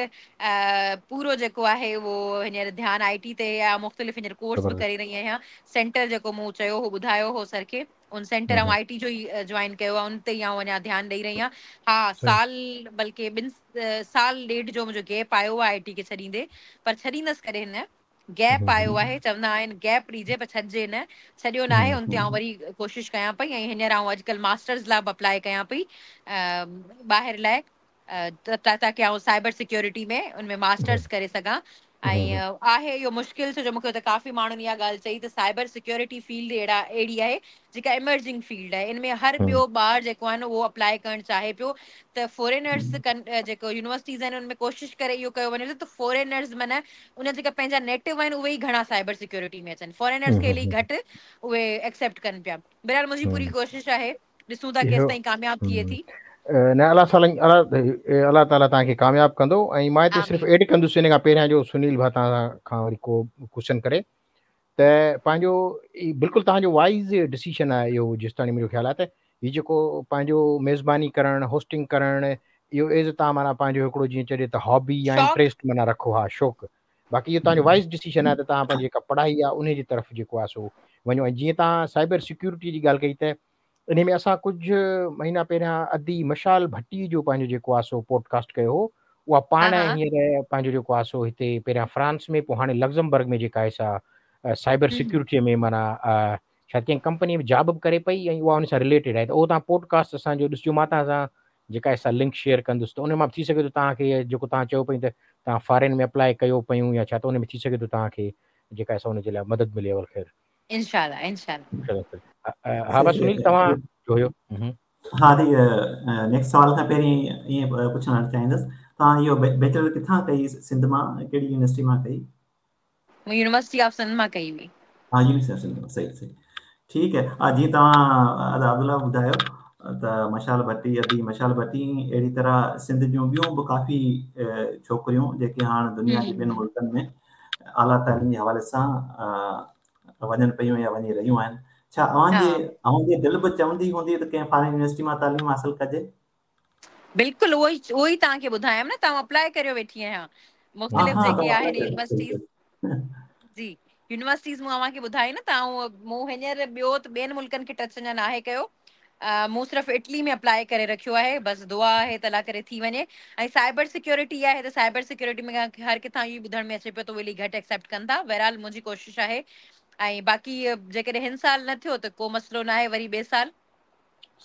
پورو جيڪو آهي اهو هينئر ڌيان I ٽي تي آهي. مختلف هينئر ڪورس به ڪري رهي آهيان. سينٽر جيڪو مون چيو هو، ٻڌايو هو سر کي، ان سينٽر آئون I ٽي جو ئي جوائن ڪيو آهي، ان تي ئي آئون اڃا ڌيان ڏيئي رهي آهيان. ها، سال بلڪه 2 سال ڏيڍ جو منهنجو گيپ آيو آهي I ٽي کي ڇڏيندي، پر ڇڏيندس ڪڏهن نه. گيپ آيو آهي، چوندا آهن گيپ ڏجي پر ڇڏجي نه، ڇڏيو نه آهي. ان تي آئون وري ڪوشش ڪيان پئي ۽ هينئر آئون اڄڪلهه ماسٽرز لاءِ به اپلائي ڪيان پئي ٻاهر لاءِ، تاڪه آئون سائبر سيڪيورٽي ۾ ان ۾ ماسٽرز ڪري سگهان. ۽ آهي اهو مشڪل، ڇو جو مون کي هتي ڪافي ماڻهن اها ڳالهه چئي ته سائبر سيڪيورٽي فيلڊ اهڙي آهي جيڪا ايمرجنگ فيلڊ آهي، ان ۾ هر ٻيو ٻار جيڪو آهي نه اهو اپلائي ڪرڻ چاهي پيو. ته فارينرس ڪن جيڪو يونيورسٽيز آهن ان ۾ ڪوشش ڪري اهو ڪيو وڃي ته فارينرز معنيٰ ان جيڪا پنهنجا نيٽو آهن اهي ئي گهڻا سائبر سيڪيورٽي ۾ اچن، فارينرز کي الاهي گهٽ اهي ايڪسيپٽ ڪن پيا. بهرحال منهنجي پوري ڪوشش آهي، ڏسون ٿا ڪيستائين ڪامياب ٿئي ٿي. نه الله سائين الله تعالي توهان کي ڪامياب ڪندو ۽ مان هتي صرف ايڊ ڪندس ان کان پهريان جو سنيل ڀا توهان کان وري ڪو ڪوشچن ڪري ته پنهنجو بلڪل توهان جو وائز ڊسيشن آهي اهو جيستاڻي منهنجو خيال آهي ته هي جيڪو پنهنجو ميزباني ڪرڻ هوسٽنگ ڪرڻ اهو ايز توهان معنيٰ پنهنجو هڪڙو جيئن چئجي ته هابي يا انٽريسٽ معنيٰ رکو ها شوق باقي اهو توهان جو وائز ڊسيشن آهي ته توهان پنهنجي جيڪا پڙهائي آهي ان جي طرف جيڪو آهي سو وڃو ۽ جيئن توهان سائبر سيڪيورٽي جي ڳالهه ڪئي ته انهي ۾ اسان ڪجهه مهينا پهريان ادي مشال ڀٽي جو پنهنجو جيڪو آهي سو پوڊڪاسٽ ڪيو هو اها پاڻ هينئر پنهنجو جيڪو آهي سو هتي پهريان فرانس ۾ پوء هاڻي لگزمبرگ ۾ جيڪا آهي سا سائبر سيڪيورٽي ۾ معنيٰ شايد ڪنهن ڪمپني ۾ جاب به ڪري پئي ۽ اها ان سان رليٽيڊ آهي ته اهو توهان پوڊڪاسٽ اسان جو ڏسجو مان توهان سان جيڪا آهي سا لنڪ شيئر ڪندس ته ان مان به ٿي سگهي ٿو توهان کي جيڪو توهان چئو پئي ته توهان فارين ۾ اپلائي ڪيو پيون يا ڇا ته ان ۾ ٿي سگهي ٿو توهان کي جيڪا آهي سا ان جي لاء مدد ملي اول خير انشاء الله انشاء الله ها بس سنيل توهان جو هيو ها the next سوال کان پهرين ائين پڇڻ چاهيندس توهان اهو بيچلر ڪٿان ڪئي سنڌ مان ڪهڙي يونيورسٽي مان ڪئي؟ مون يونيورسٽي آف سنڌ مان ڪئي هئي. ها يونيورسٽي آف سنڌ مان صحيح صحيح ٺيڪ آهي جيئن توهان ادا عبدالله ٻڌايو ته مشال ڀٽي ادي مشال ڀٽي اهڙي طرح سنڌ جون ٻيون به ڪافي ڇوڪريون جيڪي هاڻ دنيا جي ٻين ملڪن ۾ اعليٰ تعليم جي حوالي سان وڃن پيون يا وڃي رهيون آهن ڇا اوهان جي اوهان جي دل به چوندي هوندي ته ڪنهن فارين يونيورسٽي مان تعليم حاصل ڪجي؟ بلڪل اهو ئي اهو ئي توهان کي ٻڌايم نه ته آئون اپلاء ڪريو ويٺي آهيان مختلف جيڪي آهن يونيورسٽيز جي يونيورسٽيز مون اوهان کي ٻڌائي نه ته آئون مون هينئر ٻيو ته ٻين ملڪن کي ٽچ اڃا ناهي ڪيو مون صرف اٽلي ۾ اپلاء ڪري رکيو آهي بس دعا آهي ته الله ڪري ٿي وڃي ۽ سائبر سيڪيورٽي آهي ته سائبر سيڪيورٽي ۾ هر ڪٿان اهو ٻڌڻ ۾ اچي پيو ته اهي الائي گهٽ ايڪسيپٽ ڪن ٿا بهرحال منهنجي ڪوشش آهي ۽ باقي جيڪڏهن هن سال نه ٿيو ته ڪو مسئلو نه آهي وري ٻئي سال.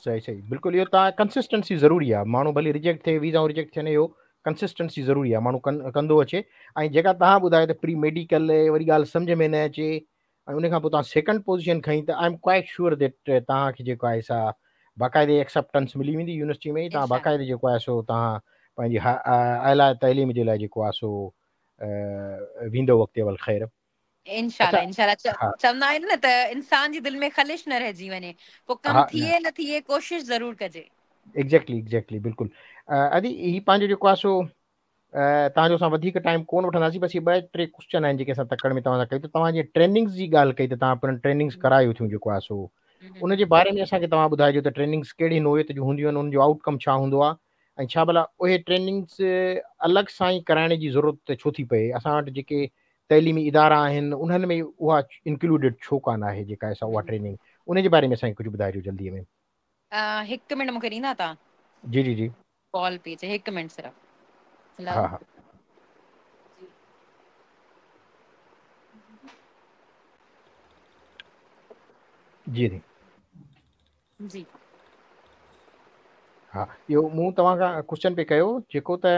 صحيح صحيح بلڪل اهو تان ڪنسسٽنسي ضروري آهي ماڻهو ڀلي ريجيڪٽ ٿئي ويزائون ريجيڪٽ ٿين اهو ڪنسسٽنسي ضروري آهي ماڻهو ڪندو اچي ۽ جيڪا تهان ٻڌايو ته پري ميڊيڪل وري ڳالهه سمجهه ۾ نه اچي ۽ ان کان پوء توهان سيڪنڊ پوزيشن کنئي ته I am quite sure that توهان کي جيڪو آهي سا باقاعدي ايڪسپٽنس ملي ويندي يونيورسٽي ۾ توهان باقاعدي جيڪو آهي سو توهان پنهنجي اعليٰ تعليم جي لاء جيڪو آهي سو ويندو اڳتي اول خير. انشاء الله انشاء الله چوندا آهن نه ته انسان جي دل ۾ خلش نه رهجي وڃي پوء ڪم ٿئي نه ٿئي ڪوشش ضرور ڪجي. ايگزيڪٽلي ايگزيڪٽلي بلڪل ادي هي پنهنجو جيڪو آهي سو توهان جو اسان وڌيڪ ٽائيم ڪون وٺنداسين بس هي ٻه ٽي ڪوشچن آهن جيڪي اسان تڪڙ ۾ توهان سان ڪيون ته توهان جيئن ٽريننگز جي ڳالهه ڪئي ته توهان پڻ ٽريننگز ڪرايو ٿيون جيڪو آهي سو ان جي باري ۾ اسان کي توهان ٻڌائجو ته ٽريننگز ڪهڙي نوعيت جون هونديون آهن ان جو آئوٽ ڪم ڇا هوندو آهي ۽ ڇا ڀلا اهي ٽريننگز الڳ سان ئي ڪرائڻ جي ضرورت ڇو ٿي پئي اسان وٽ جيڪي تعليمي ادارا آهن انهن ۾ اها انڪلوڊيڊ ڇو ڪانه آهي جيڪا اسان اها ٽريننگ ان جي باري ۾ اسان کي ڪجهه ٻڌائجو جلدي ۾. هڪ منٽ مونکي ڏيندا توهان؟ جي جي جي. ڪال پئي اچي هڪ منٽ صرف. ها ها. جي جي. جي. ها اهو مون توهان کان ڪوشچن پئي ڪيو جيڪو ته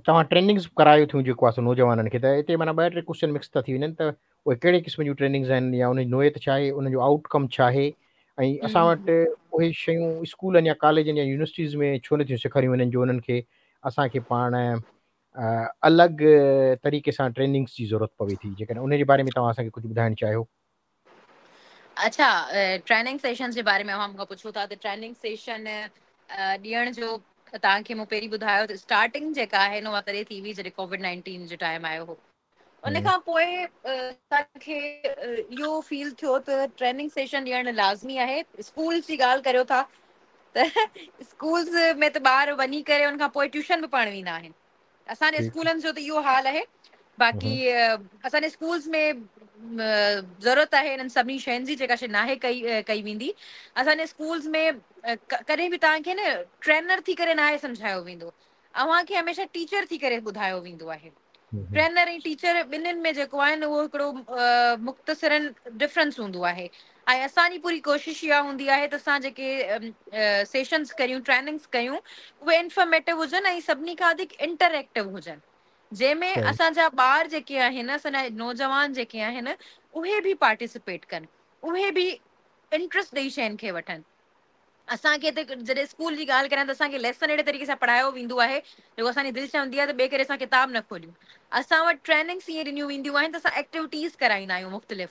توهان ٽريننگز ڪرايو ٿيون جيڪو آهي سو نوجوانن کي ته هتي معنيٰ ٻه ٽي ڪوشچن مڪس ٿا ٿي وڃن ته اهي ڪهڙي قسم جون ٽريننگز آهن يا ان جي نوعيت ڇا آهي ان جو آئوٽ ڪم ڇا آهي ۽ اسان وٽ اهي شيون اسڪولن يا ڪاليجن يا يونيورسٽيز ۾ ڇو نٿيون سيکاريون وڃن جو انهن کي اسان کي پاڻ الڳ طريقي سان ٽريننگز جي ضرورت پوي ٿي جيڪڏهن ان جي باري ۾ توهان اسان کي ڪجهه ٻڌائڻ چاهيو. اڇا ٽريننگ سيشنز جي باري ۾ اوهان مون کان پڇو ٿا ته ٽريننگ سيشن ڏيڻ جو توهان کي مون پهرين ٻڌايو ته اسٽارٽنگ جيڪا آهي نه اها تڏهن ٿي هئي جڏهن ڪووڊ 19 جو ٽائيم آيو هو ان کان پوء اسان کي اهو فيل ٿيو ته ٽريننگ سيشن ڏيڻ لازمي آهي اسڪولز جي ڳالهه ڪريو ٿا ته اسڪولز ۾ ته ٻار وڃي ڪري ان کان پوء ٽيوشن به پڙهڻ ويندا آهن اسان جي اسڪولن جو ته اهو حال آهي باقي اسان جي اسڪولز ۾ ضرورت آهي انهن سڀني شين جي جيڪا شي ناهي ڪئي ڪئي ويندي اسان جي اسڪولز ۾ ڪڏهن به توهان کي نه ٽرينر ٿي ڪري ناهي سمجهايو ويندو اوهان کي هميشه ٽيچر ٿي ڪري ٻڌايو ويندو آهي. ٽرينر ۽ ٽيچر ٻنهين ۾ جيڪو آهي نه اهو هڪڙو مختصرن ڊفرنس هوندو آهي ۽ اسان جي پوري ڪوشش اها هوندي آهي ته اسان جيڪي سيشنز ڪريون ٽريننگز ڪيون اهي انفارميٽو هجن ۽ سڀني کان وڌيڪ انٽريڪٽو هجن جنهن ۾ اسان جا ٻار جيڪي آهن اسان جا نوجوان جيڪي آهن اهي به پارٽيسپيٽ ڪن اهي به انٽرسٽ ڏئي شين کي وٺن. اسان کي ته جڏهن اسڪول جي ڳالهه ڪريان ته اسان کي ليسن اهڙي طريقي سان پڙهايو ويندو آهي جيڪو اسان جي دل چوندي آهي ته ٻئي ڪري اسان ڪتاب نه کوليون. اسان وٽ ٽريننگس ائين ڏنيون وينديون آهن ته اسان ايڪٽيوٽيز ڪرائيندا آهيون مختلف.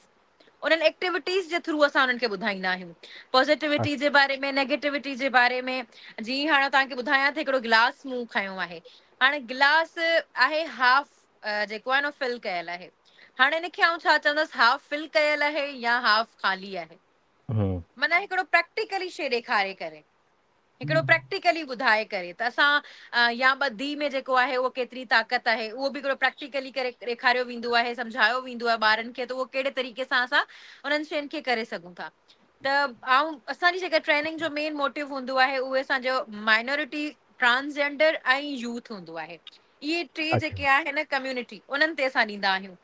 انهن ايڪٽيوٽيز جي ٿرو اسان انهن کي ٻڌائيندا آهيون پازيٽيوٽي جي باري ۾ نيگيٽيوٽي جي باري ۾. جيئن هاڻي توهان کي ٻڌايان ته هڪڙو گلاس مون کنيو آهي، هاڻي گلاس آهي هاف جيڪو آهي نه فل ڪيل آهي، هاڻي ان کي آئون ڇا چوندس، هاف فل ڪيل آهي يا هاف خالي آهي؟ معنيٰ هڪڙو پريڪٽيڪلي شيء ڏيکاري ڪري، هڪڙو پريڪٽيڪلي ٻڌائي ڪري ته اسان يا ٻڌي ۾ جيڪو آهي اهو ڪيتري طاقت آهي، اهو به هڪڙو پريڪٽيڪلي ڪري ڏيکاريو ويندو آهي، سمجهايو ويندو آهي ٻارن کي ته اهو ڪهڙي طريقي سان اسان انهن شين کي ڪري سگهون ٿا. ته آئون اسان جي جيڪا ٽريننگ جو مين موٽو هوندو آهي اهي اسان جو مائنورٽي، ٽرانسجينڊر ۽ يوٿ هوندو آهي. اهي ٽي جيڪي آهن ڪميونٽي انهن تي اسان ڏيندا آهيون.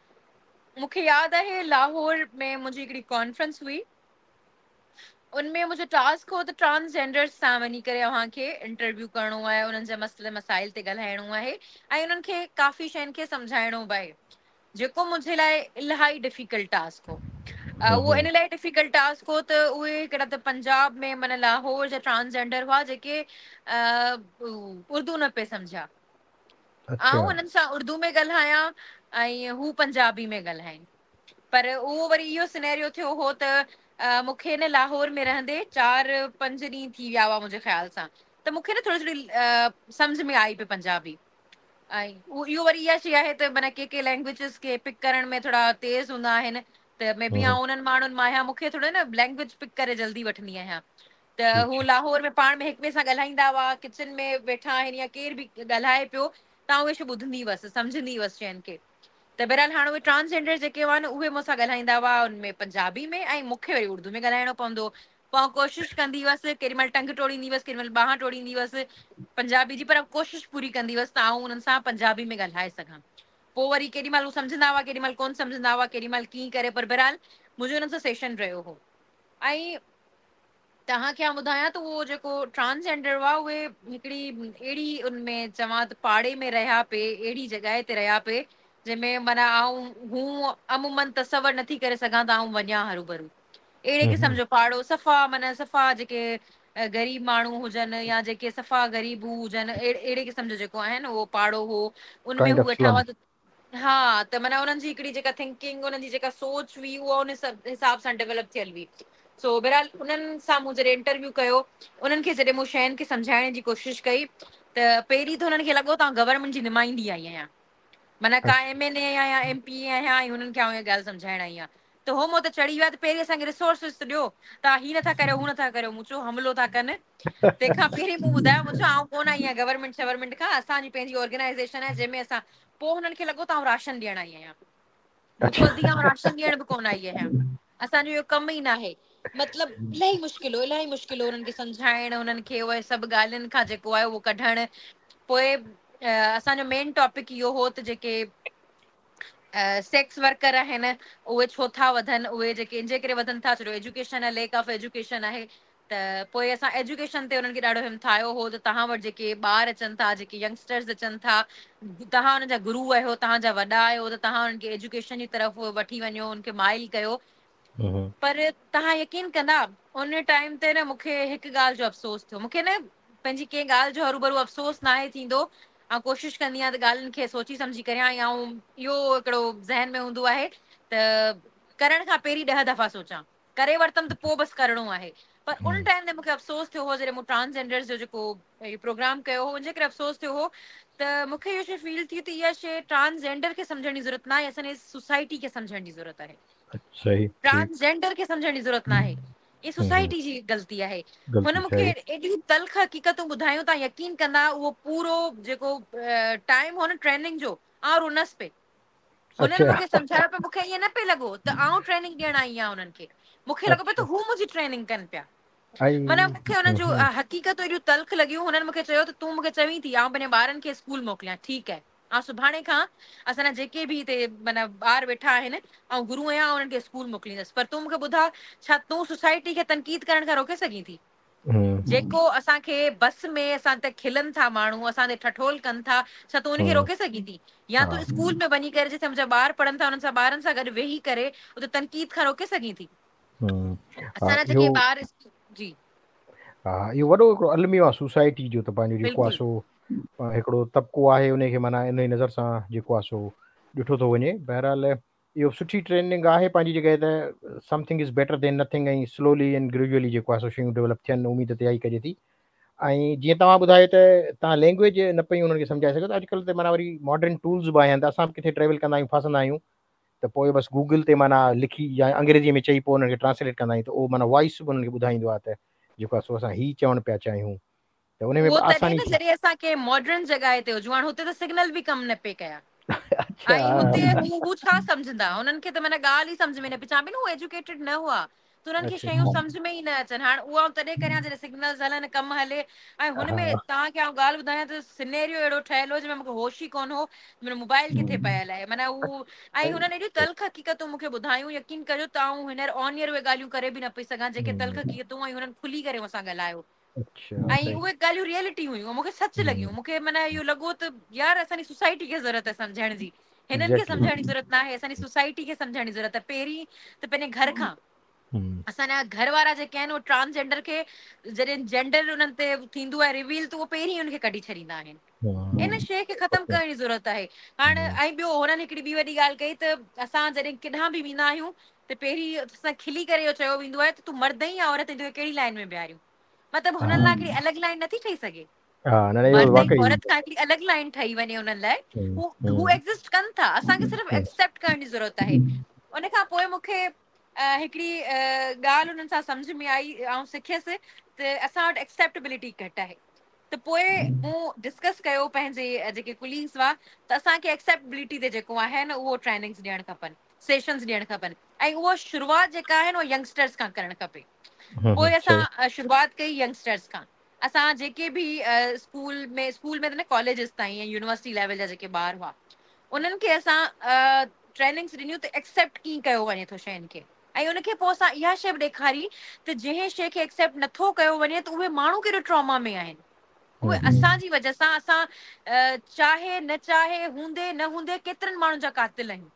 مون کي ياد آهي لاهور ۾ منهنجي هڪڙي ڪانفرنس هئي، ان ۾ منهنجو ٽاسڪ هو ته ٽرانسجينڊرز سان وڃي ڪري اوهان کي انٽرويو ڪرڻو آهي، انهن جا مسئلي مسائل تي ڳالهائڻو آهي ۽ انهن کي ڪافي شين کي سمجهائڻو به آهي، جيڪو منهنجي لاء الاهي ڊفيڪلٽ ٽاسڪ هو. اهو ان لاء ڊفيڪلٽ ٽاسڪ هو ته اهي هڪڙا ته پنجاب ۾ معنيٰ لاهور جا ٽرانسجينڊر هئا جيڪي اردو نه پئي سمجهيا. آئون انهن سان اردو ۾ ڳالهايان ۽ هو پنجابي ۾ ڳالهائين. پر اهو وري اهو سينيريو ٿيو هو ته مون کي نه لاهور ۾ رهندي چار پنج ڏينهن ٿي ويا هئا منهنجي خيال سان، ته مون کي نه ٿوري ٿوري سمجهه ۾ آئي پئي پنجابي. ۽ اهو وري اها شيء آهي ته معنيٰ ڪي ڪي لينگويجز کي پڪ ڪرڻ ۾ ٿورا تيز هوندا آهن، ته مي بي آئون انهن ماڻهن مان آهيان، مون کي ٿورو نه لينگويج پڪ ڪري جلدي وٺندي آهيان. ته هو لاهور ۾ پاڻ ۾ هڪ ٻئي سان ڳالهائيندا هئا، ڪچن ۾ ويٺا آهن يا ڪير به ڳالهائي پيو ته آئون اهي شيون ٻڌندي هئس، سمجهندي هئس شين کي. ته بهرحال هاڻ اهي ٽرانسجينڊر جيڪي هئا نه اهي مون سان ڳالهائيندا هئا ان ۾ پنجابي ۾ ۽ مون کي وري اردو ۾ ڳالهائڻو پوندو هو. پوء آئون ڪوشش ڪندي هئس، ڪيڏي مهل ٽنگ ٽوڙيندي هئس، ڪيڏي مهل ٻانهن ٽوڙيندي هئس پنجابي جي، پر ڪوشش پوري ڪندي هئس ته آئون انهن سان پنجابي ۾ ڳالهائي سگهان. پوء وري ڪيڏي مهل هو سمجهندا هئا، ڪيڏي مهل ڪونه سمجهندا هئا، ڪيڏي مهل ڪيئن ڪري، پر بهرحال منهنجو انهن سان سيشن رهيو هو. ۽ توهان کي آئون ٻڌايان ته اهو جيڪو ٽرانسجينڊر هئا اهي هڪڙي اهڙي ان ۾ چوان ته پاڙي ۾ رهيا پئي، اهڙي جڳهه تي رهيا پئي جنهن ۾ معنيٰ آئون هون عموماً تصور نٿي ڪري سگهان ته آئون وڃان هروڀرو اهڙي قسم جو پاڙو، صفا معنيٰ صفا جيڪي غريب ماڻهو هجن يا جيڪي صفا غريب هو هجن، اهڙي قسم جو جيڪو آهي نه اهو پاڙو هو، ان ۾ هو ويٺا هئا. ها ته معنيٰ انهن جي هڪڙي جيڪا ٿنڪنگ، انهن جي جيڪا سوچ هئي اها ان حساب سان ڊيولپ ٿيل هئي. سو بهرحال انهن سان مون جڏهن انٽرويو ڪيو، انهن کي جڏهن مون شين کي سمجهائڻ جي ڪوشش ڪئي ته پهرين ته هنن کي لڳو ته آئون گورنمينٽ جي نمائندي آئي آهيان، معنيٰ ڪا ايم اين اي آهيان، ايم پي اي آهيان ۽ هنن کي آئون اها ڳالهه سمجهائڻ آئي آهيان. ته هو مون تي چڙهي ويا ته پهرين اسان کي ريسورسز ته ڏيو، توهان هي نٿا ڪريو هو نٿا ڪريو. مون چيو حملو ٿا ڪن. تنهن کان پهرين مون ٻڌايو، مون چيو آئون ڪونه آئي آهيان گورنمينٽ شورمينٽ کان، اسان جي پنهنجي آرگنائيزيشن آهي جنهن ۾ اسان. پوء هنن کي لڳو ته آئون راشن ڏيڻ آئي آهيان. مون چيو ادي آئون راشن ڏيڻ به ڪونه آئي آهيان، اسان جو اهو ڪم ئي ناهي. مطلب الاهي مشڪل هو، الاهي مشڪل هو انهن کي سمجهائڻ، انهن کي اهي سڀ ڳالهين کان جيڪو آهي اهو ڪڍڻ. پوء اسان جو مين ٽاپڪ اهو هو ته جيڪي سيڪس ورڪر آهن اهي ڇو ٿا وڌن، اهي جيڪي ان جي ڪري وڌن ٿا ڇو جو ايجوڪيشن آهي، ليڪ آف ايجوڪيشن آهي. ته پوء اسان ايجوڪيشن تي انهن کي ڏاڍو همٿايو هو ته توهان وٽ جيڪي ٻار اچن ٿا، جيڪي ينگسٽرز اچن ٿا، توهان انهن جا گرو آهيو، توهان جا وڏا آهيو، ته توهان انهن کي ايجوڪيشن جي طرف وٺي وڃو، انهن کي مائل ڪيو. پر توهان يقين ڪندا ان ٽائيم تي نه مون کي هڪ ڳالهه جو افسوس ٿيو. مون کي نه پنهنجي ڪنهن ڳالهه جو هروڀرو افسوس ناهي ٿيندو. آئون ڪوشش ڪندي آهيان ته ڳالهين کي سوچي سمجهي ڪريان ۽ آئون اهو هڪڙو ذهن ۾ هوندو آهي ته ڪرڻ کان پهرين ڏهه دفعا سوچان، ڪري ورتم ته پوء بس ڪرڻو آهي. پر ان ٽائيم تي مون کي افسوس ٿيو هو جڏهن مون ٽرانسجينڊرز جو جيڪو اهو پروگرام ڪيو هو ان جي ڪري افسوس ٿيو هو ته مون کي اهو شي فيل ٿي ته اها شي ٽرانسجينڊر کي سمجهڻ جي ضرورت ناهي، اسان جي سوسائٽي کي سمجهڻ جي ضرورت آهي. صحيح ٽرانس جينڊر کي سمجهڻ جي ضرورت ناهي، هي سوسائٽي جي غلطي آهي. هن مون کي ايڏيون تلخ حقيقتون ٻڌايون، توهان يقين ڪندا اهو پورو جيڪو ٽائيم هو نه ٽريننگ جو، آئون رنس پئي. هنن مون کي سمجهايو پئي، مون کي ائين نه پئي لڳو ته آئون ٽريننگ ڏيڻ آئي آهيان انهن کي، مون کي لڳو پئي ته هو منهنجي ٽريننگ ڪن پيا. معنيٰ مون کي انهن جون حقيقتون ايڏيون تلخ لڳيون. هنن مون کي چيو ته تون مون کي چوين ٿي آئون پنهنجي ٻارن کي اسڪول موڪليان، ٺيڪ آهي، آئون سڀاڻي کان اسان جا جيڪي به هتي معنيٰ ٻار ويٺا آهن، آئون گرو آهيان، آئون انهن کي اسڪول موڪليندس، پر تون مون کي ٻڌاء ڇا تون سوسائٽي کي تنقيد ڪرڻ کان روڪي سگهين ٿي؟ جيڪو اسان کي بس ۾ اسان تي کلن ٿا ماڻهو، اسان تي ٺٺول ڪن ٿا، ڇا تون ان کي روڪي سگهين ٿي؟ يا تون اسڪول ۾ وڃي ڪري جتي منهنجا ٻار پڙهن ٿا انهن سان ٻارن سان گڏ ويهي ڪري اتي تنقيد کان روڪي سگهين ٿي؟ اسان جا جيڪي ٻار جي. ها اهو وڏو هڪڙو الميو آهي سوسائٽي جو ته پنهنجو جيڪو آهي سو هڪڙو طبقو آهي ان کي معنيٰ ان نظر سان جيڪو آهي سو ڏٺو ٿو وڃي. بهرحال اهو سٺي ٽريننگ آهي پنهنجي جڳهه ته something is better than nothing ۽ slowly and gradually جيڪو آهي سو شيون ڊيولپ ٿين اميد ته اها ئي ڪجي ٿي ۽ جيئن توهان ٻڌايو ته توهان لينگويج نه پئي انهن کي سمجهائي سگهو ته اڄڪلهه ته معنيٰ وري ماڊرن ٽولز به آيا آهن ته اسان به ڪٿي ٽريول ڪندا آهيون ڦاسندا آهيون ته پوء بس گوگل تي معنيٰ لکي يا انگريزي ۾ چئي پوء انهن کي ٽرانسليٽ ڪندا آهيون ته اهو معنيٰ وائس به انهن کي ٻڌائيندو آهي ته جيڪو آهي سو اسان هي چوڻ پيا چاهيون ته ان ۾ به آساني ٿي. جڏهن اسان ڪنهن ماڊرن جڳهه تي هجون هاڻ هتي ته سگنل به ڪم نه پئي ڪيا اڇا ۽ هتي هو هو ڇا سمجهندا هنن کي ته معنيٰ ڳالهه ئي سمجهه ۾ نه پئي چوان پئي نه هو ايجوڪيٽيڊ نه هئا ته انهن کي اڇا شيون سمجهه ۾ ئي نه اچن هاڻ اها آئون تڏهن ڪريان جڏهن سگنلز هلن ڪم هلي ۽ هن ها ۾ توهان کي آئون ڳالهه ٻڌايان ته سينيريو اهڙو ٺهيل هو جنهن ۾ مون کي هوش ئي ڪونه هو منهنجو موبائل ڪٿي پيل آهي معنيٰ هو ۽ هنن ايڏيون تلخ حقيقتون مون کي ٻڌايون يقين ڪجو ته آئون هينئر آن ايئر اهي ڳالهيون ڪري به نه پئي سگهان جيڪي تلخ حقيقتون ۽ هنن کلي ڪري مون سان ڳالهايو اڇا ۽ صحيح اهي ڳالهيون ريئلٽي هيون مون کي سچ لڳيون مون کي معنيٰ اهو لڳو ته يار اسان جي سوسائٽي کي ضرورت آهي سمجهڻ جي هنن کي ايگزيڪٽلي سمجهڻ جي ضرورت ناهي اسان جي سوسائٽي کي سمجهڻ جي ضرورت آهي پهرين ته پنهنجي گهر کان اسان جا گهر وارا جيڪي آهن اهي ٽرانسجينڊر کي جڏهن جينڊر انهن تي ٿيندو آهي ريويل ته اهو پهرين ان کي ڪڍي ڇڏيندا آهن ان شيء کي ختم ڪرڻ جي ضرورت آهي هاڻ ۽ ٻيو هنن هڪڙي ٻي وڏي ڳالهه ڪئي ته اسان جڏهن ڪيڏانهن به ويندا آهيون ته پهرين اسان کلي ڪري اهو چيو ويندو آهي ته تون مرد آهين يا عورت آهين توکي ڪهڙي لائن ۾ بيهاريون مطلب هنن لاء هڪڙي الڳ لائن نٿي ٺهي سگهي. ها نه نه اهو مرد ۽ واقعي عورت کان هڪڙي الڳ لائن ٺهي وڃي انهن لاء هو هو ايگزسٽ ڪن ٿا اسان کي صرف ايڪسيپٽ ڪرڻ جي ضرورت آهي ان کان پوء مون کي هڪڙي ڳالهه انهن سان سمجهه ۾ آئي آئون سکيس ته اسان وٽ ايڪسيپٽبلٽي گهٽ آهي ته پوء مون ڊسڪس ڪيو پنهنجي جيڪي ڪليگس هئا ته اسان کي ايڪسيپٽبلٽي تي جيڪو آهي نه اهو ٽريننگس ڏيڻ کپن سيشنز ڏيڻ کپن ۽ اهو شروعات جيڪا آهي نه اهو ينگسٽرس کان ڪرڻ کپي پوء اسان شروعات ڪئي ينگسٽرس کان اسان جيڪي به اسڪول ۾ اسڪول ۾ ته نه ڪاليجز تائين يا يونيورسٽي ليول جا جيڪي ٻار هئا انهن کي اسان ٽريننگس ڏنيون ته ايڪسيپٽ ڪيئن ڪيو وڃي ٿو شين کي ۽ ان کي پوء اسان اها شي به ڏيکاري ته جنهن شي کي ايڪسيپٽ نٿو ڪيو وڃي ته اهي ماڻهو ڪيڏو ٽراما ۾ آهن اهي اسان جي وجه سان اسان چاهي نه چاهي هوندي نه هوندي ڪيترن ماڻهن جا قاتل آهيون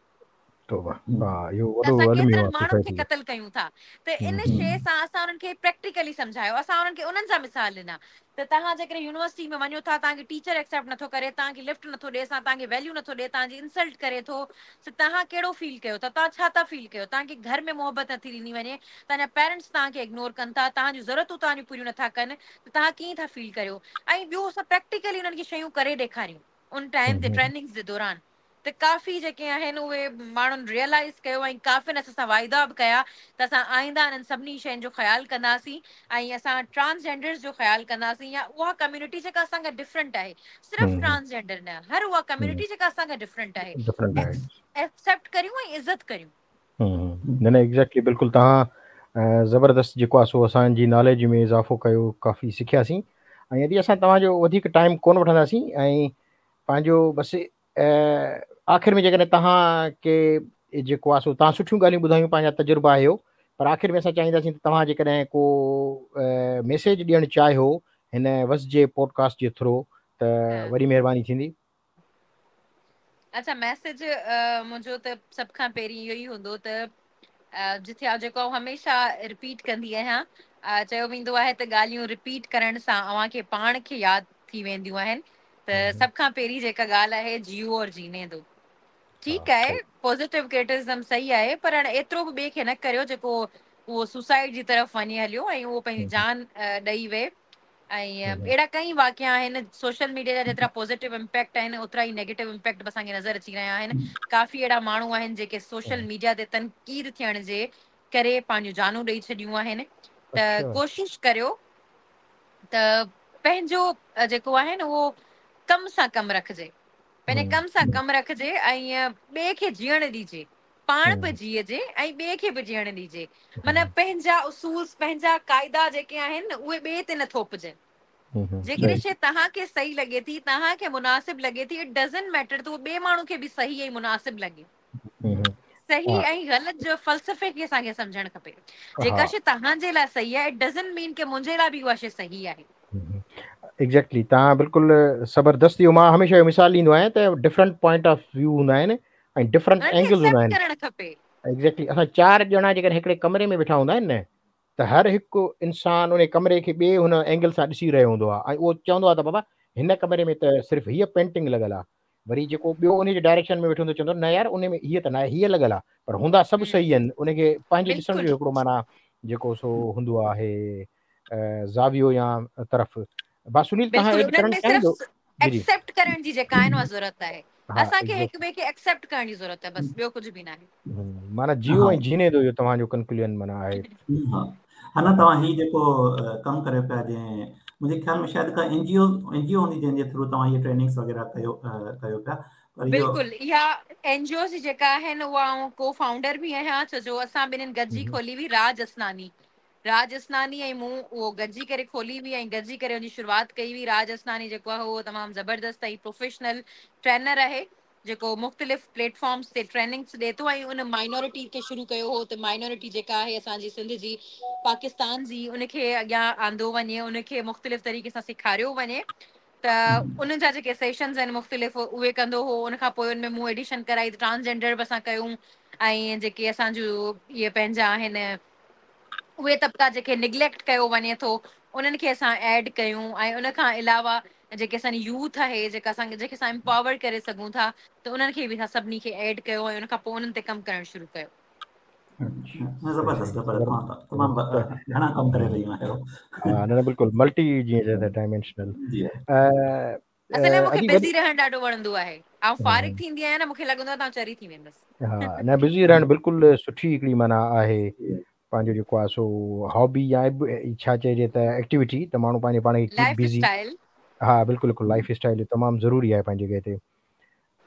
توبه ها اهو ته وڏو اسان الميو ڪيترن آهي ماڻهن کي سوسائٽي جو قتل ڪيون ٿا ته ان شيء سان اسان انهن کي پريڪٽيڪلي سمجهايو اسان انهن کي انهن جا مثال ڏنا ته توهان جيڪڏهن يونيورسٽي ۾ وڃو ٿا توهان کي ٽيچر ايڪسيپٽ نٿو ڪري توهان کي لفٽ نٿو ڏئي سان توهان کي ويليو نٿو ڏئي توهان جي انسلٽ ڪري ٿو ته توهان ڪهڙو فيل ڪيو ٿا توهان ڇا ٿا فيل ڪيو توهان کي گهر ۾ محبت نٿي ڏني وڃي توهان جا پيرنٽس توهان کي اگنور ڪن ٿا توهان جون ضرورتون توهان جون پوريون نٿا ڪن ته توهان ڪيئن ٿا فيل ڪريو ۽ ٻيو اسان پريڪٽيڪلي انهن کي شيون ڪري ڏيکاريون ان ٽائيم تي ٽريننگز جي دوران ته ڪافي جيڪي آهن اهي ماڻهن ريئلائيز ڪيو ۽ ڪافين اسان سان واعدا به ڪيا ته اسان آئنده انهن سڀني شين جو خيال ڪنداسين ۽ اسان ٽرانس جينڊرز جو خيال ڪنداسين يا اها ڪميونٽي جيڪا اسان کان ڊفرنٽ آهي صرف ٽرانس جينڊر نه هر اها ڪميونٽي جيڪا اسان کان ڊفرنٽ آهي ڊفرنٽ آهي ايڪسيپٽ ڪريون ۽ عزت ڪريون. نه نه ايگزيڪٽلي بلڪل توهان زبردست جيڪو آهي سو اسان جي ناليج ۾ اضافو ڪيو ڪافي سکياسين ۽ ادي اسان توهان جو وڌيڪ ٽائيم ڪون وٺنداسين ۽ پنهنجو بس آخر ۾ جيڪڏهن توهان کي جيڪو آهي سو توهان سٺيون ڳالهيون ٻڌايون پنهنجا تجربا آهيو پر آخر ۾ اسان چاهينداسين ته توهان جيڪڏهن ڪو ميسيج ڏيڻ چاهيو هن وسجي پوڊڪاسٽ جي ٿرو ته وڏي مهرباني ٿيندي. اڇا ميسيج منهنجو ته سڀ کان پهرين اهو ئي هوندو ته جٿي آئون جيڪو آئون هميشه رپيٽ ڪندي آهيان چيو ويندو آهي ته ڳالهيون رپيٽ ڪرڻ سان اوهان کي پاڻ کي ياد ٿي وينديون آهن ته سڀ کان پهرين جيڪا ڳالهه آهي جيو اور جيني دو ٺيڪ آهي پازيٽو ڪرٽسزم صحيح آهي پر هاڻي ايترو به ٻئي کي نه ڪريو جيڪو اهو سوسائيڊ جي طرف وڃي هليو ۽ اهو پنهنجي جان ڏئي وئي ۽ اهڙا ڪئي واقعا آهن سوشل ميڊيا جا جيترا پازيٽو امپيڪٽ آهن اوترا ئي نيگيٽو امپيڪٽ به اسان کي نظر اچي رهيا آهن ڪافي اهڙا ماڻهو آهن جيڪي سوشل ميڊيا تي تنقيد ٿيڻ جي ڪري پنهنجون جانون ڏئي ڇڏيون آهن ته ڪوشش ڪريو ته پنهنجو جيڪو آهي نه اهو ڪم سان ڪم رکجي پنهنجي ڪم سان ڪم رکجي ۽ ٻئي کي جيئڻ ڏجي پاڻ به جيئجي ۽ ٻئي کي به جيئڻ ڏجي معنيٰ پنهنجا اصول پنهنجا قاعدا جيڪي آهن اهي ٻئي تي نه ٿوپجن جيڪڏهن شيء توهان کي صحيح لڳي ٿي توهان کي مناسب لڳي ٿي it doesn't matter ته اهو ٻئي ماڻهو کي به صحيح ۽ مناسب لڳي صحيح ۽ غلط جو فلسفي کي اسان کي سمجهڻ کپي جيڪا شيء توهان جي لاء صحيح آهي it doesn't مين ڪه منهنجي لاء به اها شيء صحيح آهي ايگزيڪٽلي توهان بلڪل زبردست اهو مان هميشه اهو مثال ڏيندو آهيان ته ڊفرنٽ پوائنٽ آف ويو هوندا آهن ۽ ڊفرنٽ اينگلز هوندا آهن ڪرڻ کپي ايگزيڪٽلي اسان چار ڄڻا جيڪڏهن هڪڙي ڪمري ۾ ويٺا هوندا آهن نه ته هر هڪ انسان ان ڪمري کي ٻئي هن اينگل سان ڏسي رهيو هوندو آهي ۽ اهو چوندو آهي ته بابا هن ڪمري ۾ ته صرف هيء پينٽنگ لڳل آهي وري جيڪو ٻيو ان جي ڊائريڪشن ۾ ويٺو هوندو چوندو نه يار ان ۾ هيء ته ناهي هيء لڳل آهي پر هوندا سڀ صحيح آهن ان کي پنهنجي ڏسڻ جو هڪڙو معنيٰ جيڪو سو هوندو آهي زاويو يا طرف با سنيل توهان ايڊ ڪرڻ چاهيندو ايڪسيپٽ ڪرڻ جي جيڪا آهي نه ضرورت آهي اسان کي هڪ ٻئي کي ايڪسيپٽ ڪرڻ جي ضرورت آهي بس ٻيو ڪجهه به ناهي معنيٰ جيو ۽ جيني دو اهو توهان جو ڪنڪلوزن معنيٰ آهي ها ها نه توهان هي جيڪو ڪم ڪريو پيا جنهن منهنجي خيال ۾ شايد ڪا اين جي او اين جي او هوندي جنهن جي ٿرو توهان هي ٽريننگس وغيره ڪيو ڪيو پيا پر بلڪل اها اين جي اوز جيڪا آهن اها آئون ڪو فائونڊر به آهيان ڇو جو اسان ٻنهين گڏجي کولي هئي راج اسناني راج اسناني ۽ مون اهو گڏجي ڪري کولي هئي ۽ گڏجي ڪري ان جي شروعات ڪئي هئي. راج اسناني جيڪو آهي اهو تمام زبردست ۽ پروفيشنل ٽرينر آهي جيڪو مختلف پليٽ فارمز تي ٽريننگس ڏي ٿو ۽ ان مائنورٽي کي شروع ڪيو هو ته مائنورٽي جيڪا آهي اسان جي سنڌ جي پاڪستان جي ان کي اڳيان آندو وڃي ان کي مختلف طريقي سان سيکاريو وڃي ته انهن جا جيڪي سيشنز آهن مختلف اهي ڪندو هو ان کان پوء ان ۾ مون ايڊيشن ڪرائي ته ٽرانسجينڊر به اسان ڪيون ۽ جيڪي اسان جون اهي پنهنجا آهن اهي طبقا جيڪي نگليڪٽ ڪيو وڃي ٿو انهن کي اسان ايڊ ڪيون ۽ ان کان علاوه جيڪي اسان جي يوٿ آهي جيڪا اسان جيڪي اسان امپاور ڪري سگهون ٿا ته انهن کي به اسان سڀني کي ايڊ ڪيو ۽ ان کان پوء انهن تي ڪم ڪرڻ شروع ڪيو. زبردست زبردست تمام گهڻا ڪم ڪري رهيون آهيو. ها نه بلڪل ملٽي جيئن چئجي ڊائمينشنل. جي اصل ۾ مونکي بزي رهڻ ڏاڍو وڻندو آهي. آئون فارغ ٿيندي آهيان نه مونکي لڳندو آهي ته آئون چري ٿي ويندس. ها نه بزي رهڻ بلڪل سٺي هڪڙي معنيٰ آهي پنهنجو جيڪو آهي سو هابي يا ڇا چئجي ته ايڪٽيوٽي ته ماڻهو پنهنجي پاڻ کي ڪيپ بزي ها بلڪل بلڪل لائف اسٽائل تمام ضروري آهي پنهنجي جڳهه تي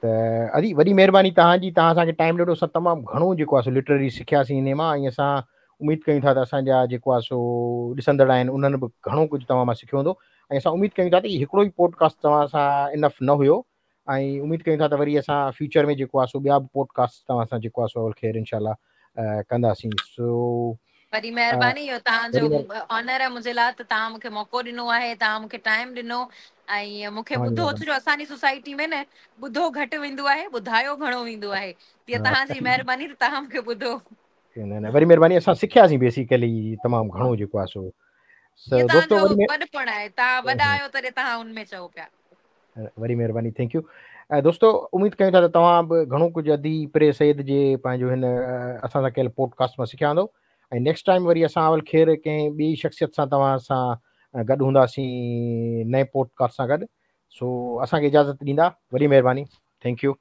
ته ادي وڏي مهرباني توهان جي توهان اسان کي ٽائيم ڏنو اسان تمام گهڻو جيڪو آهي سو لٽرلي سکياسين انهي مان ۽ اسان اميد ڪيون ٿا ته اسان جا جيڪو آهي سو ڏسندڙ آهن انهن به گهڻو ڪجهه توهان مان سکيو هوندو ۽ اسان اميد ڪيون ٿا ته هي هڪڙو ئي پوڊڪاسٽ توهان سان انف نه هيو ۽ اميد ڪيون ٿا ته وري اسان فيوچر ۾ جيڪو آهي سو ٻيا به پوڊڪاسٽ توهان سان جيڪو آهي سو اول خير انشاء الله ڪنداسين سو وڏي مهرباني اهو توهان جو آنر آهي منهنجي لاء ته توهان مون کي موقعو ڏنو آهي توهان مون کي ٽائيم ڏنو ۽ مون کي ٻڌو ڇو جو اسان جي سوسائٽي ۾ نه ٻڌو گهٽ ويندو آهي ٻڌايو گهڻو ويندو آهي جيئن توهان جي مهرباني ته توهان مون کي ٻڌو. نه نه وري مهرباني اسان سکياسين بيسيڪلي تمام گهڻو جيڪو آهي سو سو دوستو وري وڏپڻ آهي توهان وڏا آهيو تڏهن توهان ان ۾ چئو پيا. وري مهرباني thank you دوستو اميد ڪيون ٿا ته توهان به گهڻو ڪجهه ادي پري سيد جي پنهنجو هن اسان سان ڪيل پوڊڪاسٽ مان سکيا هوندو ۽ نيڪسٽ ٽائيم وري اسان اول خير ڪنهن ٻي شخصيت سان توهان سان گڏ هونداسين نئين پوڊڪاسٽ سان گڏ سو اسان کي اجازت ڏيندا وڏي مهرباني thank you.